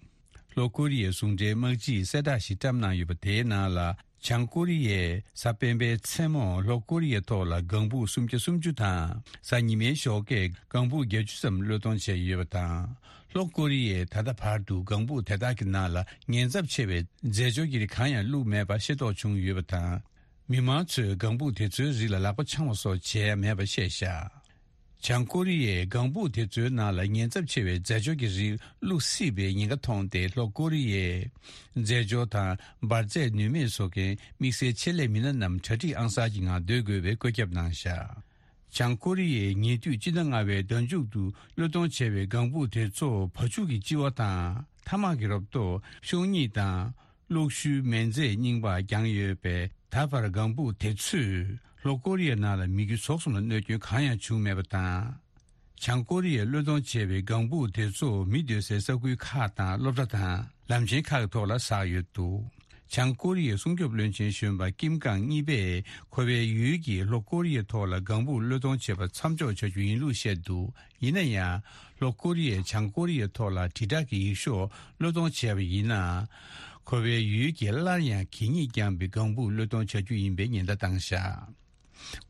ལྷོ་ཀོ་རི་ཡའི་ཟུང་འབྲེལ་དམག་སྤྱིས་གསལ་བསྒྲགས་ཤིག་བཀྲམ་གནང་ཡོད་པ་དེའི་ནང་ལ། བྱང་ཀོ་རི་ཡས་གཟའ་སྤེན་པའི་མཚན་མོར་ལྷོ་ཀོ་རི་ཡའི་ཐོག་ལ་ལྒང་བུ་སུམ་བརྒྱ་སུམ་ཅུ་དང་། གཟའ་ཉི་མའི་ཞོགས་ཀས་ལྒང་བུ་བརྒྱད་ཅུ་ཙམ་གློད་གཏོང་བྱས་ཡོད་པ་དང་། ལྷོ་ཀོ་རི་ཡས་ད་ལྟ་བར་དུ་ལྒང་བུ་དེ་དག་གི་ནང་ལ་ཉེན་ཚབས་ཆེ་བའི་རྫས་སྦྱོར་གྱི་རིགས་གང་ཡང་བླུགས་མེད་པ་ཤེས་རྟོགས་བྱུང་ཡོད་པ་དང་། མི་མང་ཚོས་ལྒང་བུ་དེ་ཚོའི་རིགས་ལ་ལག་པ་འཆང་བ་སོགས་བྱས་མེད་པ་བཤད་བཞག། བྱང་ཀོ་རི་ཡས་ལྒང་བུ་དེ་ཚོའི་ནང་ལ་ཉེན་ཚབས་ཆེ་བའི་རྫས་སྦྱོར་གྱི་རིགས་བླུགས་སྲིད་པའི་ཉེན་ཁ་མཐོང་སྟེ། ལྷོ་ཀོ་རི་ཡས་རྫས་སྦྱོར་དང་འབར་རྫས་ནུས་མེད་བཟོ་མཁན་དམིགས་བསལ་ཆེད་ལས་མི་སྣ་རྣམས་གྲ་སྒྲིག་ཨང་གསར་གྱི་ངང་སྡོད་དགོས་པའི་བཀོད་ཁྱབ་གནང་བཞག། བྱང་ཀོ་རི་ཡས་ཉེ་དུས་སྤྱི་ཟླ་ལྔ་པའི་ཟླ་མཇུག་ཏུ་གློད་གཏོང་བྱས་པའི་ལྒང་བུ་དེ་ཚོ་བ་ཕྱུགས་ཀྱི་ལྕི་བ་དང་། ཐ་མག་གི་རོ་ཏོག་ཤོག་སྙིགས་དང་། གློག་ཤུལ་མེ་རྫས་རྙིང་པ་བརྒྱངས་ཡོད་པས། ད་བར་ལྒང་བུ་དེ་ཚོས་ལྷོ་ཀོ་རི་ཡའི་ནང་ལ་མི་རྒྱུ་ཟོག་གསུམ་ལ་གནོད་སྐྱོན་གང་ཡང་བྱུང་མེད་པ་དང་། བྱང་ཀོ་རི་ཡས་གློད་གཏོང་བྱས་པའི་ལྒང་བུ་དེ་ཚོ་མི་སྡོད་སའི་ས་ཁུལ་ཁག་དང་སློབ་གྲྭ་དང་ལམ་ཆེན་ཁག་གི་ཐོག་ལ་ཟགས་ཡོད་འདུག། བྱང་ཀོ་རི་ཡའི་སྲུང་སྐྱོབ་བློན་ཆེན་གཞོན་པ་ཀིམ་ཀང་གཉིས་པས་ཁོ་པའི་ཡུལ་གྱིས་ལྷོ་ཀོ་རི་ཡའི་ཐོག་ལ་ལྒང་བུ་གློད་གཏོང་བྱེད་པ་མཚམས་འཇོག་བྱ་རྒྱུ་ཡིན་ལུགས་བཤད་འདུག། ཡིན་ན་ཡང་། ལྷོ་ཀོ་རི་ཡས་བྱང་ཀོ་རི་ཡའི་ཐོག་ལ་དྲིལ་བསྒྲགས་ཀྱི་ཡིག་ཤོག་གློད་གཏོང་བྱས་པ་ཡིན་ན། ཁོ་པའི་ཡུལ་གྱིས་སླར་ཡང་གད་སྙིགས་རྐྱང་པའི་ལྒང་བུ་གློད་གཏོང་བྱ་རྒྱུ་ཡིན་པའི་ཉེན་བརྡ་བཏང་བཞག།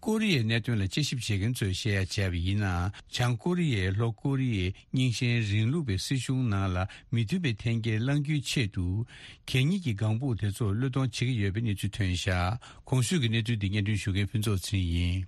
ཀོ་རི་ཡའི་གནད་དོན་ལ་དཔྱད་ཞིབ་བྱེད་མཁན་ཚོས་བཤད་ཡ་བྱས་པ་ཡིན་ན། བྱང་ཀོ་རི་ཡས་ལྷོ་ཀོ་རི་ཡའི་རྙིང་ཞེན་རིང་ལུགས་པའི་སྲིད་གཞུང་ནང་ལ་མི་མཐུན་པའི་འཐེན་འཁྱེར་བསླང་རྒྱུའི་ཆེད་དུ། གད་སྙིགས་ཀྱི་ལྒང་བུ་དེ་ཚོ་གློད་གཏོང་བྱེད་ཀྱི་ཡོད་པའི་གནས་ཚུལ་ཐོན་བཞག། གོང་ཞུས་ཀྱི་གནས་ཚུལ་འདི་སྙན་སྒྲོན་ཞུ་མཁན་ཕུན་ཚོགས་ཚེ་རིང་ཡིན།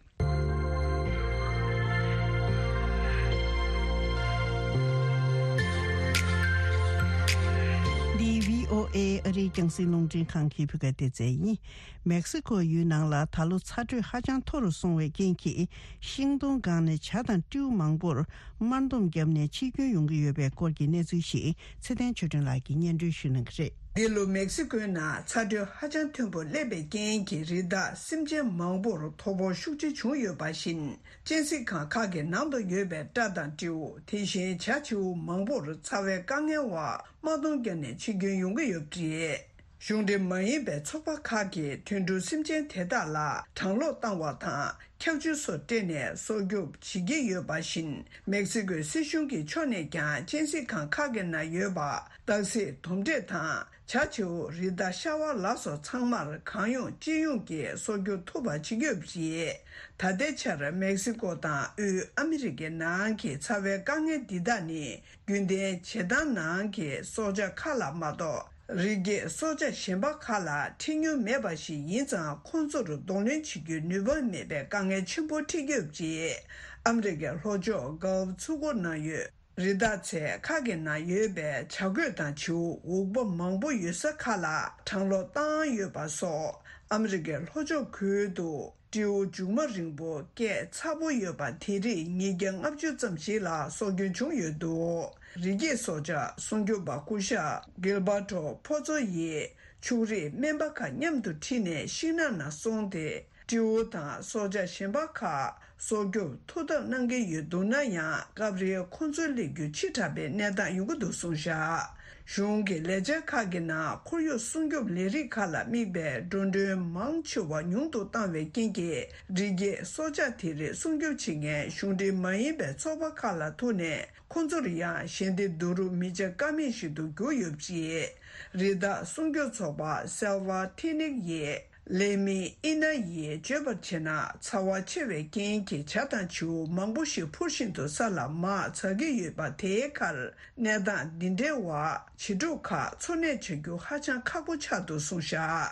འདི་བྷི་ཨོ་ཨེ་ཨ་རིའི་རྒྱང་སྲིང་རླུང་འཕྲིན་ཁང་གི་བོད་སྐད་སྡེ་ཚན་ཡིན། མེག་སི་ཀོ་ཡུལ་ནང་ལ་ད་ལོ་ཚ་དྲོད་ཧ་ཅང་མཐོ་རུ་སོང་བའི་རྐྱེན་གྱིས། ཤིང་སྡོང་སྒང་ནས་བྱ་དང་སྤྲེའུ་མང་པོར་དམར་འདོམས་བརྒྱབ་ནས་འཆི་སྐྱོན་ཡོང་གི་ཡོད་པའི་སྐོར་གྱི་གནས་ཚུལ་ཞིག་ཚེ་བརྟན་ཆོས་སྒྲོན་ལགས་ཀྱིས་སྙན་སྒྲོན་ཞུ་གནང་གི་རེད། འདི་ལོ་མེག་སི་ཀོའི་ནང་ཚ་དྲོད་ཧ་ཅང་མཐོན་པོ་སླེབས་པའི་རྐྱེན་གྱིས། རི་དྭགས་སེམས་ཅན་མང་པོར་དོ་ཕོག་ཤུགས་ཆེ་བྱུང་ཡོད་པ་བཞིན། གཅན་གཟན་ཁང་ཁག་གི་ནང་དུ་ཡོད་པའི་སྤྲ་དང་སྤྲེའུ། དེ་བཞིན་བྱ་བྱིའུ་མང་པོར་ཚ་བའི་དཀའ་ངལ་འོག་དམག་དོང་བརྒྱབ་ནས་འཆི་སྐྱོན་ཡོང་གི་ཡོད་པ་རེད། གཞུང་འབྲེལ་མ་ཡིན་པའི་ཚོགས་པ་ཁག་གིས་དུད་འགྲོ་སེམས་ཅན་དེ་དག་ལ་གྲང་གློག་བཏང་བ་དང་། འཁྱག་ཆུ་སོགས་སྤྲད་ནས་སྲོག་སྐྱོབ་བྱེད་ཀྱི་ཡོད་པ་བཞིན། མེག་སི་ཀོའི་སྲིད་གཞུང་གི་ཕྱོགས་ནས་ཀྱང་གཅན་གཟན་ཁང་ཁག་གི་ནང་ཡོད་པ། སྟག་གཟིག་དོམ་དྲེད་དང་ བྱ་བྱིའུ། རི་དྭགས། ཤ་བ་ལ་སོགས་ཚང་མར་གང་ཡོང་ཅི་ཡོང་གིས་སྲོག་སྐྱོབ་ཐུབ་པ་བྱེད་ཀྱི་ཡོད་པ་རེད། ད་ལྟའི་ཆར་མེག་སི་ཀོ་དང་དབུས་ཨ་མི་རི་ཀའི་ནང་གི་ཚ་བའི་དཀའ་ངལ་འདི་དག་ནི་རྒྱུན་ལྡན་བྱེ་ཐང་ནང་གི་སྲོག་ཆགས་ཁག་ལ་མ་གཏོགས། རི་སྐྱེས་སྲོག་ཆགས་གཞན་པ་ཁག་ལ་འཕྲད་མྱོང་མེད་པ་ཞིག་ཡིན་ཙང་། ཁོང་ཚོར་གདོང་ལེན་བྱེད་རྒྱུའི་ནུས་པ་མེད་པའི་དཀའ་ངལ་ཆེན་པོ་འཕྲད་ཀྱི་ཡོད་པ་རེད། ཨ་མི་རི་ཀའི་ལྷོ་ཕྱོགས་གྷལཕ་མཚོ་ཁུག་ནང་ཡོད་རི་དྭགས་ཚོའི་ཁག་གི་ནང་ཡོད་པའི་བྱ་རྒོད་དང་བྱིའུ། འུག་པ་མང་པོ་ཡོད་ས་ཁག་ལ་གྲང་གློག་བཏང་ཡོད་པ་སོགས། ཨ་མི་རི་ཀའི་ལྷོ་ཕྱོགས་ཁུལ་དུ་སྤྲེའུ་མཇུག་མ་རིང་པོ་སྐད་ཚ་པོ་ཡོད་པ་དེ་རིགས་ཉིས་བརྒྱ་ལྔ་བཅུ་ཙམ་ཞིག་ལ་སྲོག་སྐྱོན་བྱུང་ཡོད་འདུག་རི་སྐྱེས་སྲོག་ཆགས་སྲུང་སྐྱོབ་པ་སྐུ་ཞབས་གིལ་བར་ཊོ་ཕོ་ཚོ་ཡིས་ཕྱུགས་རིགས་སྨན་པ་ཁག་མཉམ་དུ་ཁྲིད་ནས་ཤིང་ནགས་ནང་སོང་སྟེ། སྤྲེའུ་དང་སྲོག་ཆགས་གཞན་པ་ཁག་སྲོག་སྐྱོབ་ཐུགས་འཐབ་གནང་གི་ཡོད་འདུག་ན་ཡང་། སྐབས་རེ་ཁོང་ཚོའི་སླེབས་རྒྱུ་ཕྱི་དྲགས་པའི་གནས་སྟངས་ཡོང་གི་འདུག་གསུངས་བཞག་གཞུང་གི་ལས་འཆར་ཁག་གི་ནང་ཁོར་ཡུག་སྲུང་སྐྱོབ་ལས་རིགས་ཁག་ལ་དམིགས་པའི་འགྲོ་གྲོན་མང་ཆེ་བ་ཉུང་དུ་བཏང་བའི་རྐྱེན་གྱིས། རི་སྐྱེས་སྲོག་ཆགས་དེ་རིགས་སྲུང་སྐྱོབ་བྱེད་མཁན་གཞུང་འབྲེལ་མ་ཡིན་པའི་ཚོགས་པ་ཁག་ལ་ཐུག་ནས། ཁོང་ཚོར་ཡང་ཞལ་འདེབས་བསྡུ་རུབ་མི་བྱེད་ཀ་མེད་ཞིག་ཏུ་གྱུར་ཡོད་པ་རེད། རི་དྭགས་སྲུང་སྐྱོབ་ཚོགས་པ་སེལ་ཝ་ཐི་ནིག་ཡིས། ལེ་མི་ཨི་ན་ཡིས་བརྗོད་པར་བྱས་ན། ཚ་བ་ཆེ་བའི་རྐྱེན་གྱིས་བྱ་དང་བྱིའུ་མང་པོ་ཞིག་འཕུར་བཞིན་དུ་ས་ལ་མར་འཛག་གི་ཡོད་པ་དེའི་ཁར། གནས་སྟངས་འདི་འདྲའི་འོག་བྱི་ཕྲུག་ཁག་འཚོ་གནས་བྱ་རྒྱུ་ཧ་ཅང་ཁག་པོ་ཆགས་འདུག་གསུངས་བཞག་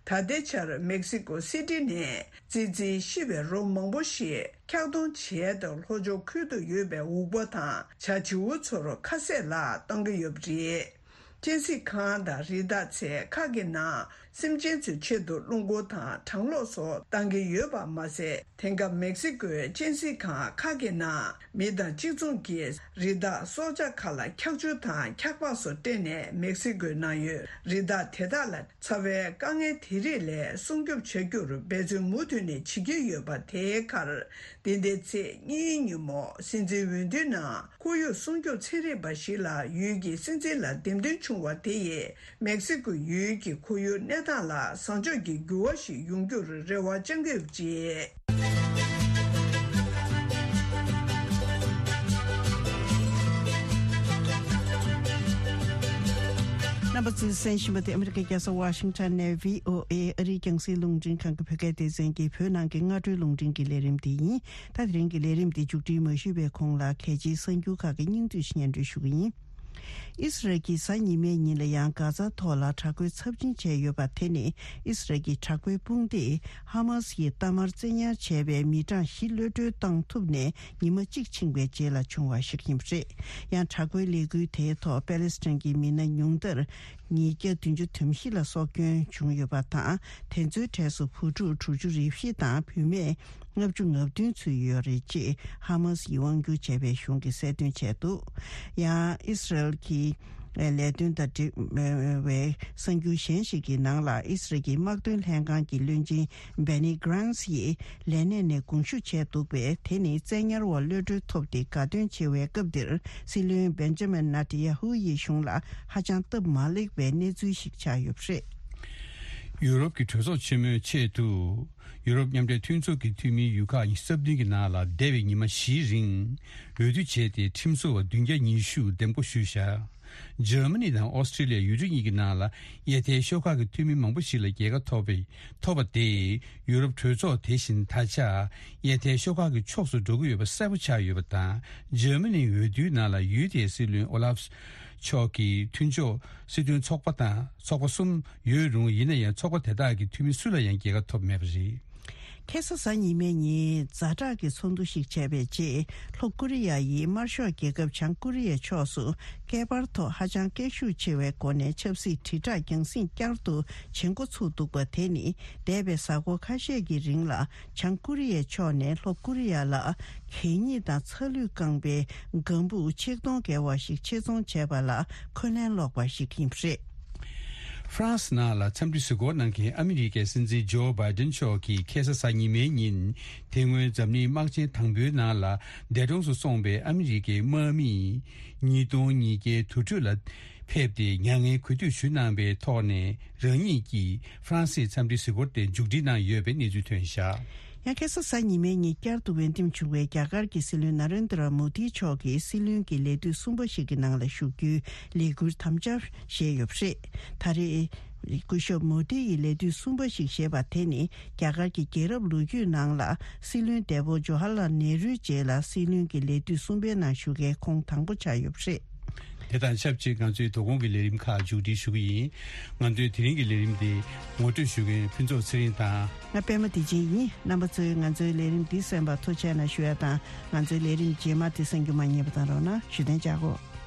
ད་ལྟའི་ཆར་མེག་སི་ཀོ་སི་ཊི་ནས་ཙི་ཙིའི་ཤི་བའི་རོ་མང་པོ་ཞིག་འཁྱག་གཏོང་བྱས་ཏེ། ལྷོ་ཕྱོགས་ཁུལ་དུ་ཡོད་པའི་འུག་པ་དང་བྱ་བྱིའུ་ཚོར་ཁ་ཟས་ལ་གཏོང་གི་ཡོད་པ་རེད། གཅན་གཟན་ཁང་དང་རི་དྭགས་ཚོའི་ཁག་གི་ནང་སེམས་ཅན་ཚོའི་ཆེད་དུ་རླུང་འཁོར་དང་གྲང་གློག་སོགས་བཏང་གི་ཡོད་པ་མ་ཟད། དེང་སྐབས་མེག་སི་ཀོའི་གཅན་གཟན་ཁང་ཁག་གི་ནང་མི་དང་གཅིག་མཚུངས་ཀྱིས་རི་དྭགས་སྲོག་ཆགས་ཁག་ལ་འཁྱག་ཆུ་དང་འཁྱག་པགས་སོགས་སྤྲད་ནས། མེག་སི་ཀོའི་ནང་ཡོད་རི་དྭགས་དེ་དག་ལ་ཚ་བའི་དཀའ་ངལ་དེ་རིགས་ལས་སྲུང་སྐྱོབ་བྱ་རྒྱུར་འབད་བརྩོན་མུ་མཐུད་ནས་བྱེད་ཀྱི་ཡོད་པ། དེའི་ཁར། འདི་ཟླའི་ཚེས་གཉིས་ཉིན་མོ་སྲིད་འཛིན་འོས་བསྡུའི་ནང་ཁོར་ཡུག་སྲུང་སྐྱོབ་ཚན་རིག་པ་ཞིག་ལ་ཡུལ་གྱི་སྲིད་འཛིན་ལ་འདེམས་ཐོན་བྱུང་བ་དེ་ཡིས། མེག་སི་ཀོ་ཡུལ་གྱི་ཁོར་ཡུག་གནས་སྟངས་ལ་བཟང་ཕྱོགས་ཀྱི་འགྱུར་བ་ཞིག་ཡོང་རྒྱུར་རེ་བ་བཅང་གི་ཡོད་པ་རེད། རྣམ་པ་ཚོས་གསན་བཞིན་པ་དེ་ཨ་མི་རི་ཀའི་རྒྱལ་ས་ཝ་ཤིང་ཊོན་ནས་བྷི་ཨོ་ཨེ་ཨ་རིའི་རྒྱང་སྲིང་རླུང་འཕྲིན་ཁང་གི་བོད་སྐད་སྡེ་ཚན་གྱི་བོད་ནང་གི་སྔ་དྲོའི་རླུང་འཕྲིན་གྱི་ལས་རིམ་དེ་ཡིན། ད་དེ་རིང་གི་ལས་རིམ་དེ་མཇུག་སྒྲིལ་མ་ཞུས་པའི་གོང་ལ། གལ་ཆེའི་གསར་འགྱུར་ཁག་གི་སྙིང་བསྡུས་ཤིག་སྙན་སྒྲོན་ཞུ་གི་ཡིན། ཨི་སི་རལ་གྱིས་གཟའ་ཉི་མའི་ཉིན་ལ་ཡང་གྷ་ཛ་ཐོག་ལ་དྲག་རྒོལ་ཚབས་ཆེན་བྱས་ཡོད་པ་དེ་ནི། ཨི་སི་རལ་གྱི་དྲག་པོའི་དཔུང་སྡེས་ཧ་མ་སི་ཡིས་གཏའ་མར་བཙན་ཉར་བྱས་པའི་མི་གྲངས་བཞི་གློད་གྲོལ་བཏང་ཐུབ་ནས་ཉི་མ་གཅིག་ཕྱིན་པའི་རྗེས་ལ་བྱུང་བ་ཞིག་ཡིན་པ་རེད། ཡང་དྲག་པོའི་ལས་འགུལ་དེའི་ཐོག་པེ་ལེ་སི་ཐན་གྱི་མི་སྣ་ཉུང་མཐར་ཉིས་བརྒྱ་བདུན་ཅུ་དོན་བཞི་ལ་སྲོག་སྐྱོན་བྱུང་ཡོད་པ་དང་། དེ་ཚོའི་གྲས་སུ་བུ་ཕྲུག་དྲུག་ཅུ་རེ་བཞི་དང་བུད་མེད་ལྔ་བཅུ་ང་བདུན་ཚུད་ཡོད་རེད་ཅེས་ཧ་མ་སི་ཡིས་དབང་སྒྱུར་བྱས་པའི་གཞུང་གིས་གསལ་སྟོན་བྱས་འདུག་ཡང་ཨི་སི་རལ་གྱི་ལས་དོན་དང་འབྲེལ་བའི་གསར་འགྱུར་གཞན་ཞིག་གི་ནང་ལ། ཨི་སི་རལ་གྱི་དམག་དོན་ལྷན་ཁང་གི་བློན་ཆེན་Benny Gantz་ཡིས་ལས་གནས་ནས་དགོངས་ཞུ་བྱས་འདུག་པས། དེ་ནི་བཙན་ཉར་བ་གློད་གྲོལ་ཐོབ་སྟེ་དགའ་སྟོན་ཆེ་བའི་སྐབས་འདིར། སྲིད་བློན་Benjamin Netanyahu་ཡི་གཞུང་ལ་ཧ་ཅང་སྟབས་མ་ལེགས་པའི་གནས་ཚུལ་ཞིག་ཆགས་ཡོད་པ་རེད། ཡུ་རོབ་ཀྱི་གྲོས་ཚོགས་ཆེན་མོའི་ཆེད་དུ། ཡུ་རོབ་མཉམ་འབྲེལ་མཐུན་ཚོགས་ཀྱི་འཐུས་མིའི་ཡུལ་ཁག་ཉི་ཤུ་རྩ་བདུན་གྱི་ནང་ལ་འདས་པའི་ཉི་མ་བཞིའི་རིང་འོས་བསྡུ་བྱས་ཏེ། ཁྲིམས་བཟོ་བ་བདུན་བརྒྱ་ཉི་ཤུ་འདེམས་བསྐོ་ཞུས་བཞག་འཇར་མ་ནི་དང་ཨོ་སི་ཀྲི་ལི་ཡ། ཡུལ་གྲུ་གཉིས་ཀྱི་ནང་ལ་ཡ་མཐའི་ཤོག་ཁག་གི་འཐུས་མི་མང་པོ་ཞིག་ལ་རྒྱལ་ཁ་ཐོབ་པའི་ཐོབ་པ་དེས། ཡུ་རོབ་གྲོས་ཚོགས་དེ་བཞིན་ད་ཆ་ཡ་མཐའི་ཤོག་ཁག་གི་ཕྱོགས་སུ་འགྲོ་གི་ཡོད་པ་གསལ་པོ་ཆགས་ཡོད་པ་དང་། འཇར་མ་ནིའི་འོས་བསྡུའི་ནང་ལ་ཡུལ་དེའི་སྲིད་བློན་ཨོ་ལཱབ་མཆོག་གི་མཐུན་ཕྱོགས་སྲིད་དོན་ཚོགས་པ་དང་ཚོགས་པ་གསུམ་ཡོད་རུང་། ཡིན་ན་ཡང་ཚོགས་པ་དེ་དག་གི་འཐུས་མི་སུ་ལ་ཡང་རྒྱལ་ཁ་ཐོབ་མེད་པ་རེད། ཁ་སང་གཟའ་ཉི་མའི་ཉིན་ཛ་དྲག་གི་ཚོགས་འདུ་ཞིག་བྱས་པའི་རྗེས། ལྷོ་ཀོ་རི་ཡ་ཡིས་དམར་ཤོག་རྒྱལ་ཁབ་བྱང་ཀོ་རི་ཡའི་ཕྱོགས་སུ་སྐད་འབར་ཐོག་ཧ་ཅང་སྐད་ཤུགས་ཆེ་བའི་སྒོ་ནས་ཆབ་སྲིད་དྲིལ་བསྒྲགས་རྒྱང་སྲིང་བསྐྱར་དུ་བྱེད་འགོ་ཚུགས་འདུག་པ་དེ་ནི། འདས་པའི་གཟའ་འཁོར་ཁ་ཤས་ཀྱི་རིང་ལ་བྱང་ཀོ་རི་ཡའི་ཕྱོགས་ནས་ལྷོ་ཀོ་རི་ཡ་ལ་གད་སྙིགས་དང་ཚ་ལུད་བཀང་པའི་ལྒང་བུ་ཆིག་སྟོང་བརྒལ་བ་ཞིག་ཆེད་རྫོང་བྱས་པ་ལ་འཁོན་ལན་སློག་པ་ཞིག་ཡིན་པ་རེད། ཧྥ་རན་སི་ནང་ལ་འཚམས་འདྲི་གཟིགས་སྐོར་གནང་མཁན་ཨ་མི་རི་ཀའི་སྲིད་འཛིན་ཇོ་བྷའི་ཏིན་མཆོག་གིས་ཁ་སང་གཟའ་ཉི་མའི་ཉིན། དེ་སྔོན་འཛམ་གླིང་དམག་ཆེན་དང་པོའི་ནང་ལ་འདས་གྲོངས་སུ་སོང་པའི་ཨ་མི་རི་ཀའི་དམག་མིས་ཉིས་སྟོང་ཉིས་བརྒྱའི་དུར་ཁྲོད་ལ་ཕེབས་ཏེ། མྱ་ངན་གུས་འདུད་ཞུ་གནང་བའི་ཐོག་ནས། རང་ཉིད་ཀྱིས་ཧྥ་རན་སིའི་འཚམས་འདྲིའི་གཟིགས་སྐོར་དེ་མཇུག་སྒྲིལ་གནང་ཡོད་པའི་གནས་ཚུལ་ཐོན་བཞག་ཡང་ཁ་སང་གཟའ་ཉི་མའི་ཉིན་བསྐྱར་དུ་འོས་འདེམས་བྱུང་བའི་རྒྱ་གར་གྱི་སྲིད་བློན་ན་རེན་དྲ་མོ་དི་མཆོག་གིས་སྲིད་བློན་གྱི་ལས་དུས་གསུམ་པ་ཞིག་གི་ནང་ལ་ཞུགས་རྒྱུའི་ལས་འགུལ་དམ་བཅའ་བཞེས་ཡོད་པ་རེད། ད་རེས་སྐུ་ཞབས་མོ་དི་ཡིས་ལས་དུས་གསུམ་པ་ཞིག་བཞེས་པ་དེ་ནི་རྒྱ་གར་གྱི་རྒྱལ་རབས་ལོ་རྒྱུས་ནང་ལ་སྲིད་བློན་འདས་པོ་ཇོ་ཧར་ལལ་ནེ་རུའི་རྗེས་ལ་སྲིད་བློན་གྱི་ལས་དུས་གསུམ་པའི་ནང་ཞུགས་མཁན་ཁོང་དང་པོ་ཆགས་ཡོད་པ་རེད། དེ་དང་ཆབས་ཅིག་ང་ཚོའི་དོ་དགོང་གི་ལས་རིམ་ཁག་མཇུག་སྒྲིལ་ཞུ་གི་ཡིན། ང་ཚོའི་དེ་རིང་གི་ལས་རིམ་དེ་ངོ་སྤྲོད་ཞུ་མཁན་ཕུན་ཚོགས་ཚེ་རིང་དང་། ང་པད་མ་བདེ་ཆེན་ཡིན། རྣམ་པ་ཚོས་ང་ཚོའི་ལས་རིམ་འདི་གསན་པར་ཐུགས་རྗེ་གནང་ཞུ་ཡ་དང་། ང་ཚོའི་ལས་རིམ་རྗེས་མ་དེ་གསན་རྒྱུ་མ་བསྙེལ་བ་དང་རོགས་གནང་ཞུ་དན་བྱ་གོ།